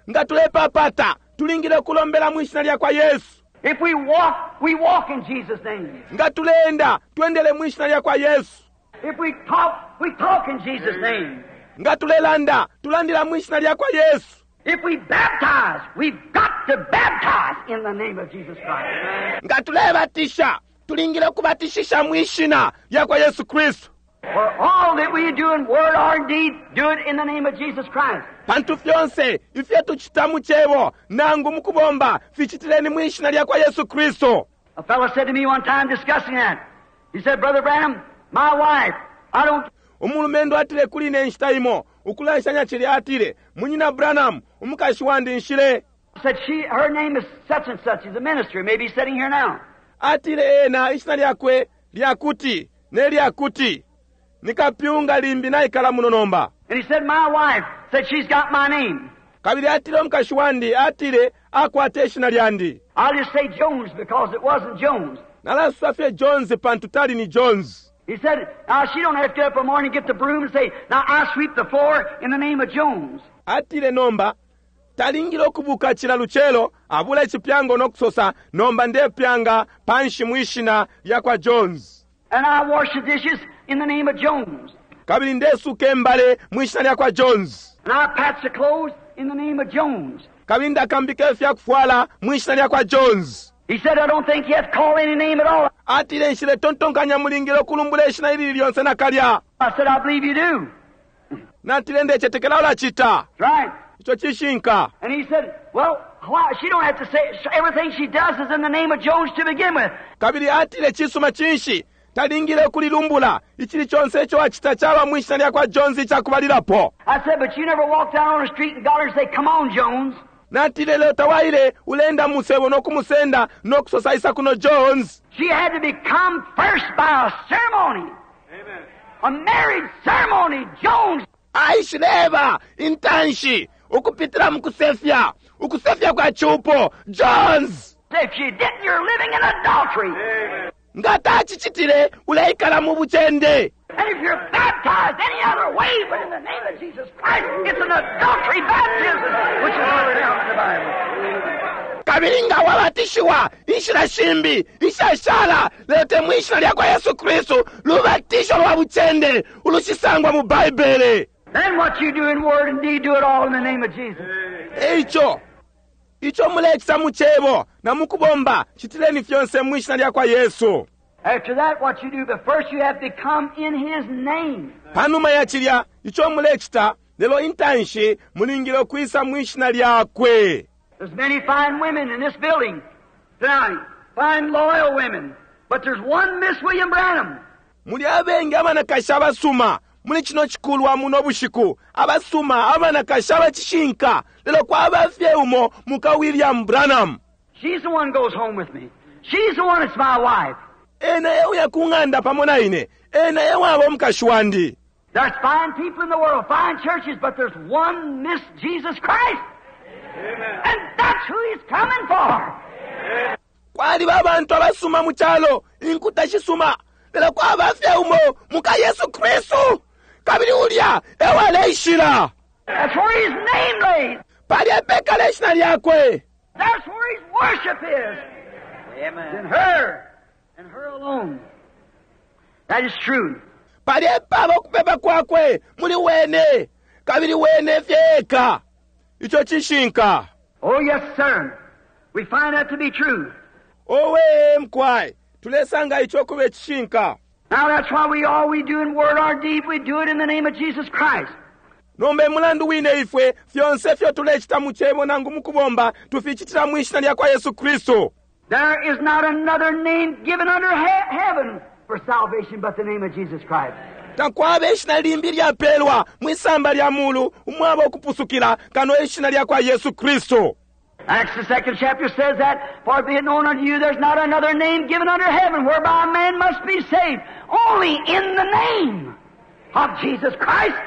Nga tulepapata, tulingile kulombela mu ishina lya kwa Yesu. If we walk, we walk in Jesus' name. Nga tuleenda, twendele mu ishina lya kwa Yesu. If we talk, we talk in Jesus' name. Nga tulelanda, tulandila mu ishina lya kwa Yesu. If we baptize, we've got to baptize in the name of Jesus Christ. Nga tulebatisha, tulingile kubatishisha mu ishina lya kwa Yesu Kristo. For all that we do in word or deed, do it in the name of Jesus Christ. Pantu fyonse ifyo tuchita mu cebo nangu mu kubomba, fichitileni mu ishina lya kwa Yesu Kristo. A fellow said to me one time discussing that. He said, Brother Branham, my wife, I don't... Umulumendo atile kuli ne nshita imo, ukulanshanya chili atile, Munyina Branham, umukashi wandi nshile. Said she, her name is such and such. He's a minister, maybe sitting here now. Atile ena ishina lyakwe lyakuti, ne lyakuti. Nikapyunga limbi naikala muno nomba. And he said, my wife said she's got my name. Kabili atile umukashi wandi atile akwata ishina lyandi. I'll just say Jones because it wasn't Jones. Nalasosa fye Jones pantu tali ni Jones. He said, now she don't have to get up in the morning and get the broom and say, now I sweep the floor in the name of Jones. Atile nomba talingile ukubuka cila lucelo abula icipyango no kusosa nomba ndepyanga panshi mwishina lya kwa Jones. And I wash the dishes in the name of Jones. Kabili ndesuka imbale mwishina lya kwa Jones. And I patch the clothes in the name of Jones. Kabili ndakambika ifyakufwala mwishina lya kwa Jones. He said, I don't think you have to call any name at all. Atile nshiletontonkanya mulingile ukulumbula ishina ilili lyonse nakalya. I said, I believe you do. Natile ndecetekela ulacita. Right. Ico cishinka. And he said, well, why? She don't have to say everything she does is in the name of Jones to begin with. Kabili atile cisuma cinshi talingile ukulilumbula icili conse ico acita caba mwishina lya kwa Jones icakubalilapo. I said, but you never walked down on the street and got her and say, come on, Jones. Natile lelo tawaile ulenda musebo nokumusenda nokusosa isa kuno Jones. She had to become first by a ceremony. Amen. A marriage ceremony, Jones. Aishileba intanshi ukupitila mukusefya, ukusefya kwa chupo, Jones. If she didn't, you're living in adultery. Amen. Nga tacicitile uleikala mu bucende. And if you're baptized any other way but in the name of Jesus Christ, it's an adultery baptism, which is not found in the Bible. Kabili nga wabatishiwa inshila shimbi ishashala lelo te mwishina lya kwa Yesu Kristu lubatisho lwa bucende ulushisangwa mu Baibele. Then what you do in word and deed, do it all in the name of Jesus. Eico ico mulecita mu cebo na mukubomba citileni fyonse mwishina lya kwa Yesu. After that, what you do, but first you have to come in His name. Panuma ya cilya ico mulecita lelo intanshi mulingile ukwisa mwishina lyakwe. There's many fine women in this building tonight, fine loyal women, but there's one Miss William Branham. Muli abengi abanakashi abasuma muli cino cikulwa muno bushiku, abasuma abanakashi abacishinka, lelo kwaba fye umo muka William Branham. She's the one goes home with me. She's the one that's my wife. Ena euya ku ng'anda pamo na ine, ena ewaba omukashi wandi. There's fine people in the world, fine churches, but there's one Miss Jesus Christ. Amen. And that's who He's coming for. Kwaliba abantu abasuma mu calo, inkuta shisuma, lelo kwaba fye umo muka Yesu Kristu. Kabili ulya ewaleishila. That's where His name lays. Palya epekala ishina lyakwe. That's where His worship is. Amen. In her, and her alone. That is true. Palya epaba ukupepa kwakwe muli wene, kabili wene fye eka. Ico cishinka. Oh, yes, sir. We find that to be true. Owe mkwai, tulesanga ico kube cishinka. Now that's why we all we do in word or deed, we do it in the name of Jesus Christ. Nomba emulandu wine ifwe fyonse fyo tulecita mu cebo nangu mu kubomba tuficitila mwishina lya kwa Yesu Kristu. There is not another name given under heaven for salvation but the name of Jesus Christ. Takwaba ishina limbi lyapelwa mwisamba lya mulu umwaba ukupusukila kano ishina lya kwa Yesu Kristu. Acts the second chapter says that, for be it known unto you, there's not another name given under heaven whereby a man must be saved, only in the name of Jesus Christ.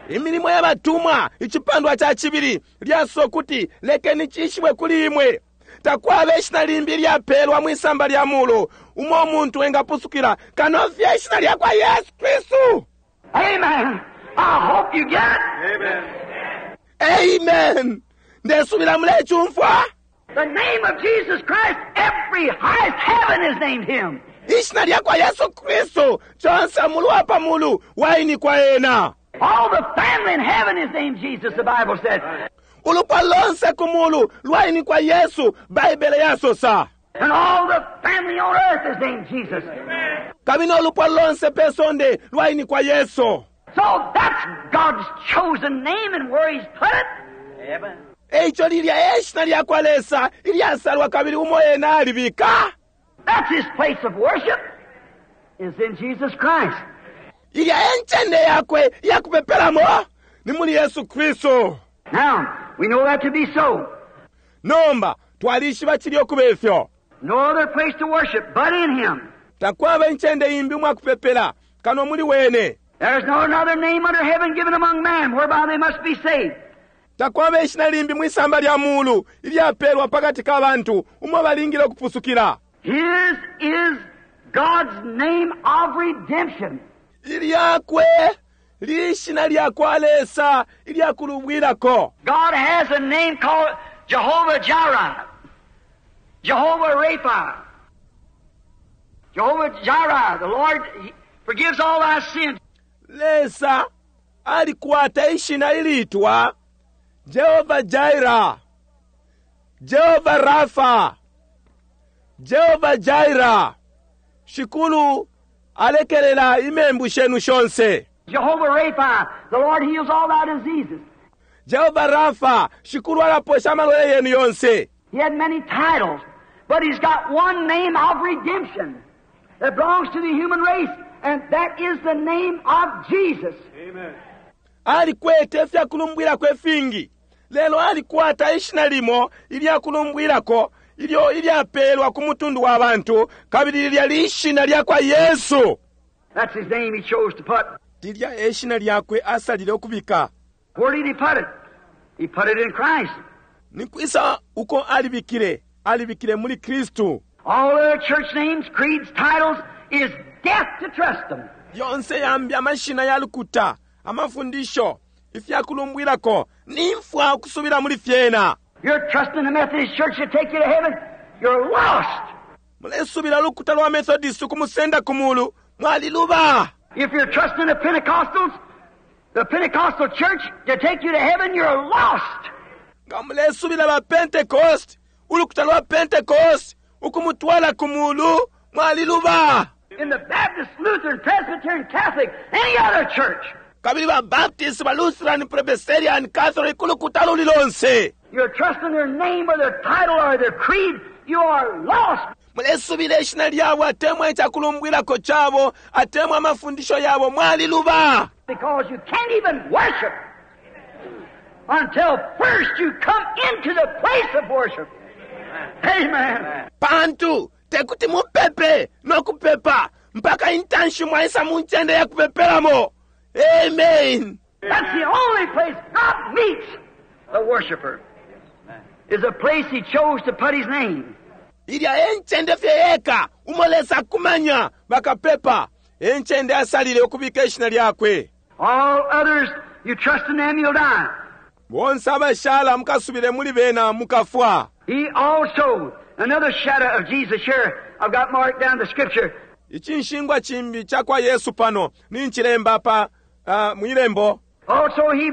Imilimo ya batumwa icipandwa ca cibili lyasosa ukuti lekeni cishibwe kuli imwe takwaba ishina limbi lyapelwa mwisamba lya mulu umo umuntu engapusukila kano fye ishina lya kwa Yesu Kristu. Amen. I hope you get it. Amen. Amen. Ndesubila mulecumfwa. The name of Jesus Christ, every highest heaven has named him. Ishina lya kwa Yesu Kristu conse mulu wa pa mulu wainikwa ena. All the family in heaven is named Jesus, the Bible said. Ulupwa lonse ku mulu lwainikwa Yesu, Baibele yasosa. And all the family on earth is named Jesus. Kabili no lupwa lonse pe sonde lwainikwa Yesu. So that's God's chosen name and where He's put it. Amen. Eico lilya e shina lya kwa Lesa ilyasalwa kabili umo ena alibika. That's His place of worship. Is in Jesus Christ. Ilya e ncende yakwe iya kupepelamo ni muli Yesu Kristu. Now, we know that to be so. Nomba, twalishiba cilya ukuba ifyo. No other place to worship but in Him. Takwaba incende imbi umwa kupepela kano muli wene. There's no another name under heaven given among men whereby they must be saved. Takwaba ishina limbi mwisamba lya mulu ilyapelwa pakati ka bantu umo balingile ukupusukila. His is God's name of redemption. Ilyakwe lishina lyakwa Lesa ilyakulubwilako. God has a name called Jehovah Jireh, Jehovah Rapha, Jehovah Jireh, the Lord forgives all our sins. Lesa alikwata ishina ilitwa Jehovah Jireh, Jehovah Rapha, Jehovah Jireh. Shikulu alekelela imembu shenu shonse. Jehovah Rapha, the Lord heals all thy diseases. Jehovah Rapha, Shikulu alaposha amalwele yenu yonse. He had many titles, but he's got one name of redemption that belongs to the human race, and that is the name of Jesus. Amen. Alikwete ifyakulumbwilako ifingi, lelo alikwata ishina limo ilyakulumbwilako ilyo ilyapelwa ku mutundu wa bantu, kabili lilya lishina lyakwa Yesu. That's his name he chose to put. Lilya e shina lyakwe asalile ukubika. Where did he put it? He put it in Christ. Ni kwisa uko alibikile? Alibikile muli Kristu. All other church names, creeds, titles is death to trust them. Yonse yambi amashina ya lukuta, amafundisho, ifyakulumbwilako, ni mfwa ukusubila muli fyena. You're trusting the Methodist Church to take you to heaven, you're lost. Mulesubila lukuta lwa Methodist ukumusenda ku mulu, mwaliluba. If you're trusting the Pentecostals, the Pentecostal church to take you to heaven, you're lost. Nga mulesubila ba Pentecost, ulukuta lwa Pentecost ukumutwala ku mulu, mwaliluba. In the Baptist, Lutheran, Presbyterian, Catholic, any other church, Kabili ba Baptist, ba Lutheran, Presbyterian, Catholic, ulukuta luli lonse. you're trusting their name or their title or their creed, you are lost. Mulesubila ishina lyabo atemwa icakulumbwilako cabo atemwa amafundisho yabo, mwaliluba. Because you can't even worship until first you come into the place of worship. Amen. Pantu tekuti mupepe no kupepa mpaka intanshi mwaisa mu ncende ya kupepelamo. Amen. That's the only place God meets the worshiper. Is a place He chose to put His name. Ilya e ncende fye yeka umo Lesa akumanya bakapepa, e ncende asalile ukubika ishina lyakwe. All others, you trust in them, you'll die. Bonse abashala mukasubile muli bena mukafwa. He also, another shadow of Jesus here, I've got marked down the scripture. Icinshingwa cimbi ca kwa Yesu pano ni ncilemba pa mwilembo. Also he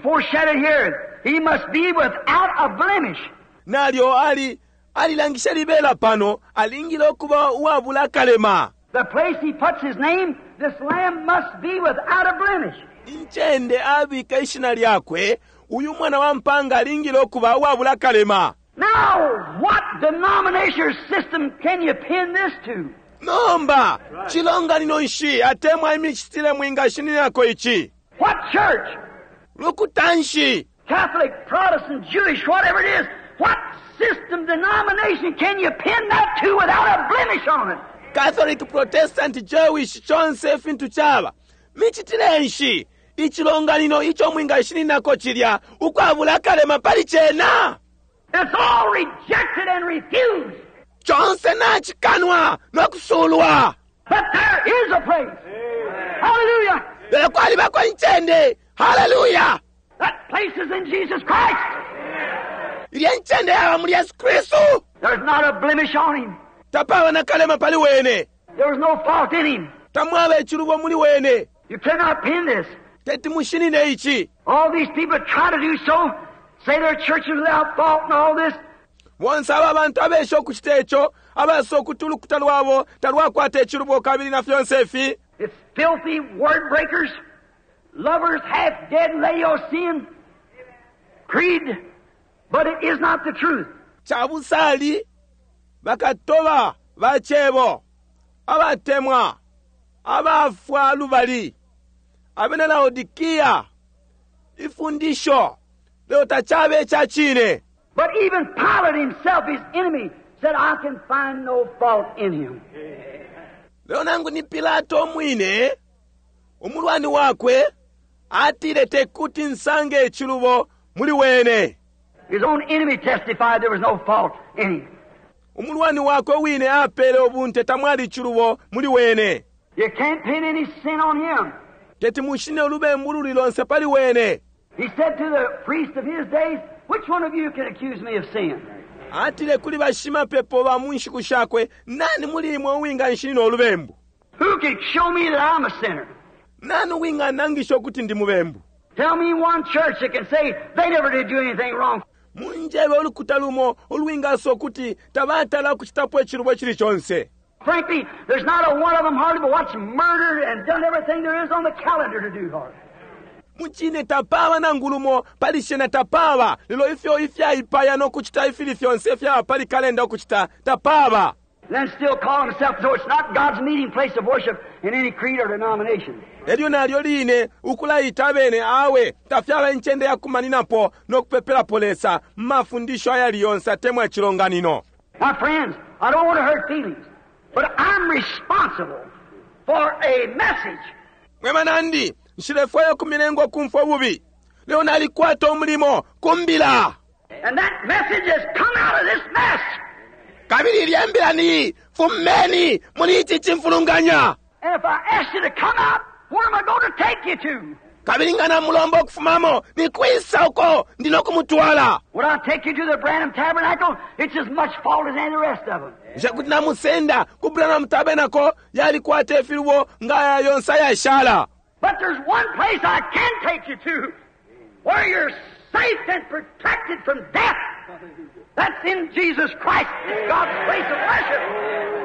foreshadowed here, he must be without a blemish. Nalyo ali alilangisha libela pano alingile ukuba uwabula akalema. The place he puts his name, this lamb must be without a blemish. Incende abika ishina lyakwe, uyu mwana wa mpanga alingile ukuba uwabula akalema. Now, what denomination or system can you pin this to? Nomba, cilonganino nshi atemwa imicitile mwingashininako ici? What church? Lukuta nshi? Catholic, Protestant, Jewish, whatever it is, what system, denomination can you pin that to without a blemish on it? Catholic, Protestant, Jewish, chonse ifintu chaba. Micitile nshi icilonganino ico mwingashininako cilya ukwabula akalema pali cena? It's all rejected and refused. Chonse nacikanwa no kusulwa. But there is a place. Hallelujah. Lelo kwalibako incende. Hallelujah. That place is in Jesus Christ. Ilya incende yaba muli Yesu Kristu. There's not a blemish on him. Tapaba na kalema pali wene. There was no fault in him. Tamwaba icilubo muli wene. You cannot pin this. Teti mushinine ici. All these people try to do so, say their church is without fault and all this. Bonse aba bantu abesha ukucita ico, abasa ukuti ulukuta lwabo talwakwata icilubo kabili na fyonse ifi. It's filthy word breakers, lovers half dead Laodicean creed, but it is not the truth. Cabusali bakatoba ba cebo, abatemwa, abafwa lubali, abena Laodikia, ifundisho lelo tacabe ica cine. But even Pilate himself, his enemy, said, I can find no fault in him. Lelo nangu ni Pilato umwine, umulwani wakwe, atile tekuti nsange icilubo Muli Wene. His own enemy testified there was no fault in him. Umulwani wakwe wine apele ubunte tamwali icilubo muli wene. You can't pin any sin on him. Teti mushine ulubembu luli lonse pali wene. He said to the priest of his days, Which one of you can accuse me of sin? Atile kuli bashimapepo ba mu nshiku shakwe, Nani muli imwe uwinganshinina ulubembu? Who can show me that I'm a sinner? Nani uwinganangisha ukuti ndi mubembu? Tell me one church that can say they never did do anything wrong. Munjebe ulukuta lumo ulwingasosa ukuti tabatala ukucitapo icilubo icili conse. Frankly, there's not a one of them hardly but what's murdered and done everything there is on the calendar to do hardly. Mucine tapaba nangu lumo pali shena tapaba, lelo ifyo ifyaipaya no kucita ifili fyonse ifyaba pali kalenda ukucita tapaba. Then still call himself, though it's not God's meeting place of worship in any creed or denomination. Elyo nalyo line ukulaita abene awe tafyaba incende ya kumaninapo no kupepelapo Lesa mu mafundisho ayali yonse atemwa icilonganino. My friends, I don't want to hurt feelings, but I'm responsible for a message. Mwe banandi, nshilefwaya ukumilenga ukumfwa ububi, lelo nalikwata umulimo ku mbila. And that message has come out of this mess. Kabili ilya mbila ni, Fumeni muli ici cimfulunganya. And if I ask you to come out, where am I going to take you to? Kabili nga namulomba ukufumamo, ni kwisa uko ndi no kumutwala? Would I take you to the Branham Tabernacle? It's as much fault as any the rest of them. Bushe kuti namusenda ku Branham Tabernacle? Yalikwata ifilubo nga aya yonse ayashala. But there's one place I can take you to where you're safe and protected from death. That's in Jesus Christ, God's place of worship.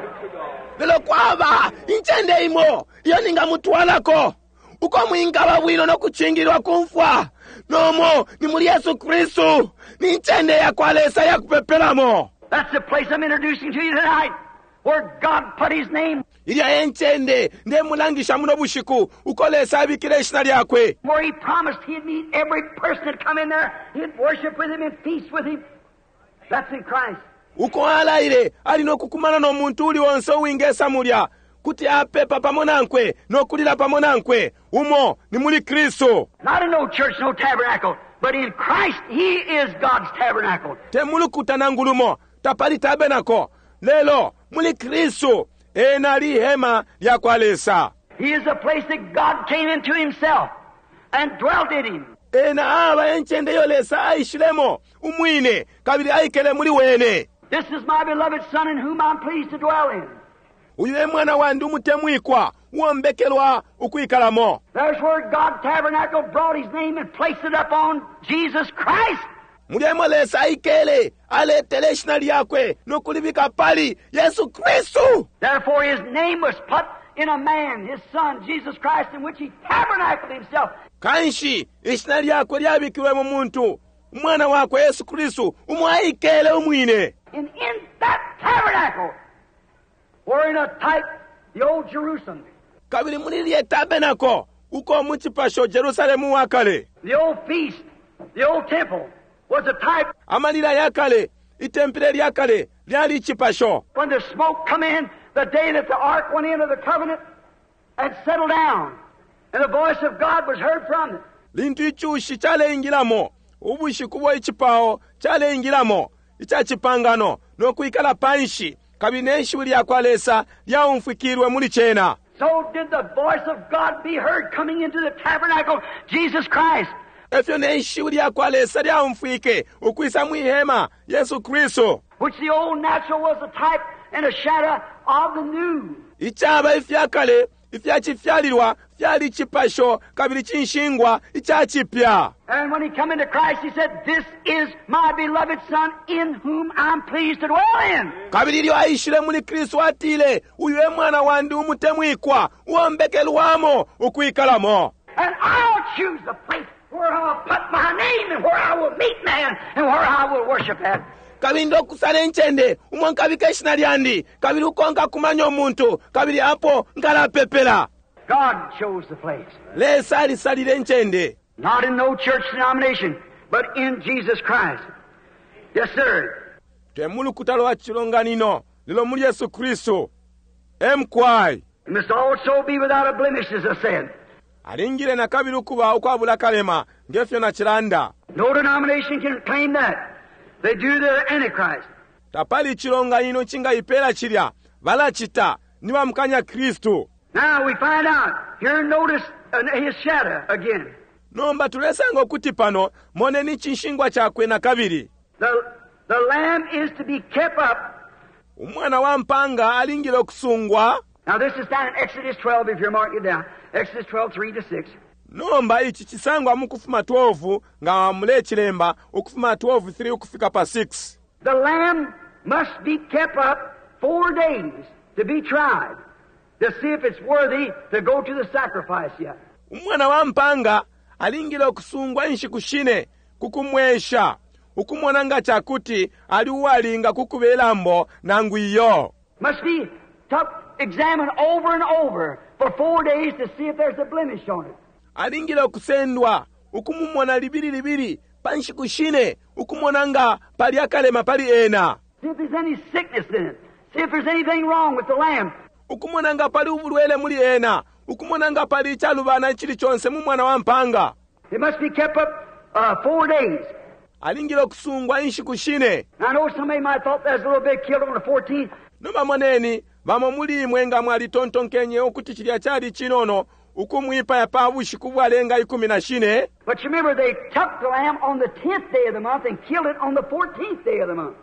Lelo kwaba incende imo iyo ningamutwalako uko mwingaba bwino no kucingililwa ku mfwa, nomo ni muli Yesu Kristu, ni ncende ya kwa Lesa ya kupepelamo. That's the place I'm introducing to you tonight, where God put His name. Ilya e ncende ndemulangisha muno bushiku, uko Lesa abikile ishina lyakwe. Where He promised He'd meet every person that come in there, He'd worship with him and feast with him. That's in Christ. Uko alaile ali no kukumana no muntu uli onse uwingesa mulya, kuti apepa pamo nankwe no kulila pamo nankwe. Umo ni muli Kristu. Not in no church, no tabernacle, but in Christ He is God's tabernacle. Te mulukuta nangu lumo, tapali tabernacle, lelo muli Kristu ena ali ihema lya kwa Lesa. He is the place that God came into Himself and dwelt in Him. Ena aba e ncende iyo Lesa aishilemo umwine kabili aikele muli wene. This is my beloved Son in whom I'm pleased to dwell in. Uyu e Mwana wandi umutemwikwa, uo mbekelwa ukwikalamo. There's where God tabernacle brought His name and placed it upon Jesus Christ. Mulya emo Lesa aikele, aletele ishina lyakwe no kulibika pali Yesu Kristu. Therefore His name was put in a man, His Son, Jesus Christ, in which He tabernacled Himself. Kanshi ishina lyakwe lyabikilwe mu muntu, Umwana wakwe Yesu Kristu, umo aikele umwine. And in that tabernacle were in a type the old Jerusalem. Kabili muli lilye tabernacle, uko mu cipasho Jerusalemu wa kale. The old feast, the old temple was a type. Amalila ya kale, itempele lya kale lyali icipasho. When the smoke come in, the day that the ark went into the covenant and settled down, and the voice of God was heard from it. Lintu icushi caleingilamo, ubushiku ubo icipao caleingilamo ica cipangano no kwikala panshi, kabili ne shiwi lyakwa Lesa lyaumfwikilwe muli cena. So did the voice of God be heard coming into the tabernacle, Jesus Christ. Efyo ne shiwi lyakwa Lesa lyaumfwike ukwisa mwi hema, Yesu Kristu. Which the old natural was a type and a shadow of the new. Icaba ifya kale ifya cifyalilwa fyali cipasho kabili cinshingwa ica cipya. And when he come into Christ, he said, This is my beloved Son in whom I'm pleased to dwell in. Kabili ilyo aishile muli Kristu atile, Uyu e mwana wandi umutemwikwa, uo mbekelwamo ukwikalamo. And I'll choose the place where I'll put my name and where I will meet man and where I will worship at. Kabili ndokusala incende umo nkabika ishina lyandi, kabili uko nkakumanya umuntu, kabili apo nkalapepela. God chose the place. Lesa alisalile incende. Not in no church denomination, but in Jesus Christ. Yes, sir. Te mu lukuta lwa cilonganino, lelo muli Yesu Kristu. E mukwai. It must also be without a blemish, as I said. Alingile nakabili ukuba ukwabula kalema, ngefyo Nacilanda. No denomination can claim that. They do the Antichrist. Tapali icilonganino icingaipela cilya. Balacita. Ni bamukanya Kristu. Now we find out. Here notice his shadow again. Nomba tulesanga ukuti pano, moneni icinshingwa cakwe nakabili. The lamb is to be kept up. Umwana wa mpanga alingile ukusungwa. Now this is down in Exodus 12, if you're marking it down. Exodus 12, 3 to 6. Nomba ici cisangwa mu Kufuma 12, nga mulecilemba, Ukufuma 12, 3 ukufika pa 6. The lamb must be kept up 4 days to be tried, to see if it's worthy to go to the sacrifice yet. Umwana wa mpanga alingile ukusungwa inshiku shine ku kumwesha, ukumona nga cakuti ali uwalinga ku kube lambo nangu iyo. Must be took, examined over and over for 4 days to see if there's a blemish on it. Alingile ukusendwa, ukumumona libili libili pa nshiku shine, ukumona nga pali akalema pali ena. See if there's any sickness in it. See if there's anything wrong with the lamb. Ukumona nga pali ubulwele muli ena, ukumona nga pali icalubana icili conse mu mwana wa mpanga. It must be kept up 4 days. Alingile ukusungwa inshiku shine. Now, I know somebody might thought that was a little bit killed on the 14th. Nomba moneni, bamo muli imwe nga mwalitontonkenye ukuti cilya cali cinono ukumwipaya pa bushiku bwalenga ikumi na shine. But you remember they took the lamb on the 10th day of the month and killed it on the 14th day of the month.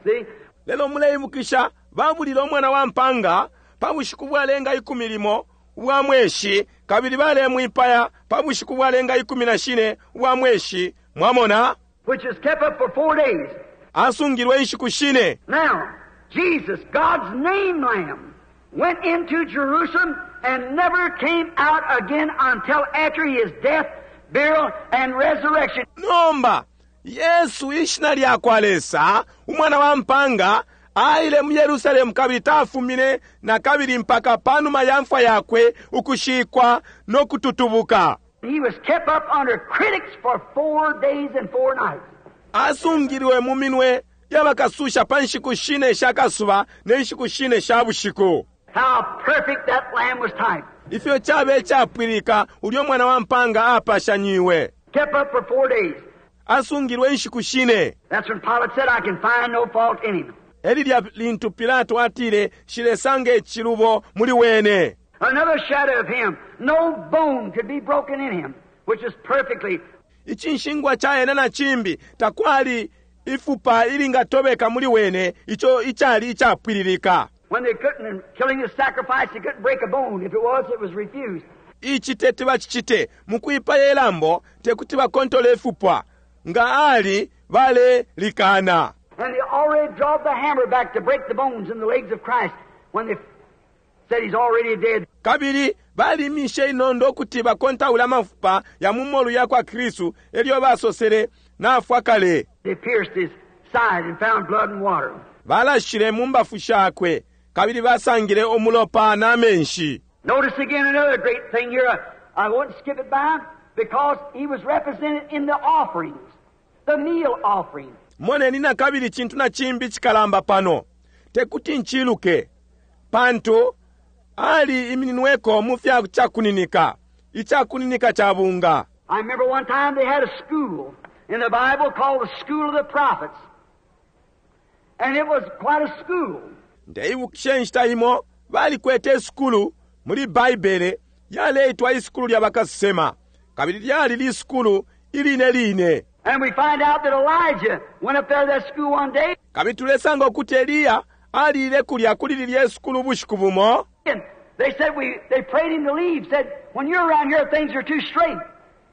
See? Lelo muleibukisha, babulile umwana wa mpanga pa bushiku bwalenga ikumi limo ubwa mweshi, kabili balemwipaya pa bushiku bwalenga ikumi na shine ubwa mweshi. Mwamona? Which is kept up for 4 days. Asungilwe inshiku shine. Now, Jesus, God's name lamb, went into Jerusalem and never came out again until after his death, burial, and resurrection. Nomba, Yesu ishina lyakwa Lesa, umwana wa mpanga, aile mu Yerusalemu kabili tafumine na kabili mpaka panuma ya mfwa yakwe ukushikwa no kututubuka. He was kept up under critics for 4 days and 4 nights. Asungilwe mu minwe y'abakasusha pa nshiku shine sha kasuba ne nshiku shine sha bushiku. How perfect that lamb was typed. Ifyo cabe icapwilika ulyo mwana wa mpanga apashanyiwe. Kept up for 4 days. Asungilwe inshiku shine. That's when Pilate said, I can find no fault in him. Elilya lintu Pilato atile, Nshilesanga icilubo muli wene. Another shadow of him, no bone could be broken in him, which is perfectly. Icinshingwa ca ena na cimbi, takwali ifupa ilingatobeka muli wene, ico icali icapwililika. When they couldn't, in killing the sacrifice, they couldn't break a bone. If it was, it was refused. Ici teti bacicite, mukwipaya ilambo, tekuti bakontole ifupwa. Nga ali, balelikana. And they already drawed the hammer back to break the bones in the legs of Christ when they said he's already dead. Kabili balimishe inondo ukuti bakontaule amafupa ya mu molu ya kwa Kristu, elyo basosele nafwa kale. They pierced his side and found blood and water. Balashile mu mbafu shakwe, kabili basangile umulopa na menshi. Notice again another great thing here. I won't skip it by because he was represented in the offerings, the meal offering. Moneni na kabili cintu na cimbi cikalamba pano. Tekuti nciluke, pantu ali imininweko mu fya cakuninika, icakuninika ca bunga. I remember one time they had a school in the Bible called the School of the Prophets. And it was quite a school. Ndeibukisha inshita imo balikwete isukulu muli Baibele yaleitwa isukulu lya bakasesema, kabili lyali lisukulu iline line. And we find out that Elijah went up there to that school one day. Kabili tulesanga ukuti Eliya alile kulya kuli lilye sukulu ubushiku bumo. And they said they prayed him to leave, said, when you're around here things are too straight.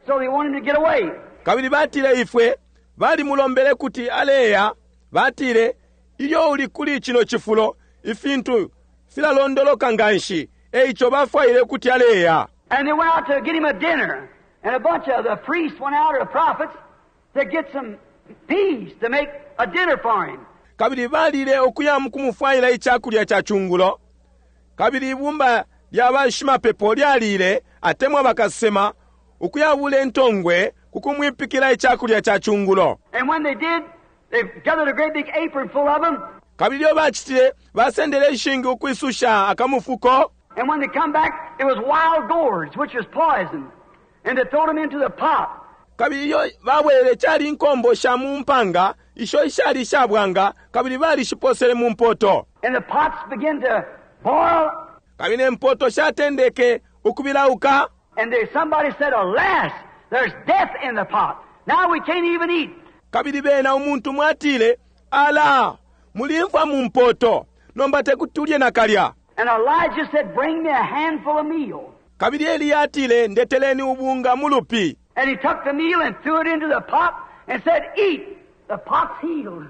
So they wanted him to get away. Kabili batile ifwe balimulombele kuti aleya, batile ilyo uli kuli cino cifulo ifintu filalondoloka nganshi, eico bafwaile kuti aleya. And they went out to get him a dinner, and a bunch of the priests went out, or the prophets, to get some peas to make a dinner for him. Kabili balile ukuya mukumufwaila icakulya ca cungulo. Kabili ibumba lya bashimapepo lyalile, atemwa bakasema, ukuyabula intongwe kukumwipikila icakulya ca cungulo. And when they did, they gathered a great big apron full of them. Kabili ilyo bacitile, basendele ishingi ukwisusha akamufuko. And when they come back, it was wild gourds, which was poison. And they threw them into the pot. Kabili ilyo babwelele cali inkombo sha mu mpanga isho ishali ishabwanga kabili balishiposele mu mpoto. And the pots began to boil. Kabili ne mpoto shatendeke ukubilauka. And there, somebody said, Alas, there's death in the pot. Now we can't even eat. Kabili bena umuntu mwatile, Ala, muli mfwa mu mpoto, nomba tekuti tulye nakalya. And Elijah said, Bring me a handful of meal. Kabili Eliya atile, Ndeteleni ubunga mu lupi. And he took the meal and threw it into the pot and said, Eat. The pot's healed.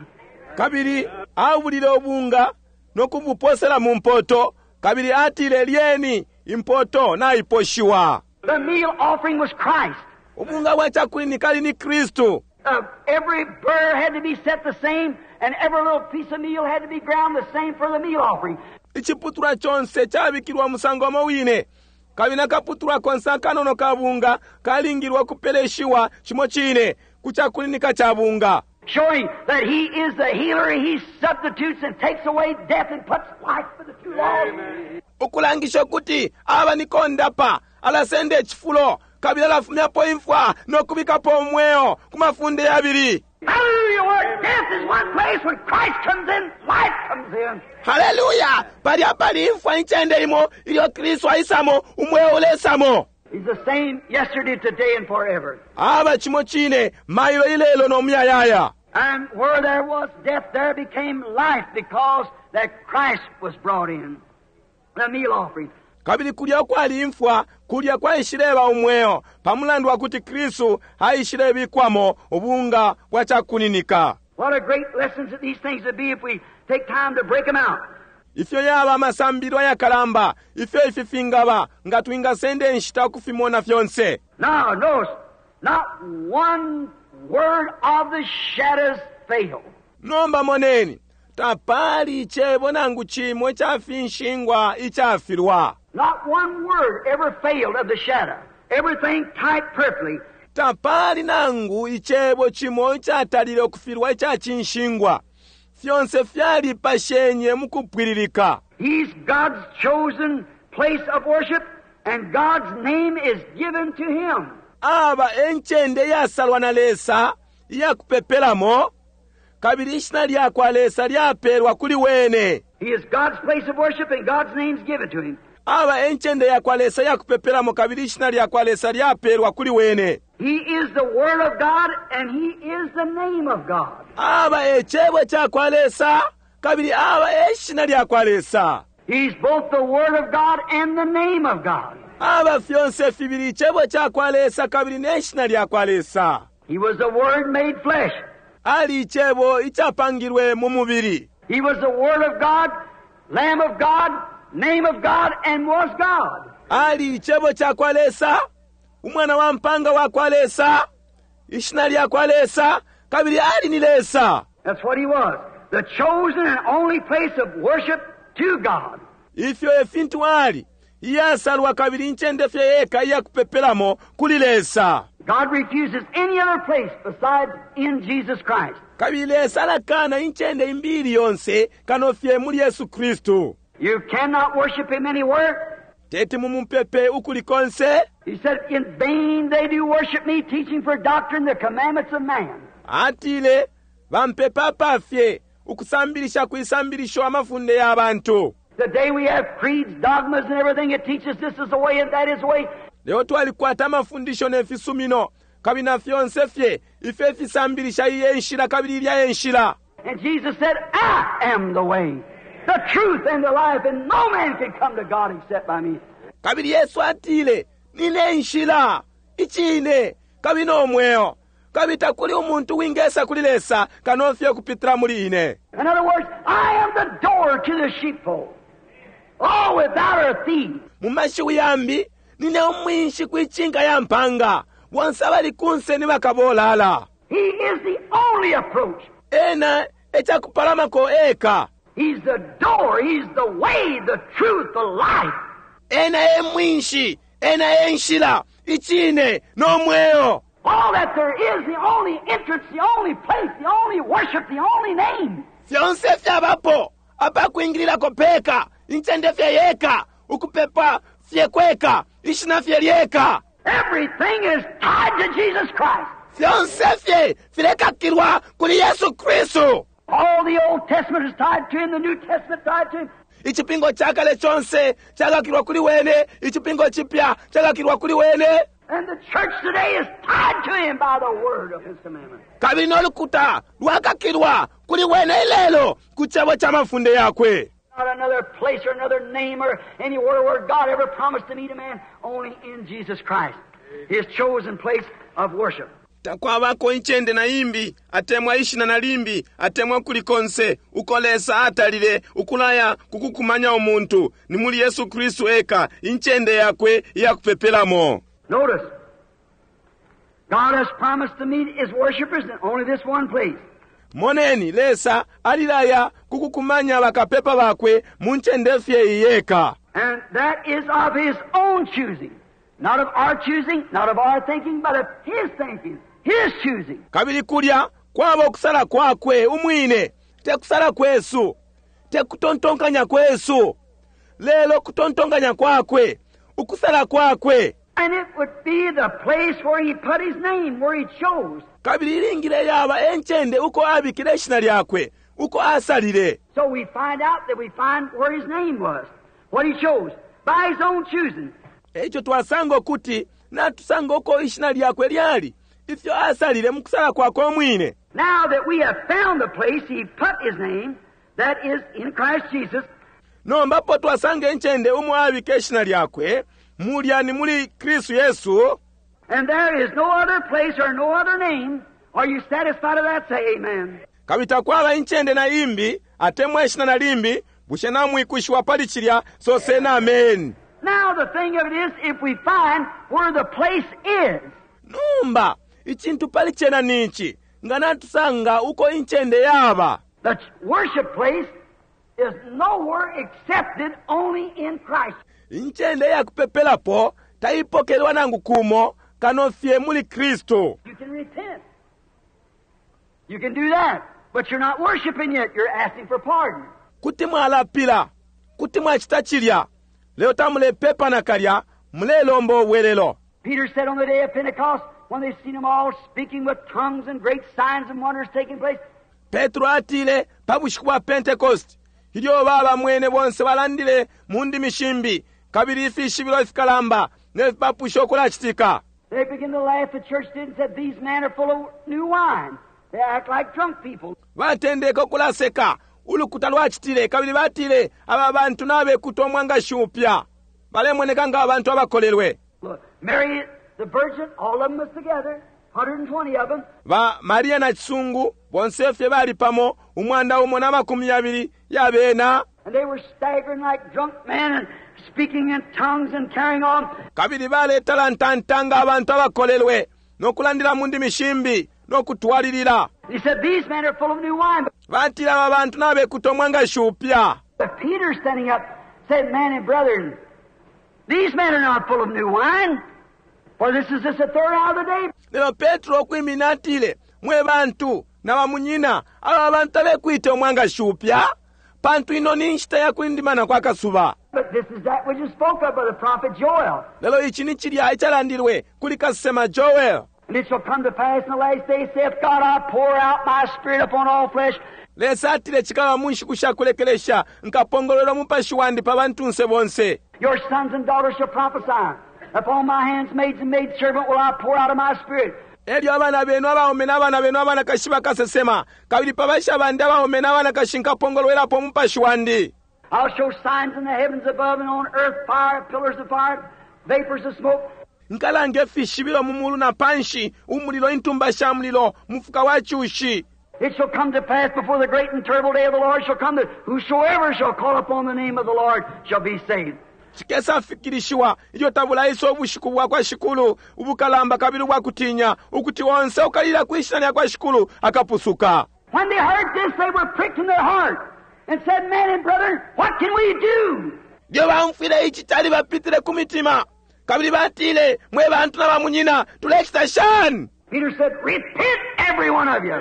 Kabili abulile ubunga no kubuposela mu mpoto, kabili atile, Lyeni, impoto naiposhiwa. The meal offering was Christ. Ubunga bwa cakuninika ali ni Kristu. Every burr had to be set the same, and every little piece of meal had to be ground the same for the meal offering. Iciputulwa conse cabikilwa umusango umo wine, kabili na kaputulwa konse akanono ka bunga kalingilwe ukupeleshiwa cimo cine ku cakuninika ca bunga. Showing that he is the healer, he substitutes and takes away death and puts life for the two laws. Ukulangisha ukuti aba ni kondapa, alasenda icifulo kabili alafumyapo imfwa no kubikapo umweo ku mafunde yabili. Hallelujah! Where death is one place, when Christ comes in, life comes in. Hallelujah! Palya pali imfwa incende imo, ilyo Kristu aisamo, umweo ulesamo. He's the same yesterday, today, and forever. Aba cimo cine, mailo, ilelo, no muyayaya. And where there was death, there became life because that Christ was brought in. The meal offering. Kabili kulya ukwali imfwa, kulya kwaishileba umweo, pa mulandu wa kuti Kristu aishilebikwamo ubunga bwa cakuninika. What a great lesson that these things would be if we take time to break them out. Ifyo yaba amasambililo ayakalamba, ifyo ifi fingaba, nga twingasenda inshita ukufimona fyonse. Now, notice, not one word of the shadows failed. Nomba moneni, tapali icebo nangu cimo ica finshingwa icafilwa. Not one word ever failed of the shadow. Everything typed perfectly. Tapali nangu icebo cimo icatalile ukufilwa ica cinshingwa. Fyonse fyalipashenye mu kupwililika. He's God's chosen place of worship, and God's name is given to him. Aba e ncende iyasalwa na Lesa iya kupepelamo, kabili ishina lyakwa Lesa lyapelwa kuli wene. He is God's place of worship, and God's name is given to him. Aba e ncende yakwa Lesa iya kupepelamo, kabili ishina lyakwa Lesa lyapelwa kuli wene. He is the Word of God, and He is the name of God. Aba e Cebo cakwa Lesa, kabili aba e shina lyakwa Lesa. He's both the Word of God and the name of God. Aba fyonse fibili Icebo cakwa Lesa kabili ne shina lyakwa Lesa. He was the Word made flesh. Ali Icebo icapangilwe mu mubili. He was the Word of God, Lamb of God, Name of God, and was God. Ali Icebo cakwa Lesa, Umwana wa mpanga wakwa Lesa, Ishina lyakwa Lesa, kabili ali ni Lesa. That's what He was. The chosen and only place of worship to God. Ifyo e fintu ali, iyasalwa kabili incende fye yeka iya kupepelamo kuli Lesa. God refuses any other place besides in Jesus Christ. Kabili Lesa alakana incende imbi ili yonse kano fye muli Yesu Kristu. You cannot worship Him anywhere. Teti mumupepe ukuli konse. He said, In vain they do worship me, teaching for doctrine the commandments of man. Atile, Bampepa apafye, ukusambilisha kwisambilisho amafunde ya bantu. Today we have creeds, dogmas, and everything that teaches this is the way and that is the way. Lelo twalikwata amafundisho ne fisumino, kabili na fyonse fye ifyo ifisambilisha iyi e nshila kabili ilya e nshila. And Jesus said, I am the way, the truth, and the life, and no man can come to God except by me. Kabili Yesu atile, Nine nshila, icine, kabili no mweo, kabili takuli umuntu wingesa kuli Lesa kano fye ukupitila muli ine. In other words, I am the door to the sheepfold. Oh, without a thief. Mu mashiwi yambi, nine umwinshi kwi cinka ya mpanga, bonse abali kunse ni bakabolala. He is the only approach. Ena e cakupalamako eka. He's the door, He's the way, the truth, the life. Ena e mwinshi, ena e nshila, icine, no mweo. All that there is, the only entrance, the only place, the only worship, the only name. Fyonse fyabapo, apakwingililako peka, incende fye yeka, Ukupepa fye kweka, ishina fye lyeka. Everything is tied to Jesus Christ. Fyonse fye filekakilwa kuli Yesu Kristu. All the Old Testament is tied to Him, the New Testament tied to Him. Icipingo ca kale conse cakakilwa kuli wene, icipingo cipya cakakilwa kuli wene. And the church today is tied to Him by the word of His commandment. Kabili no lukuta lwakakilwa kuli wene ilelo ku cebo ca mafunde yakwe. Not another place or another name or anywhere where God ever promised to meet a man, only in Jesus Christ, His chosen place of worship. Takwabako incende na imbi, atemwa ishina na limbi, atemwa kuli konse uko Lesa atalile ukulaya kukukumanya umuntu, ni muli Yesu Kristu eka, incende yakwe iyakupepelamo. Notice, God has promised to meet His worshipers in only this one place. Moneni, Lesa alilaya kukukumanya bakapepa bakwe mu ncende fye iyeka. And that is of His own choosing. Not of our choosing, not of our thinking, but of His thinking, His choosing. Kabili kulya kwaba ukusala kwakwe umwine, te kusala kwesu, te kutontonkanya kwesu, lelo kutontonkanya kwakwe, ukusala kwakwe. And it would be the place where He put His name, where He chose. Kabili ilingile yaba e ncende uko abikile ishina lyakwe, uko asalile. So we find out that we find where His name was, what He chose, by His own choosing. Eico twasanga ukuti natusanga uko ishina lyakwe lyali, ifyo asalile mu kusala kwakwe umwine. Now that we have found the place He put His name, that is in Christ Jesus. Nomba apo twasanga incende umo abika ishina lyakwe, mulya ni muli Kristu Yesu. And there is no other place or no other name. Are you satisfied of that? Say amen. Kabili takwaba incende na imbi, atemwa ishina na limbi, bushe namwikwishiwa pali cilya, soseni ameni. Now the thing of it is, if we find where the place is. Nomba, icintu pali cena ni ici, nga natusanga uko incende yaba. The worship place is nowhere accepted, only in Christ. Incende ya kupepelapo taipokelwa nangu kumo, kano fye muli Kristu. You can repent. You can do that, but you're not worshiping yet. You're asking for pardon. Kuti mwalapila, kuti mwacita cilya, lelo tamulepepa nakalya, mulelomba ubwelelo. Peter said on the day of Pentecost, when they seen them all speaking with tongues and great signs and wonders taking place. Petro atile pa bushiku bwa Pentecost, ilyo babamwene bonse balandile mu ndimi shimbi, kabili ifishibilo ifikalamba ne fipapusho ukulacitika. They began to laugh, the church did, and said, These men are full of new wine. They act like drunk people. Batendeke ukulaseka, ulukuta lwacitile, kabili batile, Aba bantu nabekuta umwangashi upya. Balemoneka nga abantu abakolelwe. Look, Mary the Virgin, all of them was together, 120 of them. Ba Maria na Cisungu, bonse fye bali pamo, 120 ya bena. And they were staggering like drunk men and speaking in tongues and carrying on. Kabili baletalantanta nga abantu abakolelwe, no kulandila mu ndimi shimbi, no kutwalilila. He said, These men are full of new wine. Batile aba bantu nabekuta umwangashi upya. But Peter standing up said, Man and brethren, these men are not full of new wine, for this is just the third hour of the day. Lelo Petro ukwimina atile, Mwe bantu na bamunyina, aba bantu tabekwite umwangashi upya, pantu ino ni nshita ya kulindimana kwa kasuba. But this is that which is spoke of by the prophet Joel. Lelo ici ni cilya icalandilwe kuli kasesema Joel. And it shall come to pass in the last days, saith God, I'll pour out my spirit upon all flesh. Lesa atile cikaba mu nshiku sha kulekelesha, nkapongolwela umupashi wandi pa bantunse bonse. Your sons and daughters shall prophesy. Upon my handmaids and maidservant will I pour out of my spirit. Elyo abana benu abaume na bana benu abanakashi bakasesema, kabili pa basha bandi abaume na banakashi nkapongolwelapo umupashi wandi. I'll show signs in the heavens above and on earth, fire, pillars of fire, vapors of smoke. Nkalanga ifishibilo mu mulu na panshi, umulilo, intumba sha mulilo, mufuka wa cushi. It shall come to pass before the great and terrible day of the Lord shall come that whosoever shall call upon the name of the Lord shall be saved. Cikesafikilishiwa ilyo tabulaisa ubushiku bwa kwa Shikulu ubukalamba kabili ubwa kutinya, ukuti onse ukalila kwi shina lya kwa Shikulu akapusuka. When they heard this, they were pricked in their heart and said, Men and brethren, what can we do? Ilyo baumfwile ici calibapitile ku mitima, kabili batile, Mwe bantu na bamunyina, tulecita shani? Peter said, Repent, every one of you,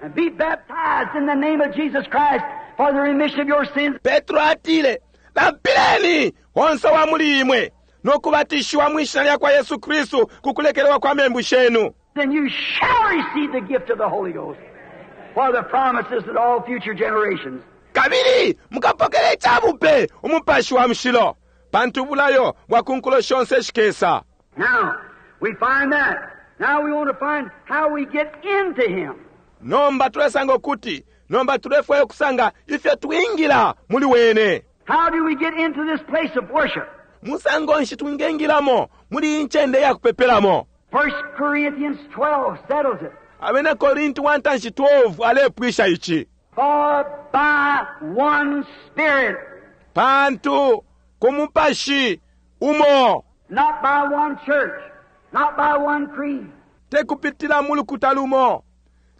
and be baptized in the name of Jesus Christ for the remission of your sins. Petro atile, Lapileni, onse wa muli imwe, no kubatishiwa mwi shina lya kwa Yesu Kristu ku kulekelewa kwa membu shenu. Then you shall receive the gift of the Holy Ghost. For the promises that all future generations. Kabili mukapokele icabupe umupashi wa mushilo, pantu ubulayo bwa ku nkulo shonse ishikesa. Now, we find that. Now we want to find how we get into Him. Nomba tulesanga ukuti, nomba tulefwaya ukusanga ifyo twingila muli wene. How do we get into this place of worship? Musango nshi twingengilamo muli iyi ncende ya kupepelamo? 1 Corinthians 12 settles it. Abena Korinti wa ntanshi 12 alepwisha ici. For by one Spirit, Pantu ku mupashi umo, not by one church, not by one creed, te kupitila mu lukuta lumo,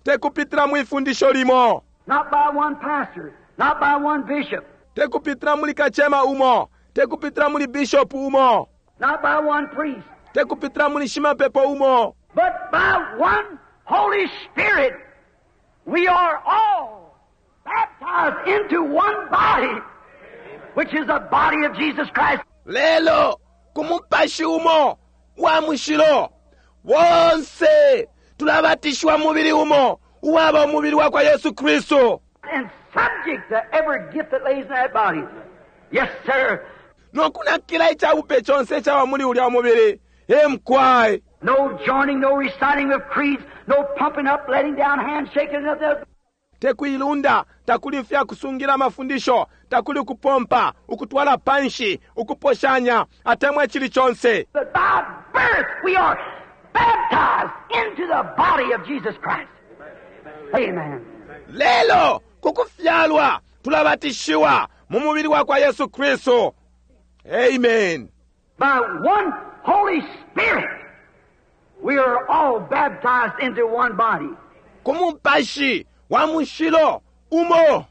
te kupitila mwi fundisho limo, not by one pastor, not by one bishop, te kupitila muli kacema umo, te kupitila muli bishop umo, not by one priest, te kupitila muli shimapepo umo, but by one Holy Spirit, we are all baptized into one body, which is the body of Jesus Christ. Lelo ku mupashi umo wa mushilo bonse tulabatishiwa mubili umo uwaba umubili wa kwa Yesu Kristu. And subject to every gift that lays in that body. Yes, sir. No kunakila icabupe conse icaba muli ulya umubili. E mukwai. No joining, no reciting of creeds, no pumping up, letting down, handshaking, nothing else. Te kuilunda, takuli ifya kusungila amafundisho, takuli ukupompa, ukutwala panshi, ukuposhanya, atemwa icili conse. But by birth we are baptized into the body of Jesus Christ. Amen. Lelo kukufyalwa tulabatishiwa mu mubili wa kwa Yesu Kristu. Amen. By one Holy Spirit we are all baptized into one body. Ku mupashi wa mushilo umo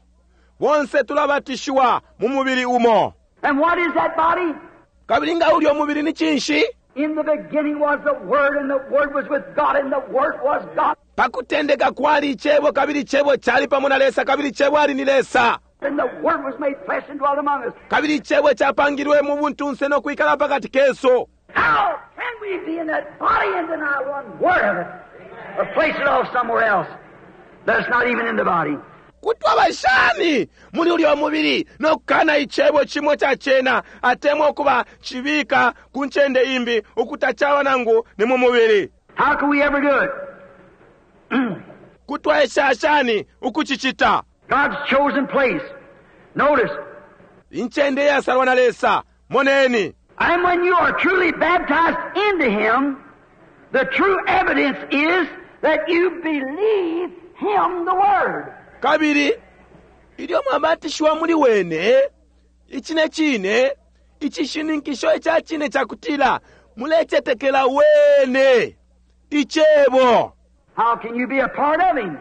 bonse tulabatishiwa mu mubili umo. And what is that body? Kabili nga ulya umubili ni cinshi? In the beginning was the Word, and the Word was with God, and the Word was God. Pakutendeka kwali icebo, kabili icebo cali pamo na Lesa, kabili icebo ali ni Lesa. And the Word was made flesh and dwelt among us. Kabili icebo capangilwe mu buntunse no kwikala pakati kesu. How can we be in that body and deny one word of it, or place it off somewhere else that's not even in the body? Kutwaba shani muli ulya mubili no kukana icebo cimo ca cena, atemwa ukuba cibika ku ncende imbi ukutacaba nangu ni mu mubili? How can we ever do it? Kutwaesha shani ukucicita? God's chosen place. Notice. Incende yasalwa na Lesa. Moneni. And when you are truly baptized into Him, the true evidence is that you believe Him, the Word. Kabili ilyo mwabatishiwa muli wene, icine cine, icishininkisho ica cine ca kutila mulecetekela wene, icebo. How can you be a part of Him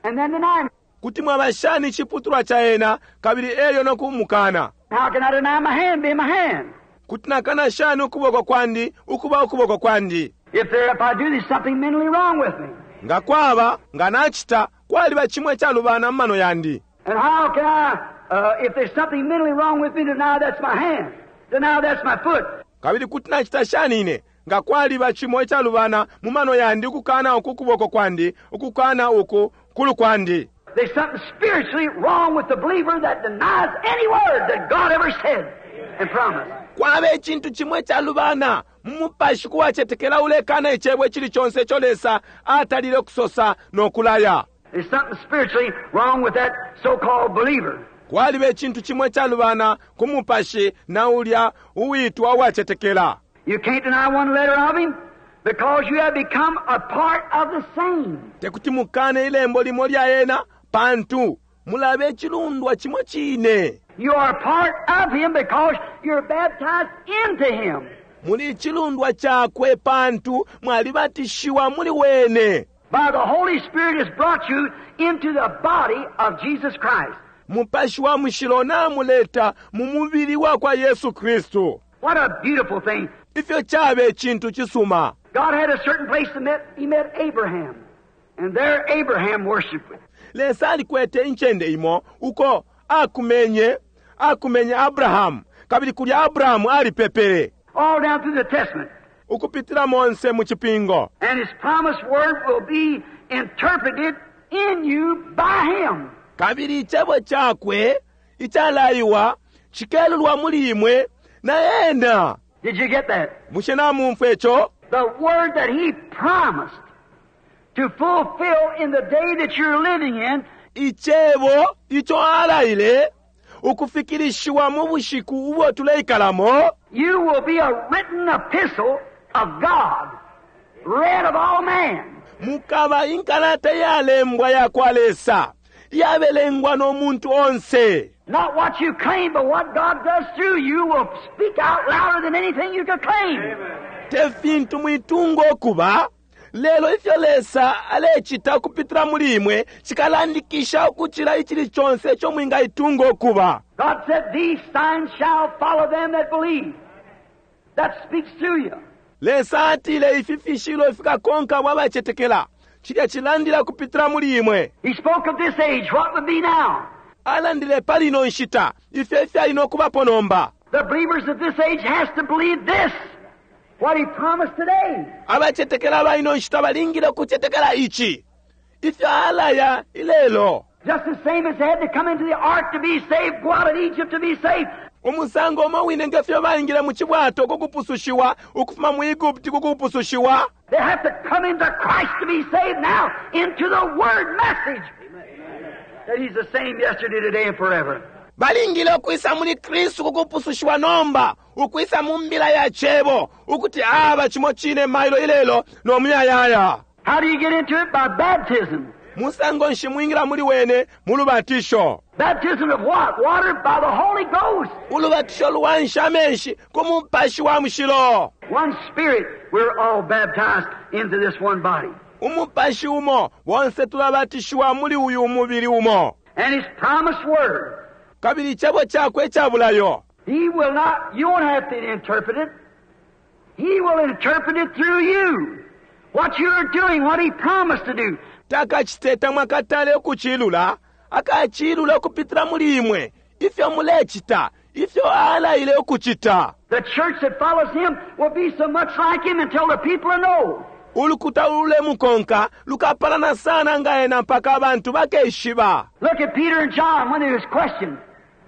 and then deny Him? Kuti mwaba shani iciputulwa ca ena kabili elyo no kumukana? How can I deny my hand being my hand? Kuti nakana shani ukuboko kwandi ukuba ukuboko kwandi? If there, if I do, there's something mentally wrong with me. Nga kwaba, nga nacita, kwaliba cimwe calubana mu mano yandi. And how can I, if there's something mentally wrong with me, deny that's my hand, deny that's my foot? Kabili kuti nacita shani ine, nga kwaliba cimo icalubana mu mano yandi ukukana uku kuboko kwandi, ukukana uku kulu kwandi? There's something spiritually wrong with the believer that denies any word that God ever said and promised. Kwaba icintu cimwe calubana mu mupashi kuwacetekela ulekana icebo icili conse ico Lesa atalile kusosa no kulaya. There's something spiritually wrong with that so-called believer. Kwaliba icintu cimwe calubana ku mupashi na ulya uwitwa uwacetekela. You can't deny one letter of him because you have become a part of the same. Tekuti mukane ilembo limo lya ena pantu mulabe icilundwa cimo cine. You are part of him because you're baptized into him. Muli icilundwa cakwe pantu mwalibatishiwa muli wene. By the Holy Spirit has brought you into the body of Jesus Christ. Mupashi wa mushilo namuleta mu mubili wa kwa Yesu Kristu. What a beautiful thing. Ifyo cabe icintu cisuma. God had a certain place to met, he met Abraham. And there Abraham worshiped. Lesa alikwete incende imo uko akumenye, Akumenye Abrahamu, kabili kulya Abrahamu alipepele. All down through the Testament. Ukupitila monse mu Cipingo. And His promised word will be interpreted in you by Him. Kabili Icebo Cakwe icalaiwa cikelulwa muli imwe na Ena. Did you get that? Bushe namumfwa ico? The word that He promised to fulfill in the day that you're living in. Icebo ico alaile ukufikilishiwa mu bushiku ubo tuleikalamo. You will be a written epistle of God, read of all men. Mukaba inkalata iyalembwa ya kwa Lesa, iyabelengwa no muntu onse. Not what you claim, but what God does through you will speak out louder than anything you could claim. Te fintu mwitunga ukuba, lelo ifyo Lesa alecita ukupitila muli imwe cikalandikisha ukucila icili conse ico mwingaitunga ukuba. God said, These signs shall follow them that believe. That speaks through you. Lesa atile ifi fishibilo fikakonka abo abacetekela. Cilya cilandila ukupitila muli imwe. He spoke of this age, what would be now. Alandile pali ino nshita, ifyo ifyali no kubapo nomba. The believers of this age has to believe this, what he promised today. Abacetekela aba ino nshita balingile ukucetekela ici, ifyo alaya ilelo. Just the same as they had to come into the ark to be saved, go out of Egypt to be saved. Umusango umo wine nge fyo baingile mu cibwato ku kupusushiwa, ukufuma mu Egupti ku kupusushiwa. They have to come into Christ to be saved now, into the Word message. That He's the same yesterday, today, and forever. Balingile ukwisa muli Kristu ku kupusushiwa nomba, ukwisa mu mbila ya Cebo, ukuti aba cimo cine mailo ilelo no muyayaya. How do you get into it? By baptism. Musango nshi mwingila muli wene? Mu lubatisho. Baptism of what? Water by the Holy Ghost. Ulubatisho lwansha amenshi ku Mupashi wa Mushilo. One Spirit, we're all baptized into this one body. Umupashi umo, bonse tulabatishiwa muli uyu umubili umo. And His promised word. Kabili icebo cakwe ica bulayo. He will not, you won't have to interpret it. He will interpret it through you. What you're doing, what He promised to do. Takacite tamwakatale ukucilula, akacilula ukupitila muli imwe, ifyo mulecita, ifyo alaile ukucita. The church that follows Him will be so much like Him until the people know. Ulukuta ululemukonka lukapalana sana nga ena mpaka abantu bakeshiba. Look at Peter and John when they was questioned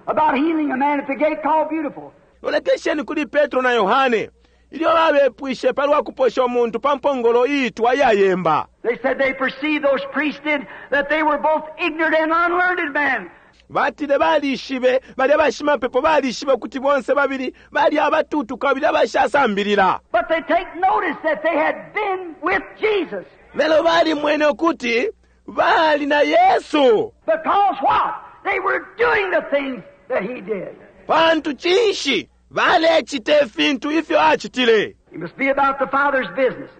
about healing a man at the gate called Beautiful. Lolekesheni kuli Petro na Yohane ilyo babepwishe palwa kuposha umuntu pa mpongolo iitwa iyayemba. They said they perceived, those priests did, that they were both ignorant and unlearned men. Batile balishibe, balya bashimapepo balishibe ukuti bonse babili bali abatutu kabili abashasambilila. But they take notice that they had been with Jesus. Lelo balimwene ukuti bali na Yesu. Because what? They were doing the things that He did. Pantu cinshi? Balecita ifintu ifyo acitile. It must be about the Father's business.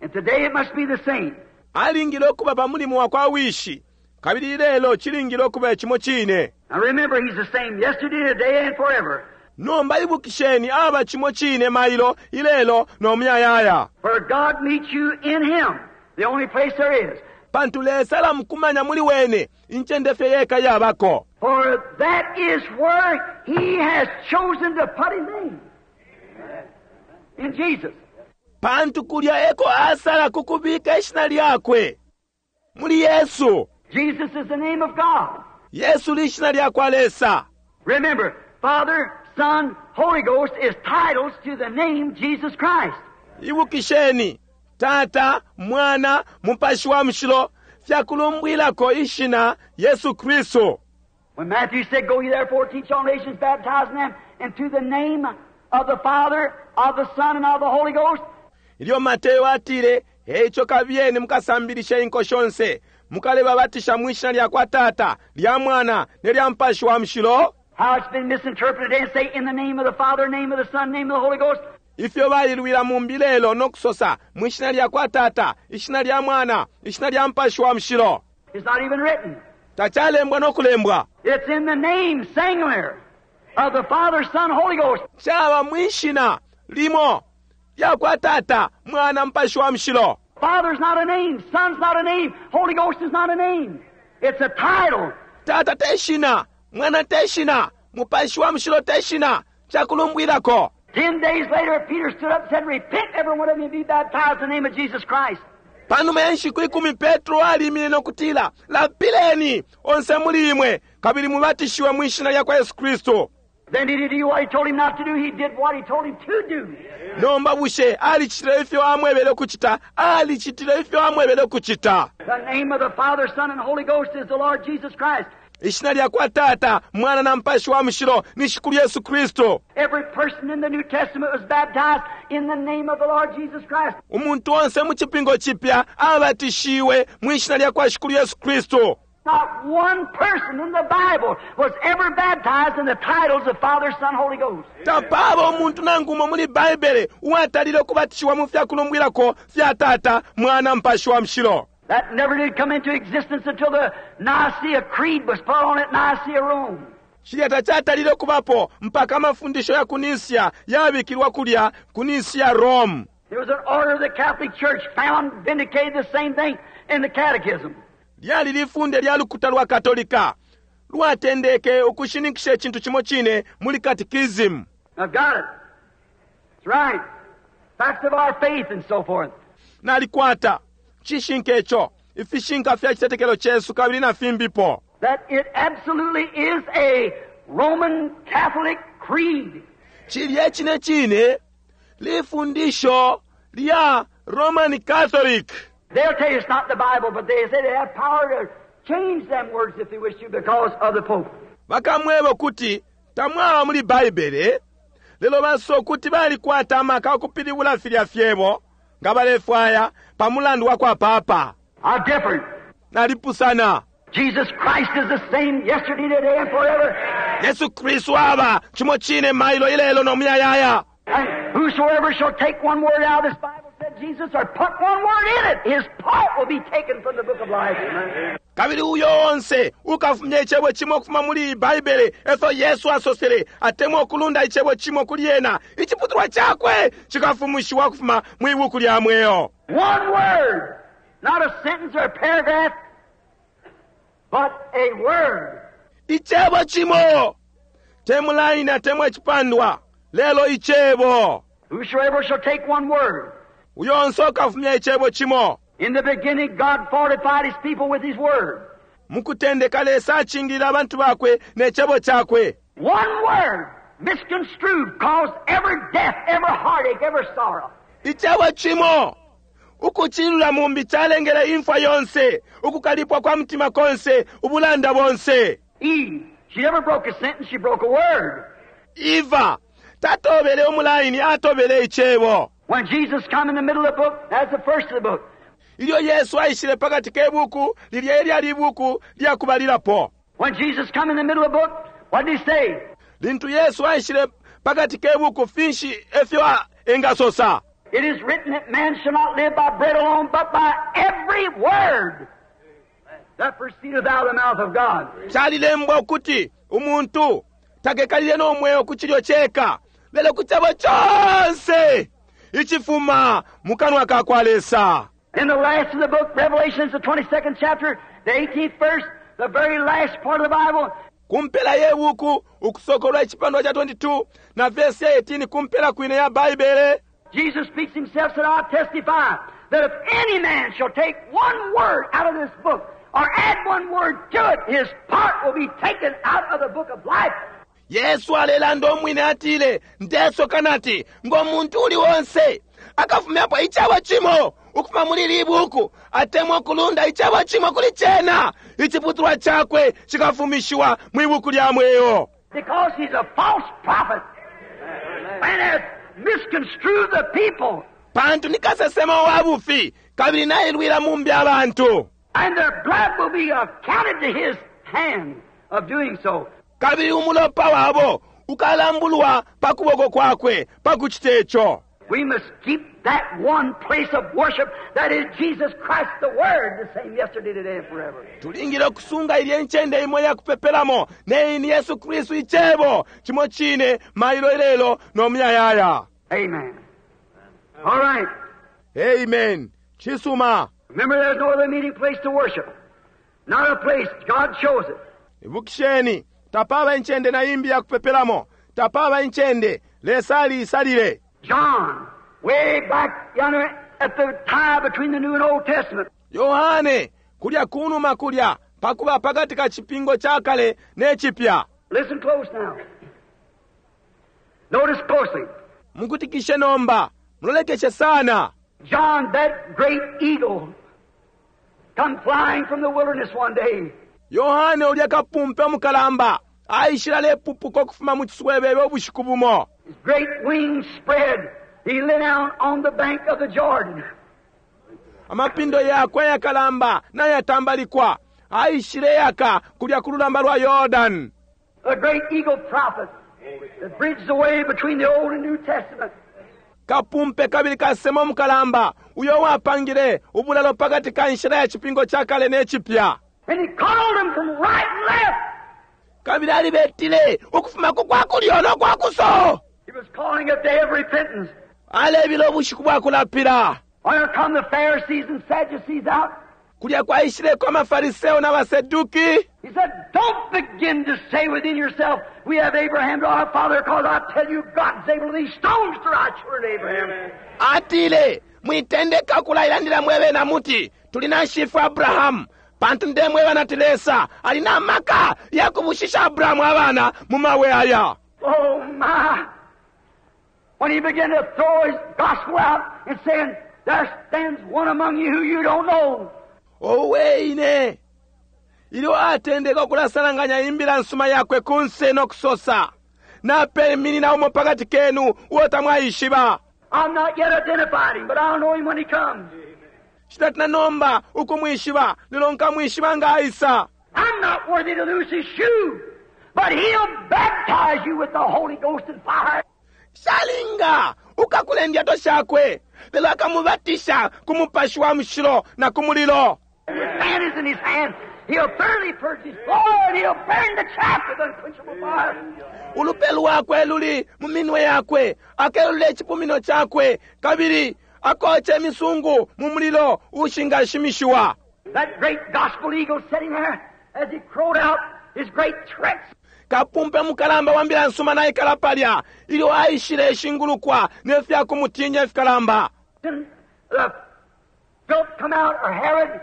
And today it must be the same. Alingile ukuba pa mulimo wa kwa Wishi. Kabili ilelo cilingile ukuba cimo cine. Now remember, He's the same yesterday, today, and forever. Nomba ibukisheni, aba cimo cine mailo, ilelo, no muyayaya. For God meets you in Him, the only place there is. Pantu Lesa alamukumanya muli wene, incende fye yeka yabako. For that is where He has chosen to put His name. In Jesus. Pantu kulya eko asala kukubika ishina lyakwe. Muli Yesu. Jesus is the name of God. Yesu lishina lyakwa Lesa. Remember, Father, Son, Holy Ghost is titles to the name Jesus Christ. Ibukisheni, Tata, Mwana, Mupashi wa Mushilo fyakulumbwilako ishina Yesu Kristu. When Matthew said, Go ye therefore, teach all nations, baptizing them into the name of the Father, of the Son, and of the Holy Ghost. Ilyo Mateo atile, Eico kabiyeni mukasambilishe inko shonse, mukalebabatisha mwi shina lya kwa Tata, lya Mwana, ne lya Mupashi wa Mushilo. How it's been misinterpreted and say, in the name of the Father, name of the Son, name of the Holy Ghost. Ifyo bailwila mumbi lelo no kusosa, mwi shina lya kwa Tata, ishina lya Mwana, ishina lya Mupashi wa Mushilo. It's not even written. Tachalembwa no kulembwa. It's in the name, singular, of the Father, Son, Holy Ghost. Chaba mwi shina limo lya kwa Tata, Mwana, Mupashi wa Mushilo. Father's not a name, Son's not a name, Holy Ghost is not a name. It's a title. Tata te shina, Mwana te shina, Mupashi wa Mushilo te shina, cakulumbwilako. 10 days later, Peter stood up and said, "Repent, every one of you, and be baptized in the name of Jesus Christ." Panuma ya nshiku 10 Petro alimine no kutila, "Lapileni onse muli imwe kabili mubatishiwe mwi shina lya kwa Yesu Kristu." Then did he do what he told him not to do? He did what he told him to do. Nomba bushe alicitile ifyo amwebele ukucita? Alicitile ifyo amwebele ukucita. The name of the Father, Son, and Holy Ghost is the Lord Jesus Christ. Ishina lya kwa Tata, Mwana na Mupashi wa Mushilo ni Shikulu Yesu Kristu. Every person in the New Testament was baptized in the name of the Lord Jesus Christ. Umuntu onse mu Cipingo Cipya abatishiwe mwi shina lya kwa Shikulu Yesu Kristu. Not one person in the Bible was ever baptized in the titles of Father, Son, Holy Ghost. Tapaba umuntu nangu umo muli Baibele uwatalile ukubatishiwa mu fyakulumbwilako fya Tata, Mwana, Mupashi wa Mushilo. That never did come into existence until the Nicaea Creed was put on at Nicaea, Rome. Cilya tacatalile kubapo mpaka amafundisho ya ku Nisia yabikilwa kulya ku Nisia, Rome. There was an order of the Catholic Church found vindicated the same thing in the Catechism. Lyali lifunde lya lukuta lwa Katolika lwatendeke ukushininkisha icintu cimo cine muli katikisimu. I've got it. It's right. Facts of our faith and so forth. Nalikwata cishinka ico, ifishinka fya citetekelo cesu kabili na fimbipo. That it absolutely is a Roman Catholic creed. Cilya cine cine lifundisho lya Roman Catholic. They'll tell you it's not the Bible, but they say they have power to change them words if they wish to because of the Pope. Bakamweba ukuti tamwaba muli Baibele, lelo basosa ukuti balikwata amaka ukupilibula filya fyebo nga balefwaya pa mulandu wa kwa papa. I'm different. Nalipusana. Jesus Christ is the same yesterday, today, and forever. Yesu Kristu aba cimo cine mailo, ilelo no muyayaya. And whosoever shall take one word out of this Bible, said Jesus, or put one word in it, his part will be taken from the book of life. Kabili uyo onse ukafumya icebo cimo ukufuma muli iyi Baibele, efyo Yesu asosele, atemwa ukulunda icebo cimo kuli yena, iciputulwa cakwe cikafumishiwa ukufuma mwi buku lya mweo. One word, not a sentence or a paragraph, but a word. Icebo cimo, te mulaini atemwa icipandwa, lelo icebo. Whosoever shall take one word. Uyo onse ukafumya icebo cimo. In the beginning, God fortified His people with His word. Mukutendeka Lesa acingilila abantu bakwe ne cebo cakwe. One word, misconstrued, caused every death, every heartache, every sorrow. Icebo cimo ukucilula mumbi calengele imfwa yonse, ukukalipwa kwa mutima konse, ubulanda bonse. Eve, she never broke a sentence, she broke a word. Eva tatobele umulaini, atobele icebo. When Jesus come in the middle of the book, that's the first of the book. Ilyo Yesu aishile pakati ke buku, lilya elyali ibuku lyakubalilapo. When Jesus come in the middle of the book, what did he say? Lintu Yesu aishile pakati ke buku, finshi efyo engasosa? "It is written that man shall not live by bread alone, but by every word that proceedeth out of the mouth of God." Calilembwa ukuti umuntu takekalile no mweo ku cilyo ceka, lelo ku cebo conse icifuma mu kanwa ka kwa Lesa. In the last of the book, Revelation is the 22nd chapter, the 18th verse, the very last part of the Bible. Kumpela ye buku, Ukusokolwa icipandwa ca 22 na vesi ya 18, kumpela kwine ya Baibele. Jesus speaks himself, said, "I testify that if any man shall take one word out of this book or add one word to it, his part will be taken out of the book of life." Yesu alelanda umwine, atile, "Ndesoka nati ngo muntu uli wonse akafumyapo icebo cimo ukufuma muli ili buku atemwa ukulunda icebo cimo kuli cena, iciputulwa cakwe cikafumishiwa mwi buku lya mweo." Because he's a false prophet and has misconstrued the people. Pantu ni kasesema wa bufi kabili nailwila mumbi abantu. And their blood will be accounted to his hand of doing so. Kabili umulopa wabo ukalambulwa pa kuboko kwakwe pa kucita ico. We must keep that one place of worship that is Jesus Christ, the Word, the same yesterday, today, and forever. Tulingile okusunga ilye ncende imo yakupepelamo, neyi ni Yesu Kristu icebo, cimo cine mailo, ilelo no muyayaya. Amen. All right. Amen, cisuma. Remember, there's no other meeting place to worship. Not a place. God chose it. Ibukisheni, Tapaba incende na imbi yakupepelamo. Tapaba incende. Lesa aliisalile. John, way back yonder at the tie between the New and Old Testament. Yohane, kulya kunuma kulya, pakuba pakati ka cipingo ca kale ne cipya. Listen close now. Notice closely. Mukutikishe nomba, mulolekeshe sana. John, that great eagle, come flying from the wilderness one day. Yohane ulya kapumpe mukalamba aishile alepupuka ukufuma mu ciswebebe ubushiku bumo. His great wings spread. He lay down on the bank of the Jordan. Amapindo yakwe ayakalamba nayatambalikwa, aishile yaka kulya ku lulamba lwa Yordan. The great eagle prophet that bridged the way between the Old and New Testament. Kapumpe kabili kasemo mukalamba uyo wapangile ubulalo pakati ka nshila ya cipingo ca kale ne cipya. And he called them from right and left. Kabili alibetile ukufuma ku kwa kulyo no kwa kuso. He was calling a day of repentance. Alebila ubushiku bwa kulapila. Where come the Pharisees and Sadducees out? Kulya kwaishileko amafariseo n'abaseduki. He said, don't begin to say within yourself, we have Abraham to our father, because I tell you, God's able these stones to rise children to Abraham. Atile, mwitendeka kulailandila mwebe na muti, tuli na shifu Abrahamu. Pantu ndemweba nati Lesa alina amaka ya kubushisha Abrahamu abana mu mawe aya. Oh my! When he began to throw his gospel out and saying, there stands one among you who you don't know. Owe ine! Ilyo atendeka ukulasalanganya imbila nsuma yakwe kunse no kusosa, napeminina umo pakati kenu uo tamwaishiba. I'm not yet identified him, but I'll know him when he comes. Shitatina nomba ukumwishiba, lelo nkamwishiba nga aisa. I'm not worthy to loose his shoe, but he'll baptize you with the Holy Ghost and fire. Shalinga ukakule ndyato shakwe, lelo akamubatisha ku mupashi wa mushilo na ku mulilo. And his fan is in his hand. He'll thoroughly purge his floor and he'll burn the chaff with unquenchable fire. Ulupe lwakwe luli mu minwe yakwe, akelule icipumino chakwe, kabili akoche imisungu mu mulilo ushingashimishiwa. That great gospel eagle sitting there as he crowed out his great threats. Kapumpe mukalamba wa mbila nsuma naikala palya, ilyo aishile ishingulukwa ne fya kumutinya ifikalamba. Then the filth come out, or Herod,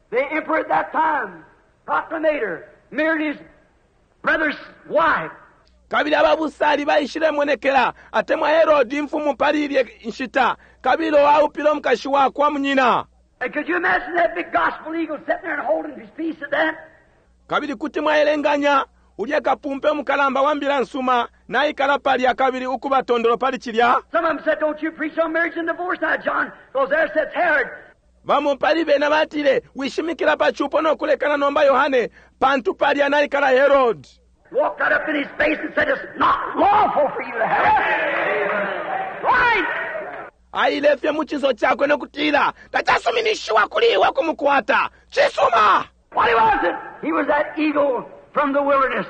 the emperor at that time, proclamator, married his brother's wife. Kabili ababusali baishile monekela, atemwa Herod imfumu pali ilye nshita, kabili aupile umukashi wakwa munyina. And could you imagine that big gospel eagle sitting there and holding his peace at that? Kabili kuti mwaelenganya ulya kapumpe mukalamba wa mbila nsuma naikala palya kabili ukuba tondolo pali cilya. Some of them said, don't you preach on marriage and divorce now, John, because there sits Herod. Bamo pali bena batile, wishimikila pa chupo no kulekana nomba Yohane, pantu palya naikala Herod. Walked right up in his face and said, it's not lawful for you to have it. Right! Aile fye mu cinso chakwe no kutila, tacasuminishiwa kuli iwe kumukwata. Cisuma! What was it? He was that eagle from the wilderness.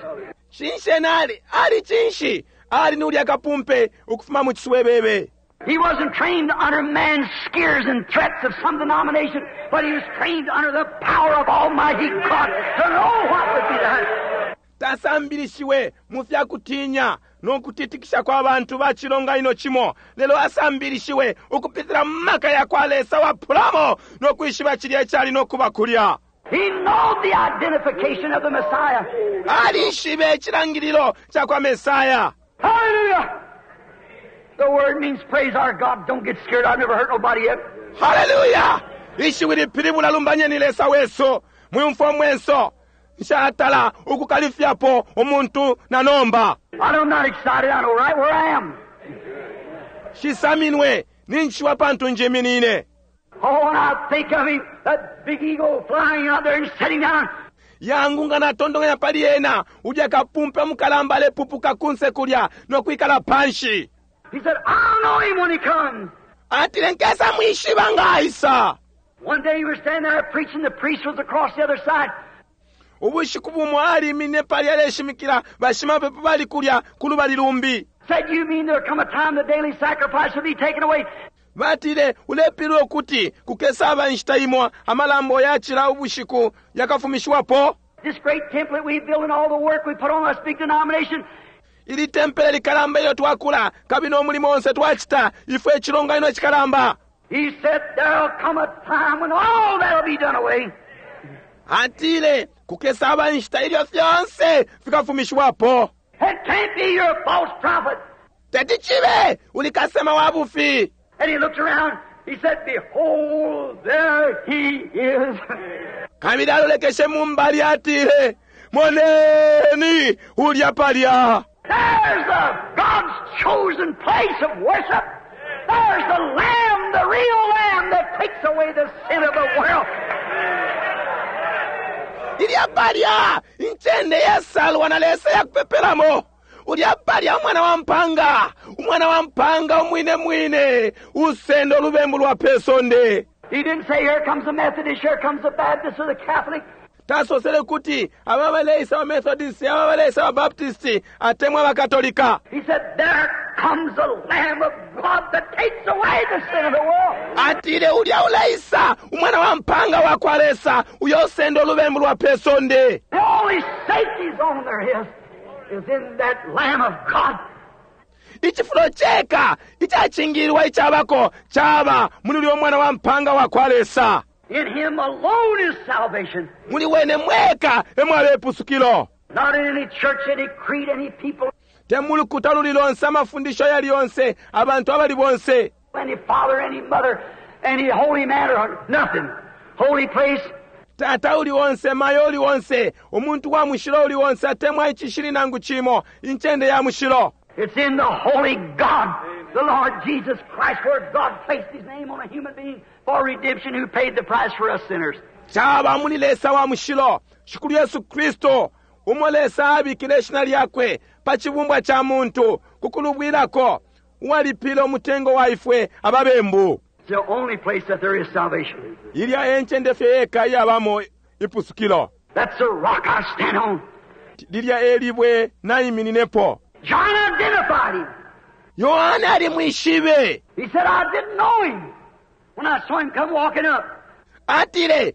Cinshi ena ali? Ali cinshi? Ali ni ulya kapumpe ukufuma mu ciswebebe. He wasn't trained under man's scares and threats of some denomination, but he was trained under the power of Almighty God to know what would be that. Tasambilishiwe mu fya kutinya no kutitikisha kwa bantu ba cilonganino cimo, lelo asambilishiwe ukupitila mu maka ya kwa Lesa wa pulamo no kwishiba cilya icali no kuba kulya. He knew the identification of the Messiah. Alishibe icilangililo ca kwa Mesaya. Hallelujah! The word means praise our God. Don't get scared. I've never hurt nobody yet. Hallelujah! Ishiwi lipilibula lumbanyeni Lesa wesu. Mwiumfwa mwenso. Nshatala ukukalifyapo umuntu na nomba. I'm not excited. I know right where I am. Shisaminwe ninchiwa pantu njiminine. Oh, when I think of him, that big eagle flying out there and sitting down. Yangu nga natondonganya pali ena, ulya kapumpe mukalamba alepupuka kunse kulya no kwikala panshi. He said, I'll know him when he comes. Atile nkesa mwishiba nga aisa. One day he was standing there preaching, the priest was across the other side. Ubushiku bumo alimine pali aleshimikila, bashimapepo bali kulya ku lubali lumbi. Said, you mean there'll come a time the daily sacrifice will be taken away? Batile, ulepilwe ukuti kukesaba inshita imo amalambo yacila ubushiku yakafumishiwapo. This great temple that we built and all the work we put on this big denomination, Ili tempele likalamba ilyo twakula kabili n'omulimo onse twacita ifwe icilonganino icikalamba. He said, There'll come a time when all that'll be done away. Atile kukesaba inshita ilyo fyonse fikafumishiwapo. It can't be your false prophet. Teti cibe uli kasema wa bufi. And he looked around. He said, Behold, there he is. Kabili alolekeshe mu mbali atile, moneni ulya palya. There's the God's chosen place of worship. There's the Lamb, the real Lamb that takes away the sin of the world. Ilya palya incende yasalwa na Lesa yakupepelamo. Ulya palya umwana wa mpanga, umwana wa mpanga umwine mwine, usenda olubembu lwa pe sonde. He didn't say, Here comes the Methodist, here comes the Baptist or the Catholic. Tasosele kuti aba baleisa ba Methodist, aba baleisa ba Baptist, atemwa Bakatolika. He said, There comes the Lamb of God that takes away the sin of the world. Atile ulya uleisa umwana wa mpanga wa kwa Lesa uyo usenda olubembu lwa pe sonde. The only safety zone there is, is in that Lamb of God. Icifulo ceka icacingililwa icabako caba muli ulya umwana wa mpanga wa kwa Lesa. In Him alone is salvation. Muli wene mweka emwaba ipusukilo. Not in any church, any creed, any people, Te mu lukuta luli lonse, amafundisho yali yonse, abantu abali bonse, any father, any mother, any holy man, or nothing. Holy place, tata uli onse, mayo uli onse, umuntu wa mushilo uli onse, atemwa icishili nangu cimo, incende ya mushilo. It's in the holy God, the Lord Jesus Christ, where God placed His name on a human being for redemption who paid the price for us sinners. Caba muli Lesa wa mushilo, Shikulu Yesu Kristo, umo Lesa abikile ishina lyakwe pa cibumbwa ca muntu ku kulubwilako, uwalipile umutengo wa ifwe ababembu. It's the only place that there is salvation. Ilya e ncende fye yeka iyabamo ipusukilo. That's the rock I stand on. Lilya e libwe naimininepo. John identified him. Yohane alimwishibe. He said, I didn't know him when I saw him come walking up. Atile,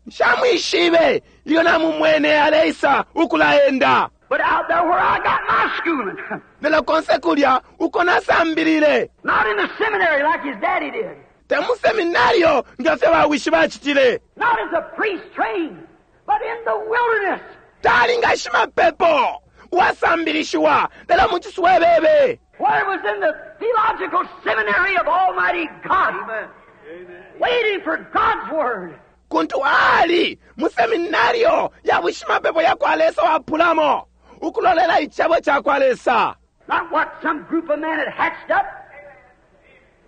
nshamwishibe ilyo namumwene aleisa ukulaenda. But out there where I got my schooling, Lelo konse kulya uko nasambilile. not in the seminary like his daddy did, Te mu seminario nga fye bawishi bacitile. not as a priest trained, but in the wilderness. Tali nga shimapepo uwasambilishiwa lelo mu ciswebebe. Where it was in the theological seminary of Almighty God, waiting for God's Word. Kuntu ali mu seminario ya bushimapepo ya kwa Lesa wapulamo ukulolela icebo ca kwa Lesa. Not what some group of men had hatched up,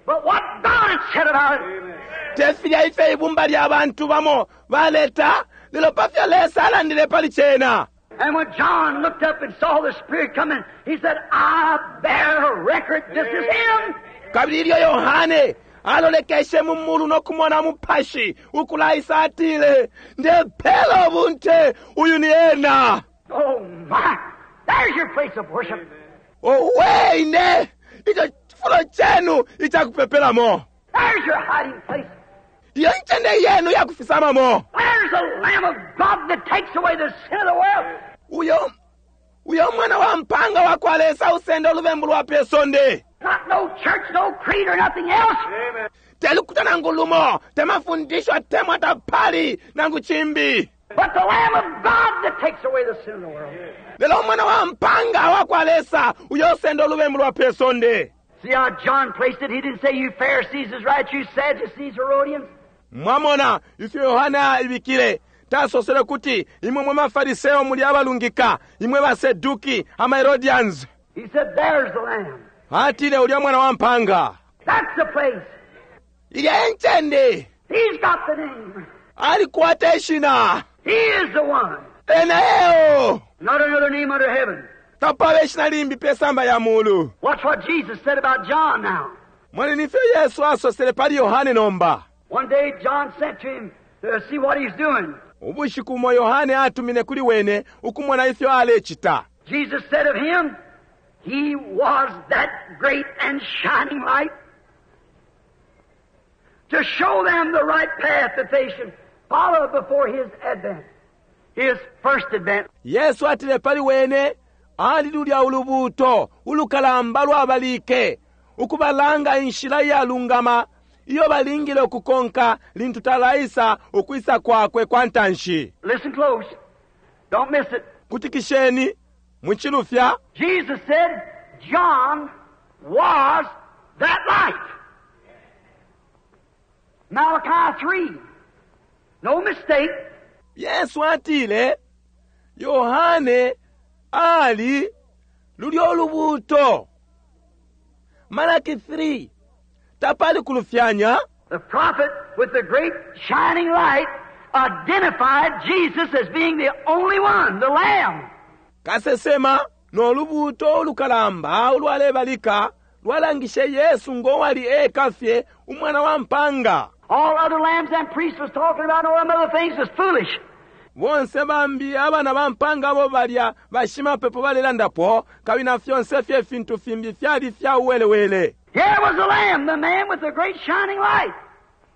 but what God had said about it. Te filya ife ibumba lya bantu bamo baleta lelo pa fyo Lesa alandile pali cena. And when John looked up and saw the Spirit coming, he said, I bear record, this is him. Kabili ilyo Yohane alolekeshe mu mulu nokumona mupashi ukulaisa atile, ndepela ubunte uyu ni ena. Oh my! There's your place of worship. Owe ine ico cifulo cenu icakupepelamo. There's your hiding place. Iyo ncende yenu yakufisamamo. There's the Lamb of God that takes away the sin of the world. Uyo uyo mwana wa mpanga wa kwa Lesa usenda olubembu lwa pe sonde. Not no church, no creed, or nothing else. Telukuta nangu lumo, temafundisho atemwa tapali nangu chimbi. But the Lamb of God that takes away the sin of the world. Lelo mwana wa mpanga wa kwa Lesa uyo usenda olubembu lwa pe sonde. See how John placed it? He didn't say, You Pharisees is right, you Sadducees, Herodians. Mwamona ifyo Yohana ibikile tasosele kuti imwe mwe mafariseo muli abalungika imwe baseduki ama Herodians. He said, There's the Lamb. Atile ulya mwana wa mpanga. That's the place. Ilya encende He's got the name. alikwata ishina. He is the one. Ena eo Not another name under heaven. tapaba ishina limbi pe samba ya mulu. Watch what Jesus said about John now. Mwene nifyo Yesu asosele pali Yohane nomba. One day John sent to him to see what he's doing. Ubushiku bumo Yohane atumine kuli wene ukumona ifyo alecita. Jesus said of him, He was that great and shining light to show them the right path that they should follow before his advent. His first advent. Yesu atile pali wene ali lulya ulubuuto ulukalamba lwabalike ukubalanga inshila iyalungama iyo balingile ukukonka lintu talaisa ukwisa kwakwe kwa ntanshi. Listen close. Don't miss it. Kutikisheni mwicilufya. Jesus said John was that light. Malachi 3. No mistake. Yesu atile Yohane ali lulyo lubuuto. Malaki 3. Tapali kulufyanya. The prophet with the great shining light identified Jesus as being the only one, the Lamb. Kasesema no lubuuto ulukalamba ulwalebalika lwalangishe Yesu ngowali eka fye umwana wa mpanga. All other lambs and priests was talking about and all them other things was foolish. Bonse bambi abana ba mpanga abo balya bashimapepo balelandapo kabili na fyonse fye fintu fimbi fyali fya uwelewele. Here was the Lamb, the man with the great shining light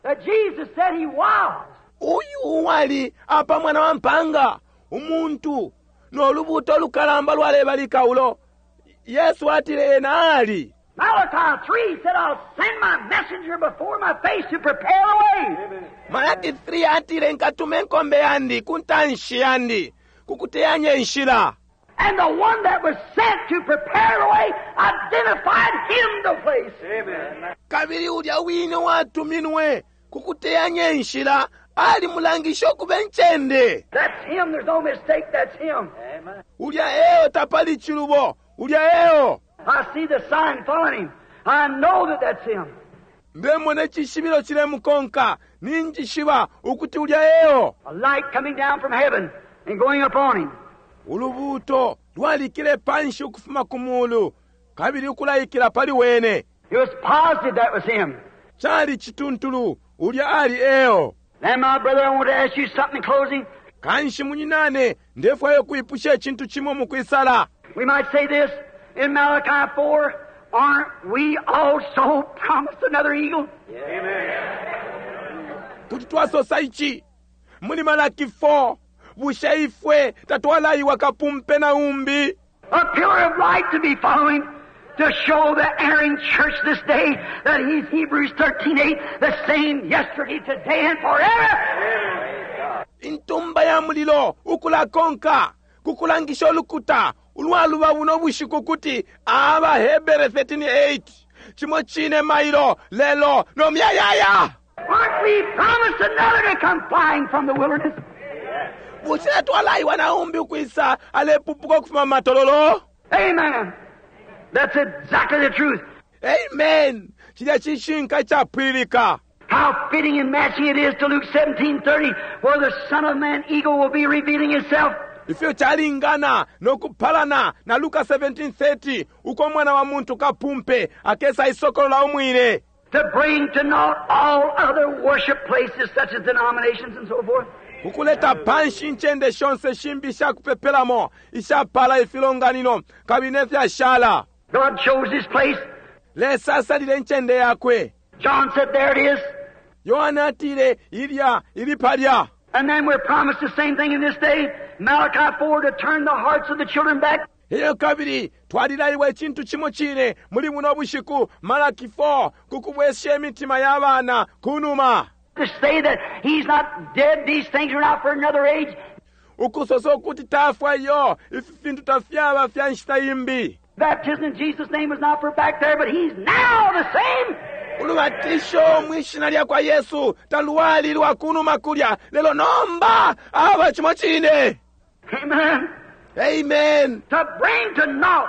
that Jesus said he was. Uyu uwali apa mwana wa mpanga umuntu no lubuuto lukalamba lwalebalika ulo Yesu atile ena ali. Malachi 3 said, I'll send my messenger before my face to prepare the way. Malaki 3 atile nkatuma enkombe yandi ku ntanshi yandi kukuteyanya enshila. And the one that was sent to prepare the way identified him the place. Amen. Kabili ulya wine watuminwe kukuteyanya enshila ali mulangisha okuba encende. That's him. There's no mistake. That's him. Amen. Ulya eo tapali chilubo. Ulya eo. I see the sign following him. I know that that's him. Ndemona icishibilo chilemukonka ninjishiba ukuti ulya eo. A light coming down from heaven and going upon him. Ulubuuto lwalikile panshi ukufuma ku mulu kabili ukulaikila pali wene. It was positive that was him. Chali chituntulu ulya ali eo. Now, my brother, I want to ask you something in closing. Kanshi munyinane ndefwayo kuipusha icintu chimo mukwisala. We might say this in Malachi 4, aren't we also promised another eagle? Amen. Kuti twasosa ichi muli Malaki 4 bushe ifwe tatwalaiwa kapumpe na umbi. A pillar of light to be following to show the erring church this day that he's Hebrews 13:8, the same yesterday, today, and forever. Intumba ya mulilo ukulakonka kukulangisha ulukuta ulwaluba buno bushiku kuti aba Hebere 13:8 chimo chine mailo lelo no myayaya. Aren't we promised another to come flying from the wilderness? Bushe twalaiwa na umbi ukwisa alepupuka ukufuma matololo? Amen. That's exactly the truth. Amen. Chilya chishinka chapwilika. How fitting and matching it is to Luke 17:30, where the Son of Man eagle will be revealing himself. Ifyo chalingana nokupalana na Luka 17:30 uko mwana wa muntu kapumpe akesa isokolola umwine. To bring to naught all other worship places such as denominations and so forth. Ukuleta panshi incende shonse shimbi ishakupepelamo ishapala ifilonganino kabili nefyashala. God chose his place. Lesa asalile incende yakwe. John said, there it is. Yohana atile ilya ili palya. And then we're promised the same thing in this day, Malachi 4, to turn the hearts of the children back. Iyo kabili twalilaiwa icintu chimo chine muli buno bushiku Malaki 4 kukubwesha imitima ya bana kunuma. To say that he's not dead, these things are not for another age. Ukusosa ukuti tafwa iyo ifi fintu tafyaba fya nshita imbi. Baptism in Jesus' name was not for back there, but he's now the same. Ulubatisho mwishina lya kwa Yesu taluwali lwa kunuma kulya lelo nomba aba chimo chine. Amen. Amen. To bring to naught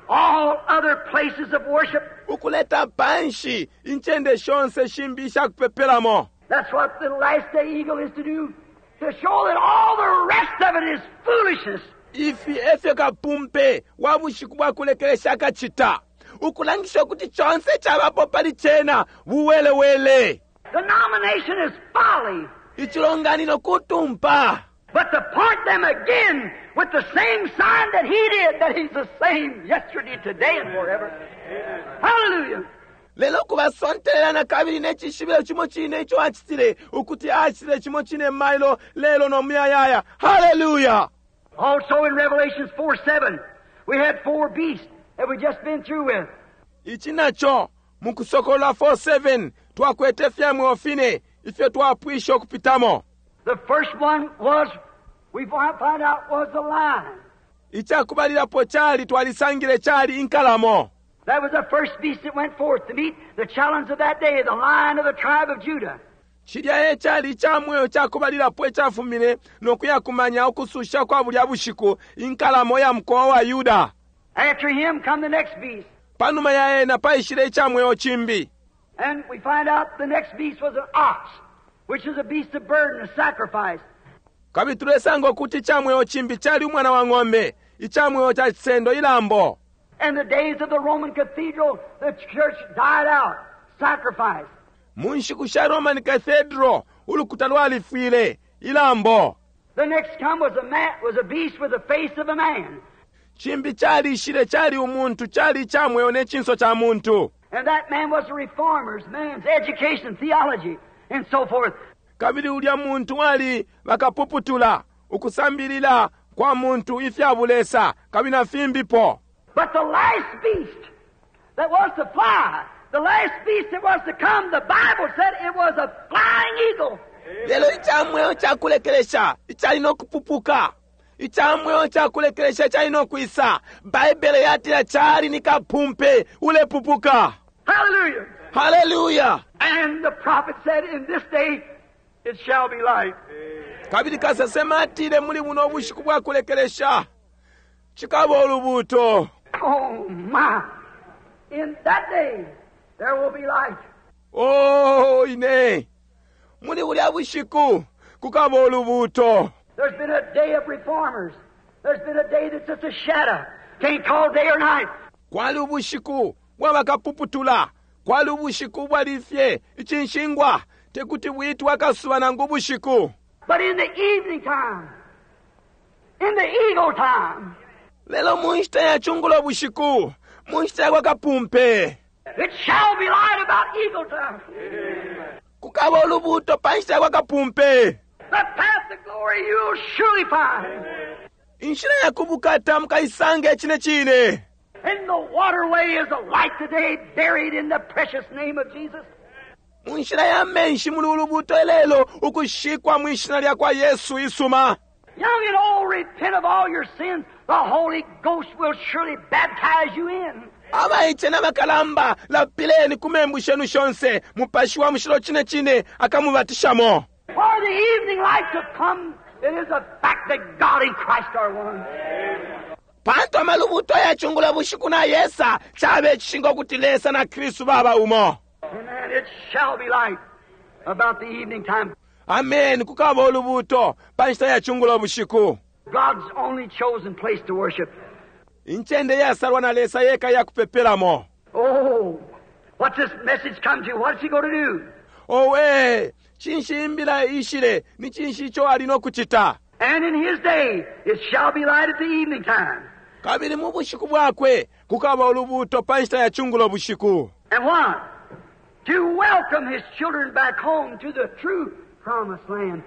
all other places of worship. Ukuleta panshi incende shonse shimbi ishakupepelamo. That's what the last day eagle is to do. To show that all the rest of it is foolishness. Ifi efyo kapumpe wa bushiku bwa kulekelesha akachita. Ukulangisha kuti chonse chabapo pali chena buwelewele. Denomination is folly. Ichilonganino kutumpa. But to point them again with the same sign that he did, that he's the same yesterday, today, and forever. Hallelujah. Lelo kubasontelela na kabili ne cishibilo cimo cine ico acitile, ukuti acitile cimo cine mailo, lelo no muyayaya. Haleluya! Also in Revelations 4:7, we had four beasts that we just been through with. Ici naco mu Kusokolola 4:7 twakwete fya mweo fine ifyo twapwisha ukupitamo. The first one was, we find out, was the lion. Icakubalilapo cali twalisangile cali inkalamo. That was the first beast that went forth to meet the challenge of that day, the Lion of the tribe of Judah. Cilya e cali ica mweo cakubalilapo icafumine no kuyakumanya ukususha kwa bulya bushiku, inkalamo ya mukowa wa Yuda. After him come the next beast. Panuma ya ena paishile ica mweo cimbi. And we find out the next beast was an ox, which is a beast of burden, a sacrifice. Kabili tulesanga ukuti ica mweo cimbi cali umwana wa ng'ombe, ica mweo ca cisendo, ilambo. In the days of the Roman cathedral, the church died out, sacrifice. Mu nshiku sha Roman Cathedral, ulukuta lwalifwile, ilambo. The next come was a man, was a beast with the face of a man. Cimbi calishile cali umuntu, cali ica mweo ne cinso ca muntu. And that man was the reformers, man's education, theology, and so forth. Kabili ulya muntu ali bakapuputula, ukusambilila kwa muntu ifya bulesa, kabili na fimbipo. But the last beast that was to fly, the last beast that was to come, the Bible said it was a flying eagle. Lelo ica mweo ca kulekelesha icali no kupupuka, ica mweo ca kulekelesha icali no kwisa, Baibele yatila cali ni kapumpe ulepupuka. Hallelujah! Hallelujah! And the prophet said, in this day it shall be light. Kabili kasesema atile muli buno bushiku bwa kulekelesha cikaba ulubuuto. Oh my! In that day there will be light. Oh, ine! Muli bulya bushiku kukaba ulubuuto. There's been a day of reformers. There's been a day that's just a shadow. Can't call day or night. Kwali ubushiku bwa bakapuputula. Kwali ubushiku bwali fye icinshingwa. Tekuti bwitwe akasuba nangu ubushiku. But in the evening time, in the eagle time, Lelo mu nshita ya cungulo bushiku, mu nshita ya kwa kapumpe, it shall be light about eagle time. Kukaba ulubuuto pa nshita ya kwa kapumpe. The path to glory you'll surely find. Inshila ya kubukata mukaisanga icine cine. And the waterway is a light today buried in the precious name of Jesus. Mu nshila ya menshi muli ulubuuto ilelo ukushikwa mwi shina lya kwa Yesu isuma. Young and old, repent of all your sins. The Holy Ghost will surely baptize you in. Abaice na bakalamba, lapileni ku membu shenu shonse, Mupashi wa Mushilo cine cine akamubatishamo. For the evening light to come, it is a fact that God and Christ are one. Pantu amalubuto ya cungulo bushiku na yesa, cabe icishinka ukuti Lesa na Kristu baba umo. Amen. It shall be light about the evening time. Amen. Kukaba ulubuto pa nshita ya cungulo bushiku. God's only chosen place to worship. Incende yasalwa na Lesa yeka ya kupepelamo. Oh, what's this message come to? What's he going to do? Owe, cinshi imbila ishile, ni cinshi ico ali no kucita? And in his day it shall be light at the evening time. Kabili mu bushiku bwakwe kukaba ulubuto pa nshita ya cungulo bushiku. And what? To welcome his children back home to the true promised land.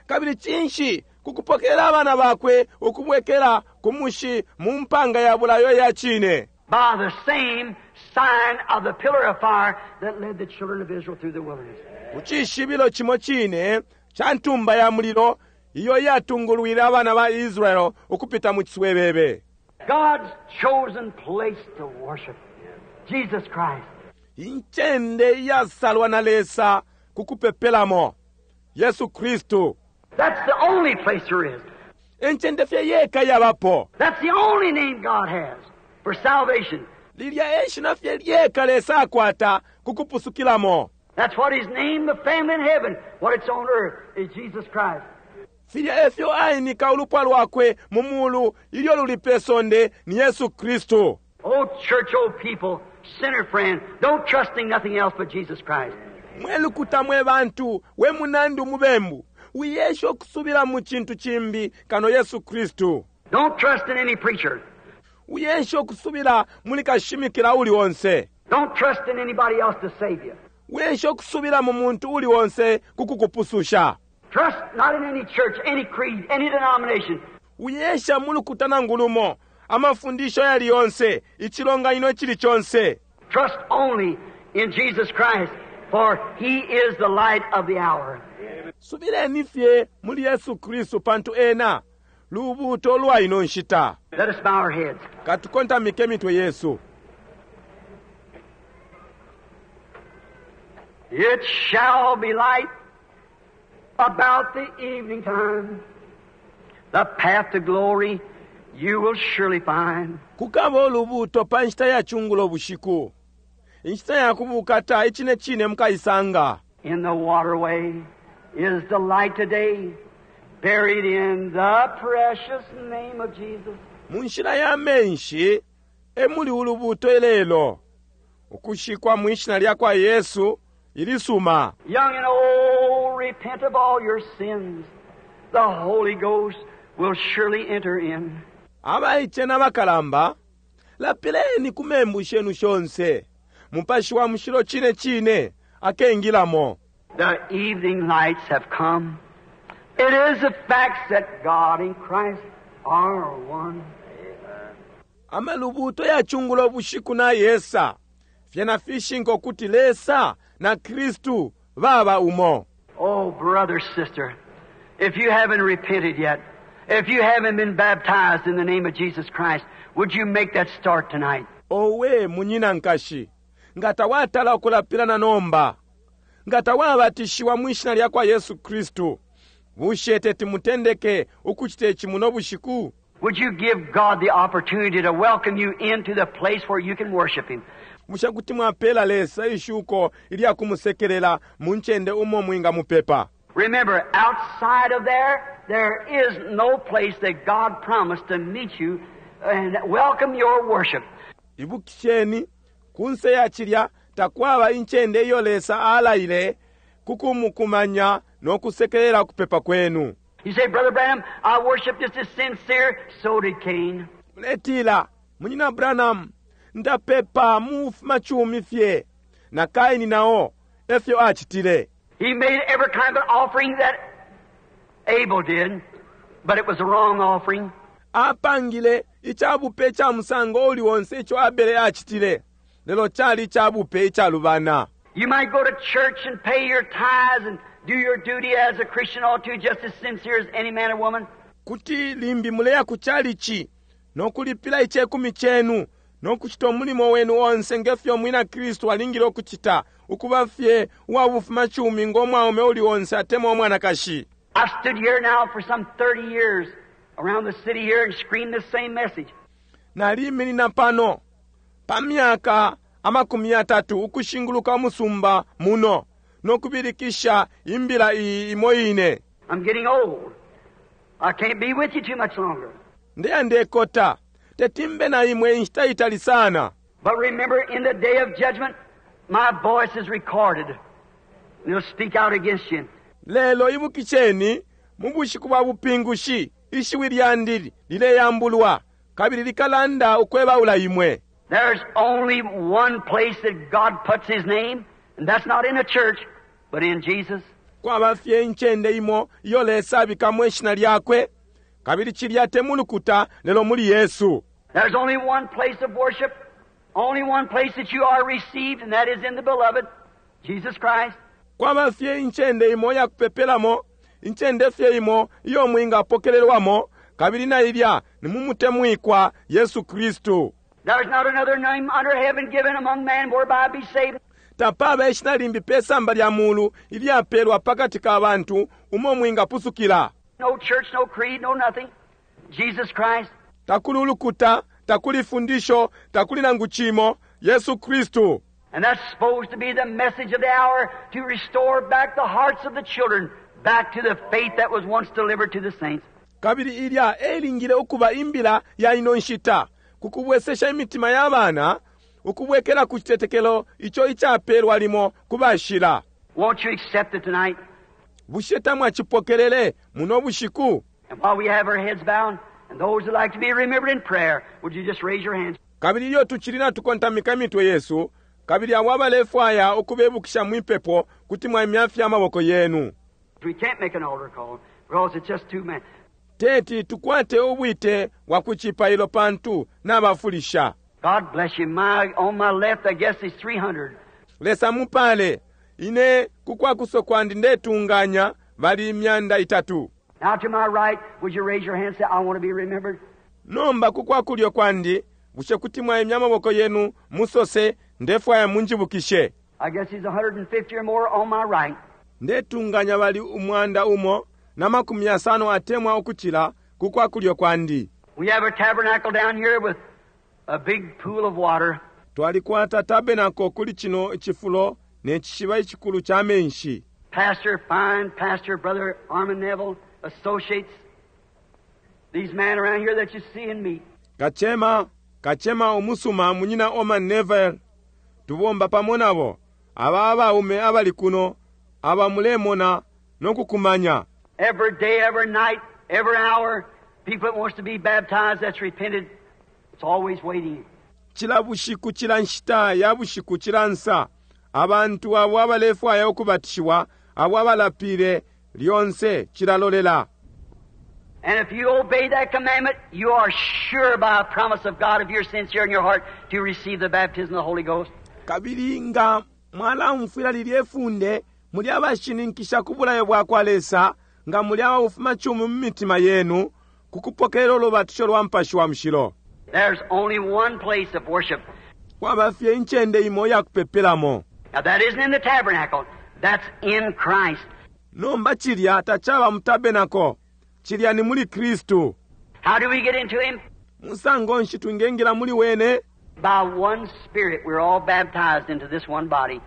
Kabili cinshi? Kukupokelela abana bakwe ukubwekela ku mushi mu mpanga ya bulayo ya cine. By the same sign of the pillar of fire that led the children of Israel through the wilderness. Ku cishibilo cimo cine ca ntumba ya mulilo iyo yatungulwile abana ba Israel ukupita mu ciswebebe. God's chosen place to worship Jesus Christ. Incende iyasalwa na Lesa ku kupepelamo Yesu Kristu. That's the only place there is. Encende fye yeka yabapo. That's the only name God has for salvation. Lilya e shina fye lyeka Lesa akwata ku kupusukilamo. That's what His name, the family in heaven, what it's on earth, is Jesus Christ. Filya efyo ainika ulupwa lwakwe mu mulu ilyo luli pe sonde ni Yesu Kristu. Oh church, oh people, sinner friend, don't trust in nothing else but Jesus Christ. Mwe lukuta mwe bantu, we munandi umubembu, wiyesha ukusubila mu cintu cimbi kano Yesu Kristu. Don't trust in any preacher. Wiyesha ukusubila muli kashimikila uli onse. Don't trust in anybody else to save you. Wiesha ukusubila mu muntu uli onse ku kukupususha. Trust not in any church, any creed, any denomination. Wiesha mu lukuta nangu lumo, amafundisho yali yonse, icilonganino icili conse. Trust only in Jesus Christ, for He is the light of the hour. Subileni fye muli Yesu Kristu pantu ena lubuuto lwa ino nshita. Let us bow our heads. Katukontamike mitwe yesu. It shall be light about the evening time. The path to glory you will surely find. Kukaba ulubuuto pa nshita ya cungulo bushiku. Inshita ya kubukata icine cine mukaisanga. In the waterway is the light today, buried in the precious name of Jesus. Mu nshila ya menshi e muli ulubuuto ilelo, ukushikwa mwi shina lya kwa Yesu ilisuma. Young and old, repent of all your sins. The Holy Ghost will surely enter in. Abaice na bakalamba, lapileni ku membu shenu shonse. Mupashi wa Mushilo cine cine akengilamo. The evening lights have come. It is a fact that God and Christ are one. Amalubuto ya chungulo bushiku na yesa. Fyena fishinka ukuti Lesa na Kristu baba umo. Oh, brother, sister, if you haven't repented yet, if you haven't been baptized in the name of Jesus Christ, would you make that start tonight? Owe munyina nkashi, nga tawatala ukulapila na nomba, nga tawabatishiwa mwi shina lya kwa Yesu Kristu, bushe teti mutendeke ukucita ici muno bushiku? Would you give God the opportunity to welcome you into the place where you can worship Him? Bushe kuti mwapela Lesa ishuko ilya kumusekelela mu ncende umo mwingamupepa? Remember, outside of there, there is no place that God promised to meet you and welcome your worship. Ibukisheni, kunse ya cilya takwaba incende iyo Lesa alaile ku kumukumanya no kusekelela ukupepa kwenu. You say, Brother Branham, I worship just as sincere. So did Cain. Muletila, Munyina Branham, ndapepa mu bufumacumi fye. Na Kaini nao efyo acitile. He made every kind of offering that Abel did, but it was the wrong offering. Apangile icabupe ica musango uli onse ico Abele acitile, lelo cali icabupe icalubana. You might go to church and pay your tithes and do your duty as a Christian ought to, just as sincere as any man or woman. Kuti limbi muleya ku chalichi no kulipila icekumi cenu no kucita umulimo wenu onse nge fyo umwina Kristu alingile ukucita, ukuba fye uwa bufumacumi ngo mwaume uli onse atemwa umwanakashi. I've stood here now for some 30 years around the city here and screamed the same message. Naliminina pano pa myaka 30 ukushinguluka umusumba muno no kubilikisha imbila iyi imo ine. I'm getting old. I can't be with you too much longer. Ndeya ndekota. Teti mbe na imwe inshita itali sana. But remember, in the day of judgment, my voice is recorded. And it'll speak out against you. Lelo ibukisheni, mu bushiku bwa bupingushi, ishiwi lyandi lileyambulwa, kabili likalanda ukwebaula imwe. There's only one place that God puts His name, and that's not in a church, but in Jesus. Kwaba fye incende imo iyo Lesa abikamo ishina lyakwe, kabili cilya te mu lukuta, lelo muli Yesu. There's only one place of worship, only one place that you are received, and that is in the beloved, Jesus Christ. Kwaba fye incende imo iya kupepelamo, incende fye imo iyo mwingapokelelwamo, kabili na ilya ni mu mutemwikwa Yesu Kristu. There's not another name under heaven given among men whereby be saved. Tapaba ishina limbi pe samba lya mulu ilyapelwa pakati ka bantu umo mwingapusukila. No church, no creed, no nothing. Jesus Christ. Takuli ulukuta, takuli fundisho, takuli nangu cimo, Yesu Kristu. And that's supposed to be the message of the hour, to restore back the hearts of the children back to the faith that was once delivered to the saints. Kabili ilya elingile ukuba imbila ya ino nshita, ku kubwesesha imitima ya bana ukubwekela ku citetekelo ico icapelwa limo ku bashila. Won't you accept it tonight? Bushe tamwacipokelele muno bushiku? And while we have our heads bowed, and those that like to be remembered in prayer, would you just raise your hands? Kabili ilyo tucili natukontamika imitwe yesu, Kabili abo abalefwaya ukubebukisha mwipepo, kuti mwaimya fye amaboko yenu. We can't make an altar call because it's just too many. Teti tukwate ubwite bwa ku cipailo pantu nabafulisha. God bless you. My, on my left, I guess it's 300. Lesa mupale. Ine ku kwakuso kwandi ndetunganya bali 300. Now to my right, would you raise your hand and say, I want to be remembered? Nomba ku kwakulyo kwandi, bushe kuti mwaimya amaboko yenu musose, Ndefwaya munjibukishe. I guess he's 150 or more on my right. Ndetunganya bali 150 atemwa ukucila ku kwakulyo kwandi. We have a tabernacle down here with a big pool of water. Twalikwata tabernacle kuli cino icifulo ne cishiba icikulu ca menshi. Pastor, fine pastor, Brother Orman Neville, associates, these men around here that you see and meet. Kacema, kacema umusuma, Munyina Orman Neville, tubomba pamo nabo, aba abaume abali kuno, aba mulemona no kukumanya. Every day, every night, every hour, people that wants to be baptized, that's repented, it's always waiting. Cila bushiku, cila nshita ya bushiku, cila nsa, abantu abo abalefwaya ukubatishiwa, abo abalapile, lyonse cilalolela. And if you obey that commandment, you are sure by a promise of God, if you're sincere in your heart, to receive the baptism of the Holy Ghost. Kabili nga mwalaumfwila lilye funde, muli abashininkisha ku bulayo bwakwa Lesa, nga muli ababufumacumi mu mitima yenu, ku kupokelela ulubatisho lwa Mupashi wa Mushilo. There's only one place of worship. Kwaba fye incende imo iya kupepelamo. Now that isn't in the tabernacle. That's in Christ. Nomba cilya tacaba mu tabernacle. Cilya ni muli Kristu. How do we get into Him? Musango nshi twingengila muli Wene? By one Spirit we're all baptized into this one body.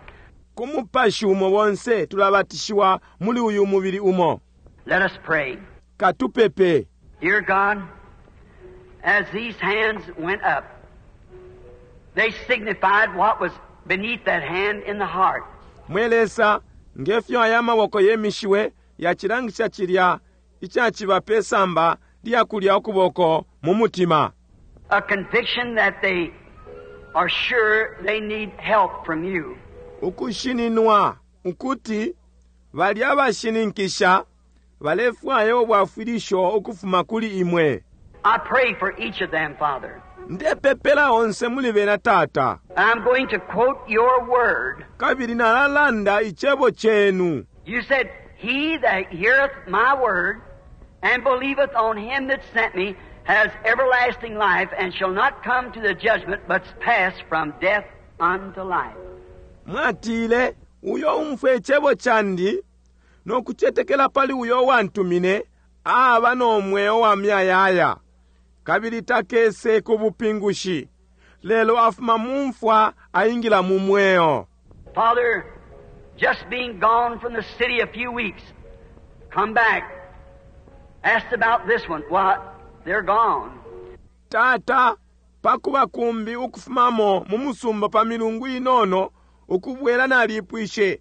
Ku Mupashi umo bonse tulabatishiwa muli uyu mubili umo. Let us pray. Katupepe. Dear God, as these hands went up, they signified what was beneath that hand in the heart. Mwe Lesa, nge fyo aya maboko yemishiwe, yacilangisha cilya icaciba pe samba lya kulya ukuboko mu mutima. A conviction that they are sure they need help from you. Ukushininwa ukuti bali abashininkisha balefwaya ubwafwilisho ukufuma kuli imwe. I pray for each of them, Father. Ndepepela onse muli bena, Tata. I'm going to quote your word. Kabili nalalanda icebo cenu. You said, He that heareth my word and believeth on him that sent me has everlasting life and shall not come to the judgment, but pass from death unto life. Mwatile, Uyo umfwe icebo candi no kucetekela pali uyo uwantumine aba no mweo wa muyayaya, kabili takese ku bupingushi, lelo afuma mu mfwa aingila mu mweo. Father, just being gone from the city a few weeks, come back, asked about this one, why, they're gone. Tata, pakuba kumbi ukufumamo mu musumba pa milungu inono, ukubwela nalipwishe,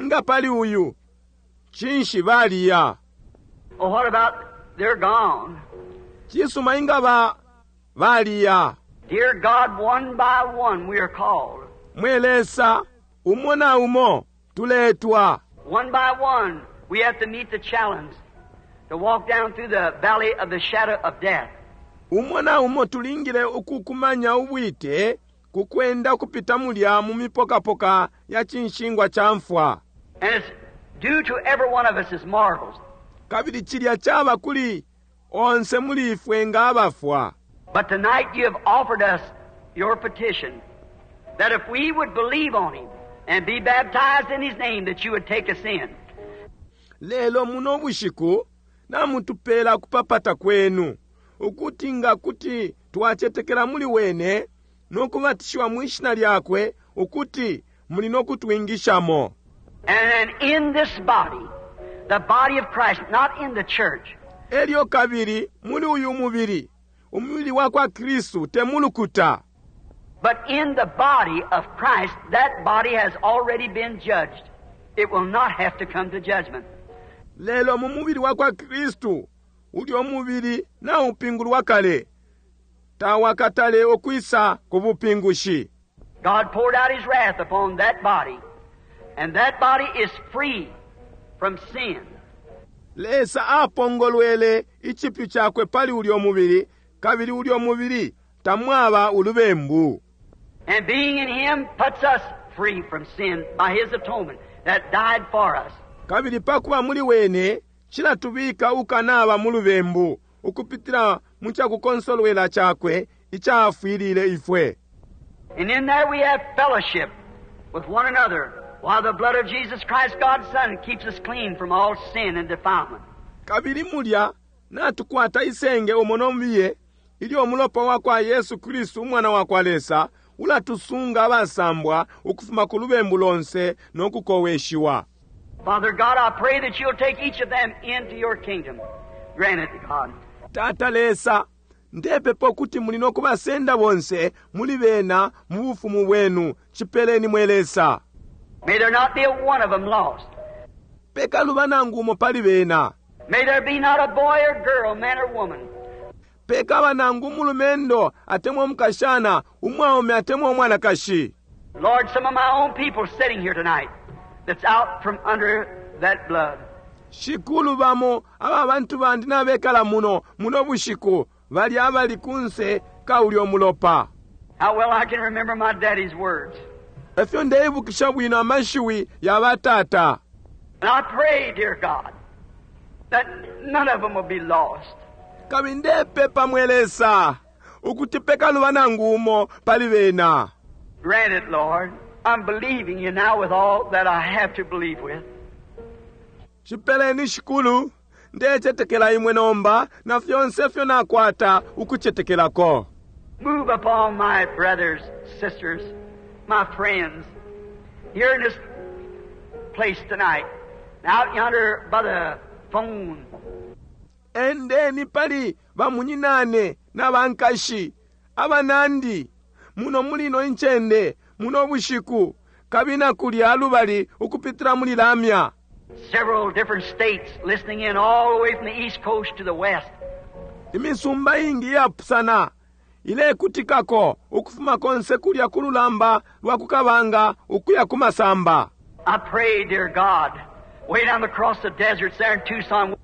Nga pali uyu, cinshi baliya? Well, what about they're gone? Cisuma, inga ba, baliya? Dear God, one by one we are called. Mwe Lesa, umo na umo tuletwa. One by one we have to meet the challenge to walk down through the valley of the shadow of death. Umo na umo tulingile ukukumanya ubwite ku kwenda ukupita mulya mu mipokapoka ya cinshingwa ca mfwa. And it's due to every one of us as mortals. Kabili cilya caba kuli onse muli ifwe nga abafwa. But tonight you have offered us your petition that if we would believe on him and be baptized in his name that you would take us in. Lelo muno bushiku namutupela ukupapata kwenu, ukuti nga kuti twacetekela muli wene no kubatishiwa mwi shina lyakwe, ukuti muli no kutwingishamo. And in this body, the body of Christ, not in the church. Elyo kabili muli uyu mubili, umubili wakwa Kristu, te mu lukuta. But in the body of Christ, that body has already been judged. It will not have to come to judgment. Lelo mu mubili wakwa Kristu, ulyo mubili naupingulwa kale, tawakatale ukwisa ku bupingushi. God poured out His wrath upon that body. And that body is free from sin. Lesa apongolwele icipyu cakwe pali ulyo mubili, kabili ulyo mubili tamwaba ulubembu. And being in Him puts us free from sin by His atonement that died for us. Kabili pakuba muli wene cilatubika ukanaba mu lubembu ukupitila mu cakukonsolwela cakwe icafwilile ifwe. And in there we have fellowship with one another while the blood of Jesus Christ, God's Son, keeps us clean from all sin and defilement. Kabili mulya natukwata isenge umo no mubiye ilyo umulopa wa kwa Yesu Kristu Umwana wa kwa Lesa ulatusunga abasambwa ukufuma ku lubembu lonse no kukoweshiwa. Father God, I pray that you'll take each of them into your kingdom. Grant it, God. Tata Lesa, ndepepa ukuti muli no kubasenda bonse muli bena mu bufumu bwenu. Cipeleni mwe Lesa. May there not be a one of them lost. Pekaluba nangu umo pali bena. May there be not a boy or girl, man or woman. Pekaba nangu umulumendo atemwa umukashana, umwaume atemwa umwanakashi. Lord, some of my own people sitting here tonight that's out from under that blood. Shikulu, bamo aba bantu bandi nabekala muno muno bushiku bali abali kunse ka ulyo mulopa. How well I can remember my daddy's words. Efyo ndeibukisha bwino amashiwi ya batata. And I pray, dear God, that none of them will be lost. Kabili ndepepa mwe Lesa ukuti pekaluba nangu umo pali bena. Grant it, Lord. I'm believing you now with all that I have to believe with. Cipeleni, Shikulu. Ndecetekela imwe nomba na fyonse ifyo nakwata ukucetekelako. Move upon my brothers, sisters, my friends, here in this place tonight, out yonder by the phone. Endeni pali bamunyinane na bankashi, abanandi, muno muli ino incende, muno bushiku, kabili na kulya lubali ukupitila muli lamya. Several different states listening in all the way from the east coast to the west. Imisumba ingi iyapusana ilekutikako ukufuma konse kulya ku lulamba lwa ku kabanga ukuya ku masamba. I pray, dear God, way down across the deserts there in Tucson.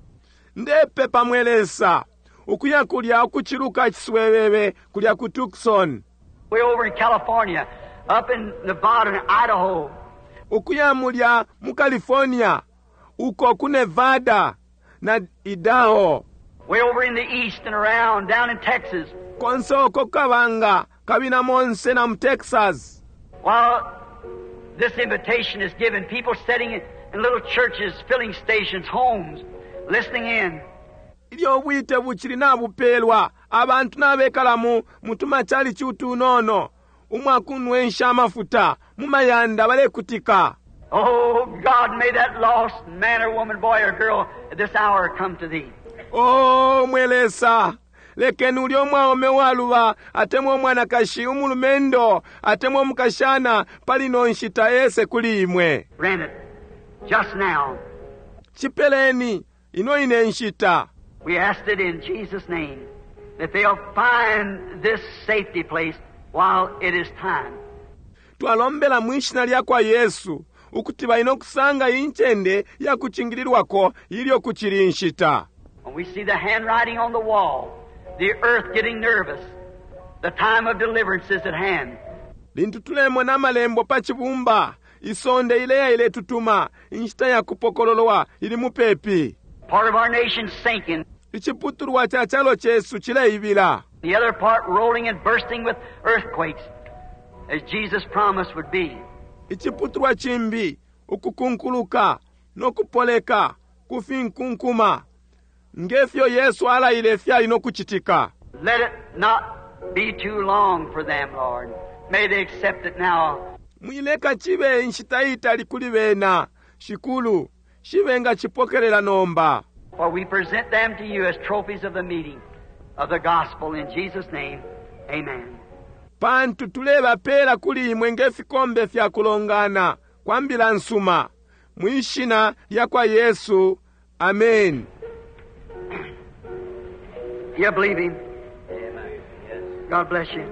Ndepepa mwe Lesa, ukuya kulya ukuciluka iciswebebe kulya ku Tucson. Way over in California, up in Nevada and Idaho. Ukuya mulya mu California, uko ku Nevada na Idaho. Way over in the east and around, down in Texas. Konse uko kabanga, kabili na monse na mu Texas. While this invitation is given, people sitting in little churches, filling stations, homes, listening in. Ilyo ubwite bucili nabupelwa, abantu nabekala mu mutumacalici utunono, umwakunwensha amafuta, mu mayanda balekutika. Oh, God, may that lost man or woman, boy or girl, at this hour come to Thee. Oh, mwe Lesa, lekeni ulyo mwaume waluba atemwa umwanakashi, umulumendo atemwa umukashana pali ino nshita ese kuli imwe. Grant it just now. Cipeleni ino ine nshita. We asked it in Jesus' name, that they'll find this safety place while it is time. Twalombela mwi shina lya kwa Yesu ukuti bali no kusanga iyi ncende ya kucingililwako ilyo kucili inshita. When we see the handwriting on the wall, the earth getting nervous, the time of deliverance is at hand. Lintu tulemona amalembo pa cibumba, isonde ileya iletutuma, inshita ya kupokololwa ili mupepi. Part of our nation sinking. Iciputulwa ca calo cesu cileibila. The other part rolling and bursting with earthquakes, as Jesus promised would be. Iciputulwa cimbi ukukunkuluka no kupoleka ku finkunkuma, nge fyo Yesu alaile fyali no kucitika. Let it not be too long for them, Lord. May they accept it now. Mwileka cibe inshita itali kuli bena, Shikulu, shibe nga cipokelela nomba. For we present them to you as trophies of the meeting of the gospel in Jesus' name. Amen. Pantu tulebapela kuli imwe nge fikombe fya kulongana kwa mbila nsuma, mwi shina lya kwa Yesu. Amen. You believe him? Amen. Yes. God bless you.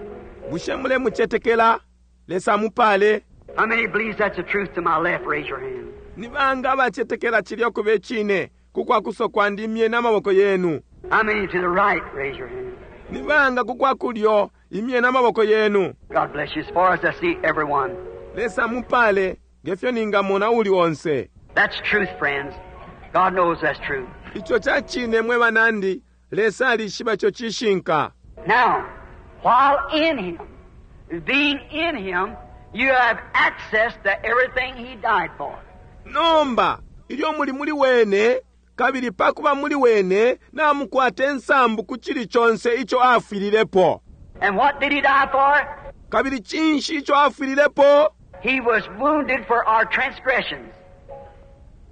Bushe mulemucetekela? Lesa amupale. How many believes that's the truth to my left? Raise your hand. Ni banga abacetekela cilya ukuba icine ku kwa kuso kwandi imyeni amaboko yenu? How many to the right? Raise your hand. Ni banga ku kwa kulyo imyeni amaboko yenu? God bless you. As far as I see everyone. Lesa amupale ngefyo ningamona uli onse. That's truth, friends. God knows that's true. Ico ca cine mwe banandi, Lesa alishiba ico cishinka. Now, while in Him, being in Him, you have access to everything He died for. Nomba, ilyo muli muli Wene, kabili pa kuba muli Wene, namukwata insambu ku cili conse ico afwililepo. And what did He die for? Kabili cinshi ico afwililepo? He was wounded for our transgressions,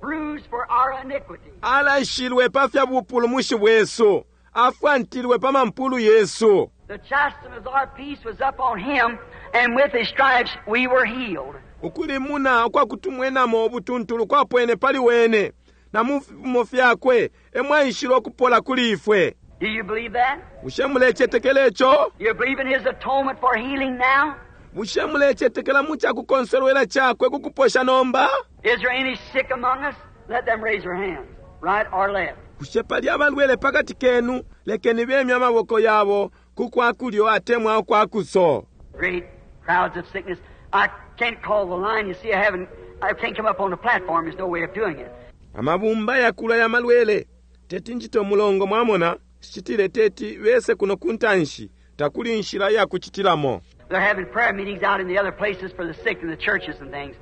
bruised for our iniquity. Alashilwe pa fya bupulumushi bwesu, afwantilwe pa mampulu yesu. The chastisement of our peace was up on Him, and with His stripes we were healed. Ukulimuna ukwa kutumwenamo ubutuntulu kwapwene pali wene, na mu fipimo fyakwe e mwaishile ukupola kuli ifwe. Do you believe that? Bushe mulecetekela ico? You believe in His atonement for healing now? Bushe mulecetekela mu cakukonsolwela cakwe ku kuposha nomba? Is there any sick among us? Let them raise their hands, right or left. Bushe pali abalwele pakati kenu? Lekeni bemye amaboko yabo ku kwa kulyo atemwa ukwa kuso. Great crowds of sickness. I can't call the line. You see, I haven't. I can't come up on the platform. There's no way of doing it. Amabumba yakula ya malwele. Teti njite umulongo mwamona, shicitile teti bese kuno kuntanshi. Takuli inshila ya kucitilamo. They're having prayer meetings out in the other places for the sick in the churches and things,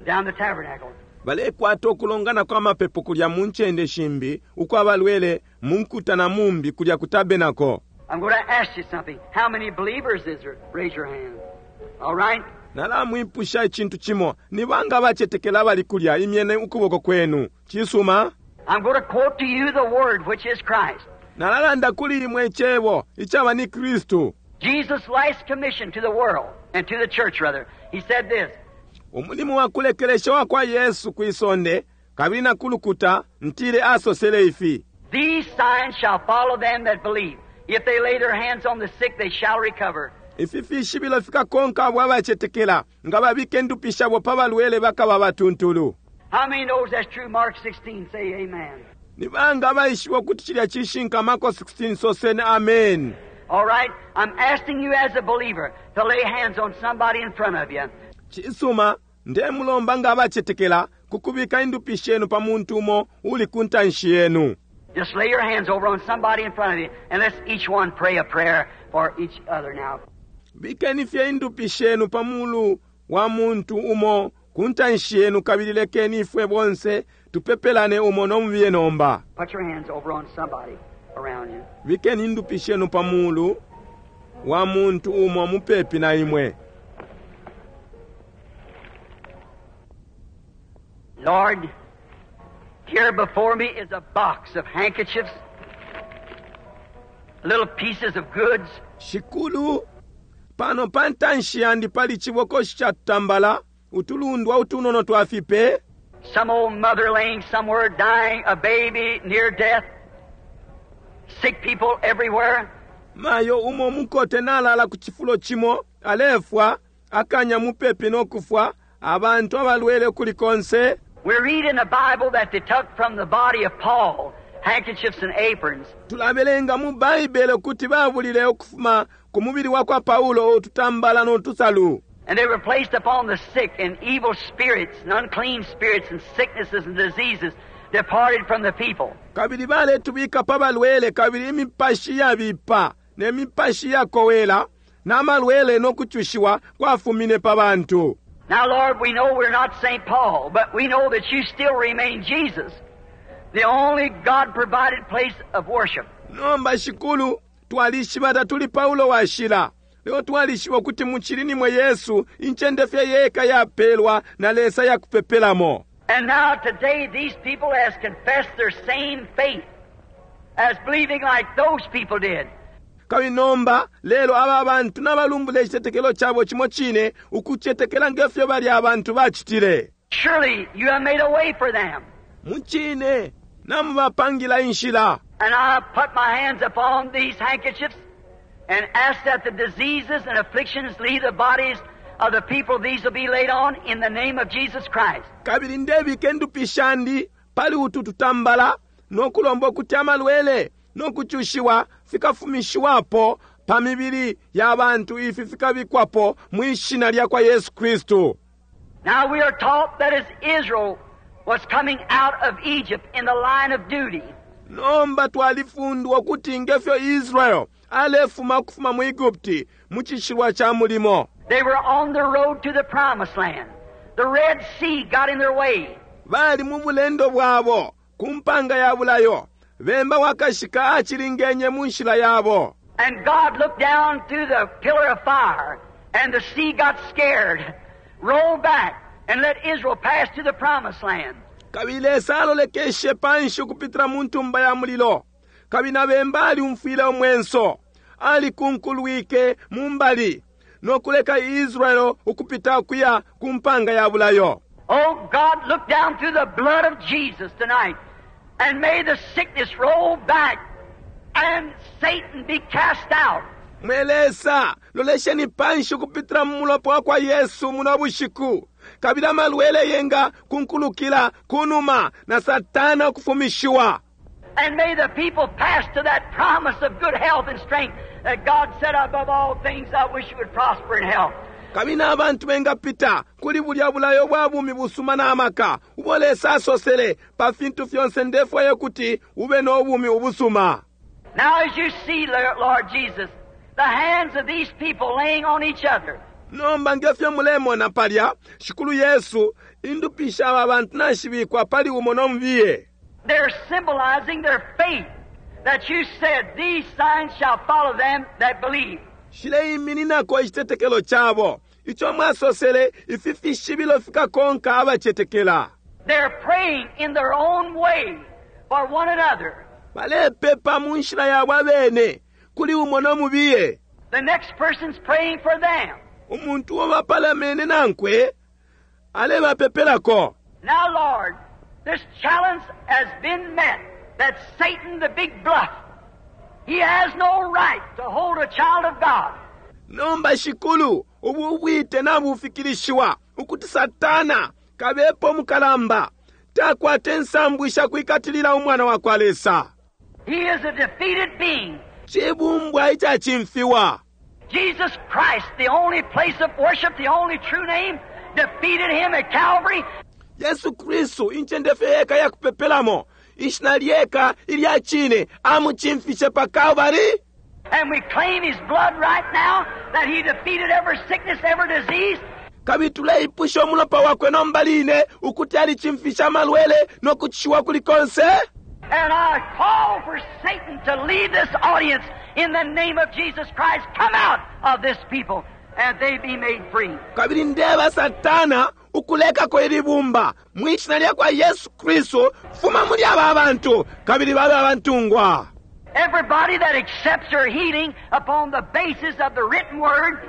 down the tabernacle. Balekwata ukulongana kwa mapepo kulya mu ncende shimbi ukwa balwele mu nkuta na mumbi kulya ku tabernacle. I'm going to ask you something. How many believers is there? Raise your hand. All right? Nalamwipusha icintu cimo. Ni banga abacetekela abali kulya? Imyeni ukuboko kwenu. Cisuma. I'm going to quote to you the Word, which is Christ. Nalalanda kuli imwe Icebo, icaba ni Kristu. Jesus' last commission to the world, and to the church, rather. He said this. Umulimo wa kulekelesha wa kwa Yesu kwi sonde, kabili na ku lukuta, ntile asosele ifi. These signs shall follow them that believe. If they lay their hands on the sick, they shall recover. Ifi fishibilo fikakonka abo abacetekela, nga babika indupi shabo pa balwele bakaba abatuntulu. How many knows that's true? Mark 16, say amen. Ni banga abaishiba ukuti cilya cishinka? Marko 16, soseni amen. All right, I'm asking you as a believer to lay hands on somebody in front of you. Cisuma, ndemulomba nga abacetekela ku kubika indupi shenu pa muntu umo uli ku ntanshi yenu. Just lay your hands over on somebody in front of you, and let's each one pray a prayer for each other now. Bikeni fye indupi shenu pa mulu wa muntu umo ku ntanshi yenu, kabili lekeni ifwe bonse tupepelane umo no mubiye nomba. Put your hands over on somebody around you. Bikeni indupi shenu pa mulu wa muntu umo mupepi na imwe. Lord, here before me is a box of handkerchiefs, little pieces of goods. Shikulu, pano pa ntanshi yandi pali cibokoshi ca tutambala, utulundwa utunono twa fipe. Some old mother laying somewhere dying, a baby near death, sick people everywhere. Mayo umo mukote nalala ku cifulo cimo, alefwa, akanya mupepi no kufwa, abantu abalwele ukuli konse. We read in the Bible that they took from the body of Paul handkerchiefs and aprons. Tulabelenga mu Baibele ukuti babulile ukufuma ku mubili wa kwa Paulo ututambala no tusalu. And they were placed upon the sick, and evil spirits and unclean spirits and sicknesses and diseases departed from the people. Kabili baletubika pa balwele, kabili imipashi iyabipa ne mipashi iyakowela na malwele no kucushiwa kwafumine pa bantu. Now, Lord, we know we're not Saint Paul, but we know that you still remain Jesus, the only God-provided place of worship. Nomba, Shikulu, twalishiba tatuli Paulo washila, lelo twalishiba ukuti mucili nimwe Yesu, incende fye yeka yapelwa na Lesa ya kupepelamo. And now today these people has confessed their same faith as believing like those people did. Kabili nomba, lelo aba bantu nabalumbula icitetekelo cabo cimo cine, ukucetekela nge fyo balya abantu bacitile. Surely you have made a way for them. Mucine, namubapangila inshila. And I put my hands upon these handkerchiefs and ask that the diseases and afflictions leave the bodies of the people these will be laid on in the name of Jesus Christ. Kabili ndebika indupi shandi pali utu tutambala no kulomba ukuti amalwele no kucushiwa fikafumishiwapo pa mibili ya bantu ifi fikabikwapo mwi shina lya kwa Yesu Kristu. Now we are taught that as Israel was coming out of Egypt in the line of duty, Nomba twalifundwa ukuti ngefyo Israel alefuma ukufuma mu Egupti mu cishilwa ca mulimo, they were on the road to the promised land. The Red Sea got in their way. Bali mu bulendo bwabo ku mpanga ya bulayo. Bemba wakashika acilingenye mu nshila yabo. And God looked down through the pillar of fire, and the sea got scared, rolled back, and let Israel pass to the promised land. Kabili Lesa alolekeshe panshi ukupitila mu ntumba ya mulilo, kabili na bemba aliumfwile umwenso, alikunkulwike mu mbali no kuleka Israel ukupita ukuya ku mpanga ya bulayo. Oh God, look down through the blood of Jesus tonight, and may the sickness roll back and Satan be cast out. Mwe Lesa, lolesheni panshi ukupitila mu mulopa wa kwa Yesu muno bushiku, kabili amalwele yenga kunkulukila kunuma na Satana ukufumishiwa. And may the people pass to that promise of good health and strength that God said, above all things, I wish you would prosper in health. Kabili n'abantu bengapita kuli bulya bulayo bwa bumi busuma na maka ubo Lesa asosele, pa fintu fyonse ndefwaye kuti ube no bumi ubusuma. Now as you see, Lord Jesus, the hands of these people laying on each other. Nomba ngefyo mulemona palya, Shikulu Yesu, indupi sha aba bantu nashibikwa pali umo no mubiye. They're symbolizing their faith that you said these signs shall follow them that believe. Shileimininako icitetekelo cabo ico mwasosele, ifi fishibilo fikakonka abacetekela. They're praying in their own way for one another. Balepepa mu nshila yabo abene kuli umo no mubiye. The next person's praying for them. Umuntu uo bapalamene nankwe alebapepelako. Now, Lord, this challenge has been met that Satan, the big bluff, he has no right to hold a child of God. Nomba Shikulu, ubu bwite nabufikilishiwa ukuti Satana kabepo mukalamba takwata insambu isha kwikatilila umwana wa kwa Lesa. He is a defeated being. Cibumbwa icacimfiwa. Jesus Christ, the only place of worship, the only true name, defeated him at Calvary. Yesu Kristu, incende fye yeka ya kupepelamo, ishina lyeka ilya cine, amucimfishe pa Calvary. And we claim his blood right now that he defeated every sickness, every disease. Kabili tuleipusha umulopa wakwe nomba line ukuti alicimfisha amalwele no kucishiwa kuli konse. And I call for Satan to leave this audience in the name of Jesus Christ. Come out of this people and they be made free. Kabili ndeba Satana ukulekako ili bumba mwi shina lya kwa Yesu Kristu, fuma muli aba bantu kabili babe abantungwa. Everybody that accepts their healing upon the basis of the written word.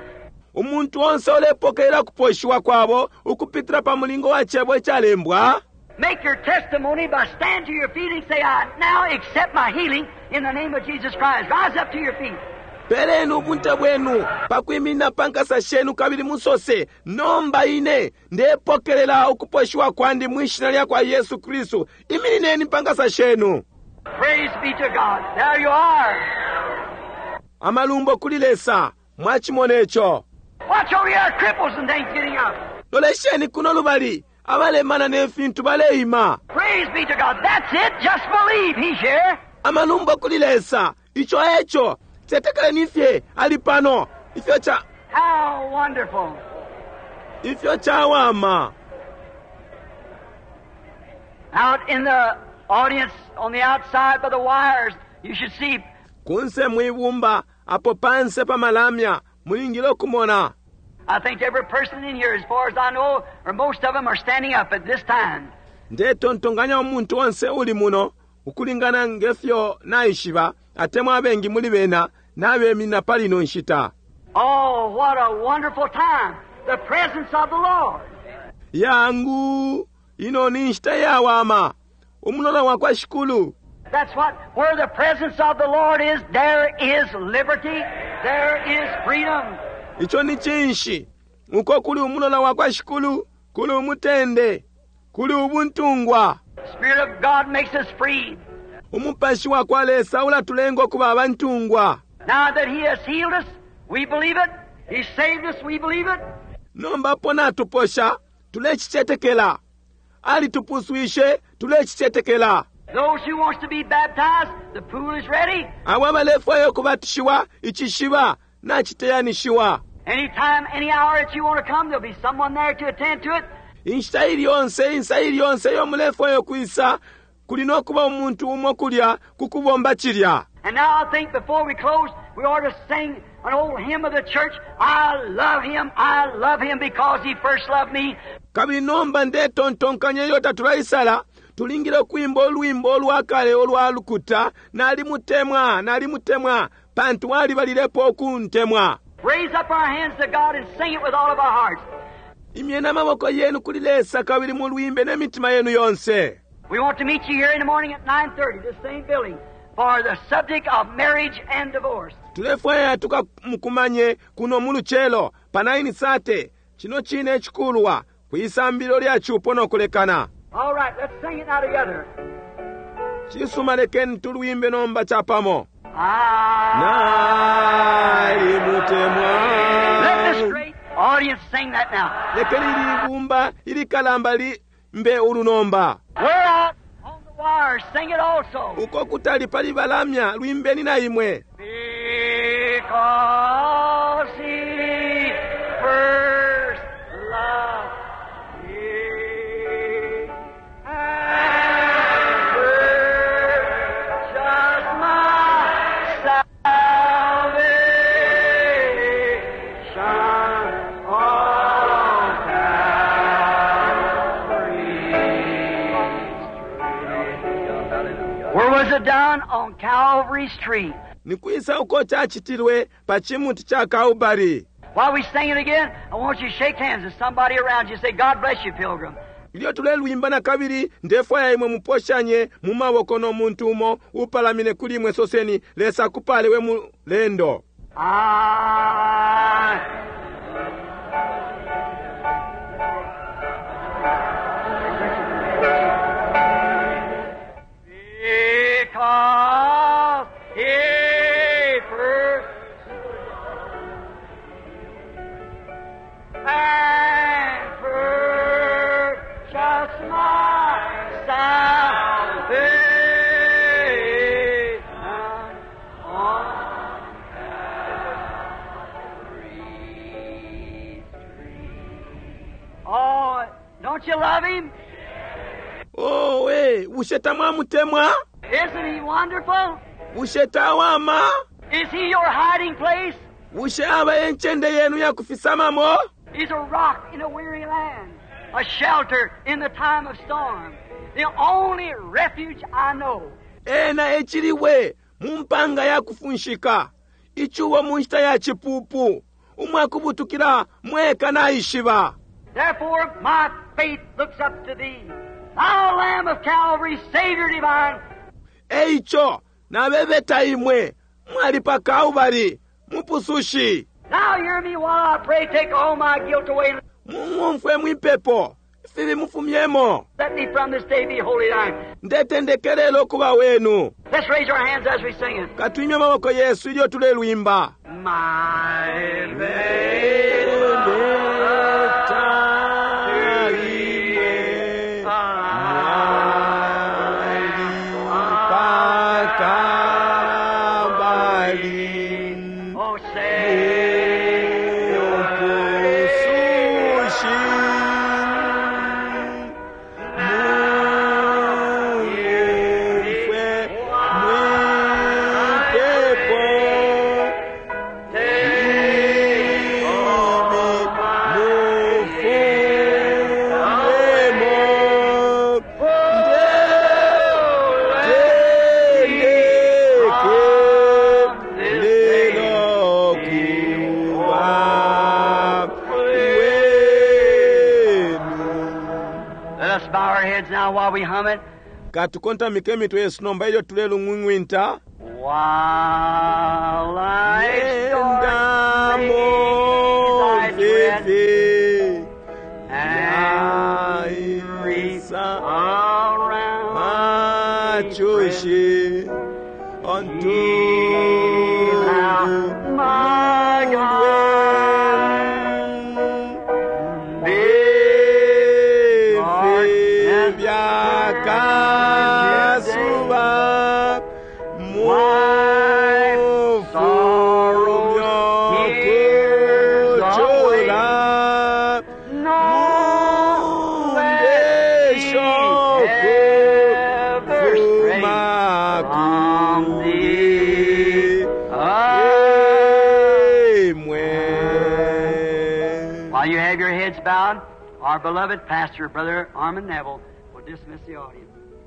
Umuntu onse ulepokelela kuposhiwa kwabo ukupitila pa mulingo wa cebo icalembwa. Make your testimony by stand to your feet and say, I now accept my healing in the name of Jesus Christ. Rise up to your feet. Peleni ubunte bwenu pakwiminina pa nkasa shenu kabili musose, nomba ine ndepokelela ukuposhiwa kwandi mwi shina lya kwa Yesu Kristu. Iminineni pa nkasa shenu. Praise be to God. There you are. Amalumbo kuli Lesa. Mwachimona ico. Watch over here, cripples and things getting up. Lolesheni kuno lubali, abalemana ne fintu baleima. Praise be to God. That's it. Just believe he's here. Amalumbo kuli Lesa. Ico eco. Cetekeleni fye ali pano. Ifyo cha How wonderful. Ifyo chawama. Out in the audience on the outside by the wires, you should see. Kunse mwibumba apo panse pa malamya mulingile okumona. I think every person in here, as far as I know, or most of them are standing up at this time. Ndetontonganya umuntu onse uli muno ukulingana ngefyo naishiba, atemwa abengi muli bena nabemina pali ino nshita. Oh, what a wonderful time. The presence of the Lord. Yangu ino ni nshita yawama. Umulola wa kwa Shikulu. That's what, where the presence of the Lord is, there is liberty, there is freedom. Ico ni cinshi? Uko kuli umulola wakwa Shikulu, kuli umutende, kuli ubuntungwa. Spirit of God makes us free. Umupashi wakwa Lesa ulatulenga ukuba abantungwa. Now that He has healed us, we believe it. He saved us, we believe it. Nomba apo natuposha, tulecicetekela. Alitupuswishe, tulecicetekela. Those who wants to be baptized, the pool is ready. Abo abalefwaya ukubatishiwa, icishiba naciteyanishiwa. Anytime, any hour that you want to come, there'll be someone there to attend to it. Inshita ili yonse, insa ili yonse iyo mulefwaya ukwisa, kuli no kuba umuntu umo kulya ku kubomba cilya. And now I think before we close, we ought to sing an old hymn of the church. I love him, I love him because he first loved me. Kabili nomba ndetontonkanya ilyo tatulaisala, tulingile ukwimba ulwimbo ulwa kale ulwa lukuta, Nalimutemwa, nalimutemwa, pantu alibalilepo ukuntemwa. Raise up our hands to God and sing it with all of our hearts. Imyeni amaboko yenu kuli Lesa kabili mulwimbe ne mitima yenu yonse. We want to meet you here in the morning at 9:30, this same building, for the subject of marriage and divorce. Tulefwaya tukamukumanye kuno mu lucelo pa 9:30, cino cine icikulwa, kwisambililo lya cupo no kulekana. All right, let's sing it now together. Cisuma, lekeni tulwimbe nomba capamo. I Nalimutemwa. Let this great audience sing that now. Lekeni ili ibumba ilikalamba limbe ulu nomba. We're out on the wire, sing it also. Uko kutali pali balamya, lwimbeni na imwe. Because he first loved me and purchased my salvation on Calvary's tree. Where was it done? On Calvary's tree. Nikwisa uko cacitilwe pa cimuti ca Kalbari. While we sing it again, I want you to shake hands with somebody around you. Say, God bless you, pilgrim. Ilyo tulelwimba na kabili, ndefwaya imwe muposhanye mu maboko no muntu umo upalamine kuli imwe, soseni, Lesa akupale we mulendo. I Because he first and purchased my salvation on Calvary's tree. Oh, don't you love him? Oh, we, bushe tamwamutemwa? Isn't he wonderful? Bushe tawama? Is he your hiding place? Bushe aba encende yenu ya kufisamamo? He's a rock in a weary land, a shelter in the time of storm, the only refuge I know. Ena eciliwe mu mpanga ya kufunshika, icubo mu nshita ya cipupu, umwakubutukila mweka naishiba. Therefore, my faith looks up to thee, thou Lamb of Calvary, Savior divine. Eico nabebeta imwe mwali pa Kalbari, mupusushi. Now hear me while I pray, take all my guilt away. Mung'umfwe mwipepo, ifibi mufumyemo. Let me from this day be holy thine. Ndetendekelelo ukuba wenu. Let's raise our hands as we sing it. Katwimye amaboko yesu ilyo tulelwimba. My faith Beta imwe mwali pa Kalbari. Oh, say, Mupusushi, mung'umfwe mwipepo, imi mufumemo, ndendeke lilokuba wenu. Let us bow our heads now while we hum it. Katukontamike imitwe yesu nomba ilyo tulelung'wing'winta. While life's dark Endamo maze I tread, mfifi. Around me, Machushi Be thou ontu my guide. Ifi vyakasuba mufumyo kuchula No, let mundesho me ever stray kufuma from kuli thee. imwe. While you have your heads bowed, our beloved pastor, Brother Armand Neville, will dismiss the audience.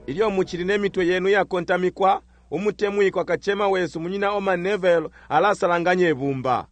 Ilyo muchili nemitwe yenu yakontamikwa, umutemwikwa kachema wesu munyina Orman Neville alasalanganya ibumba.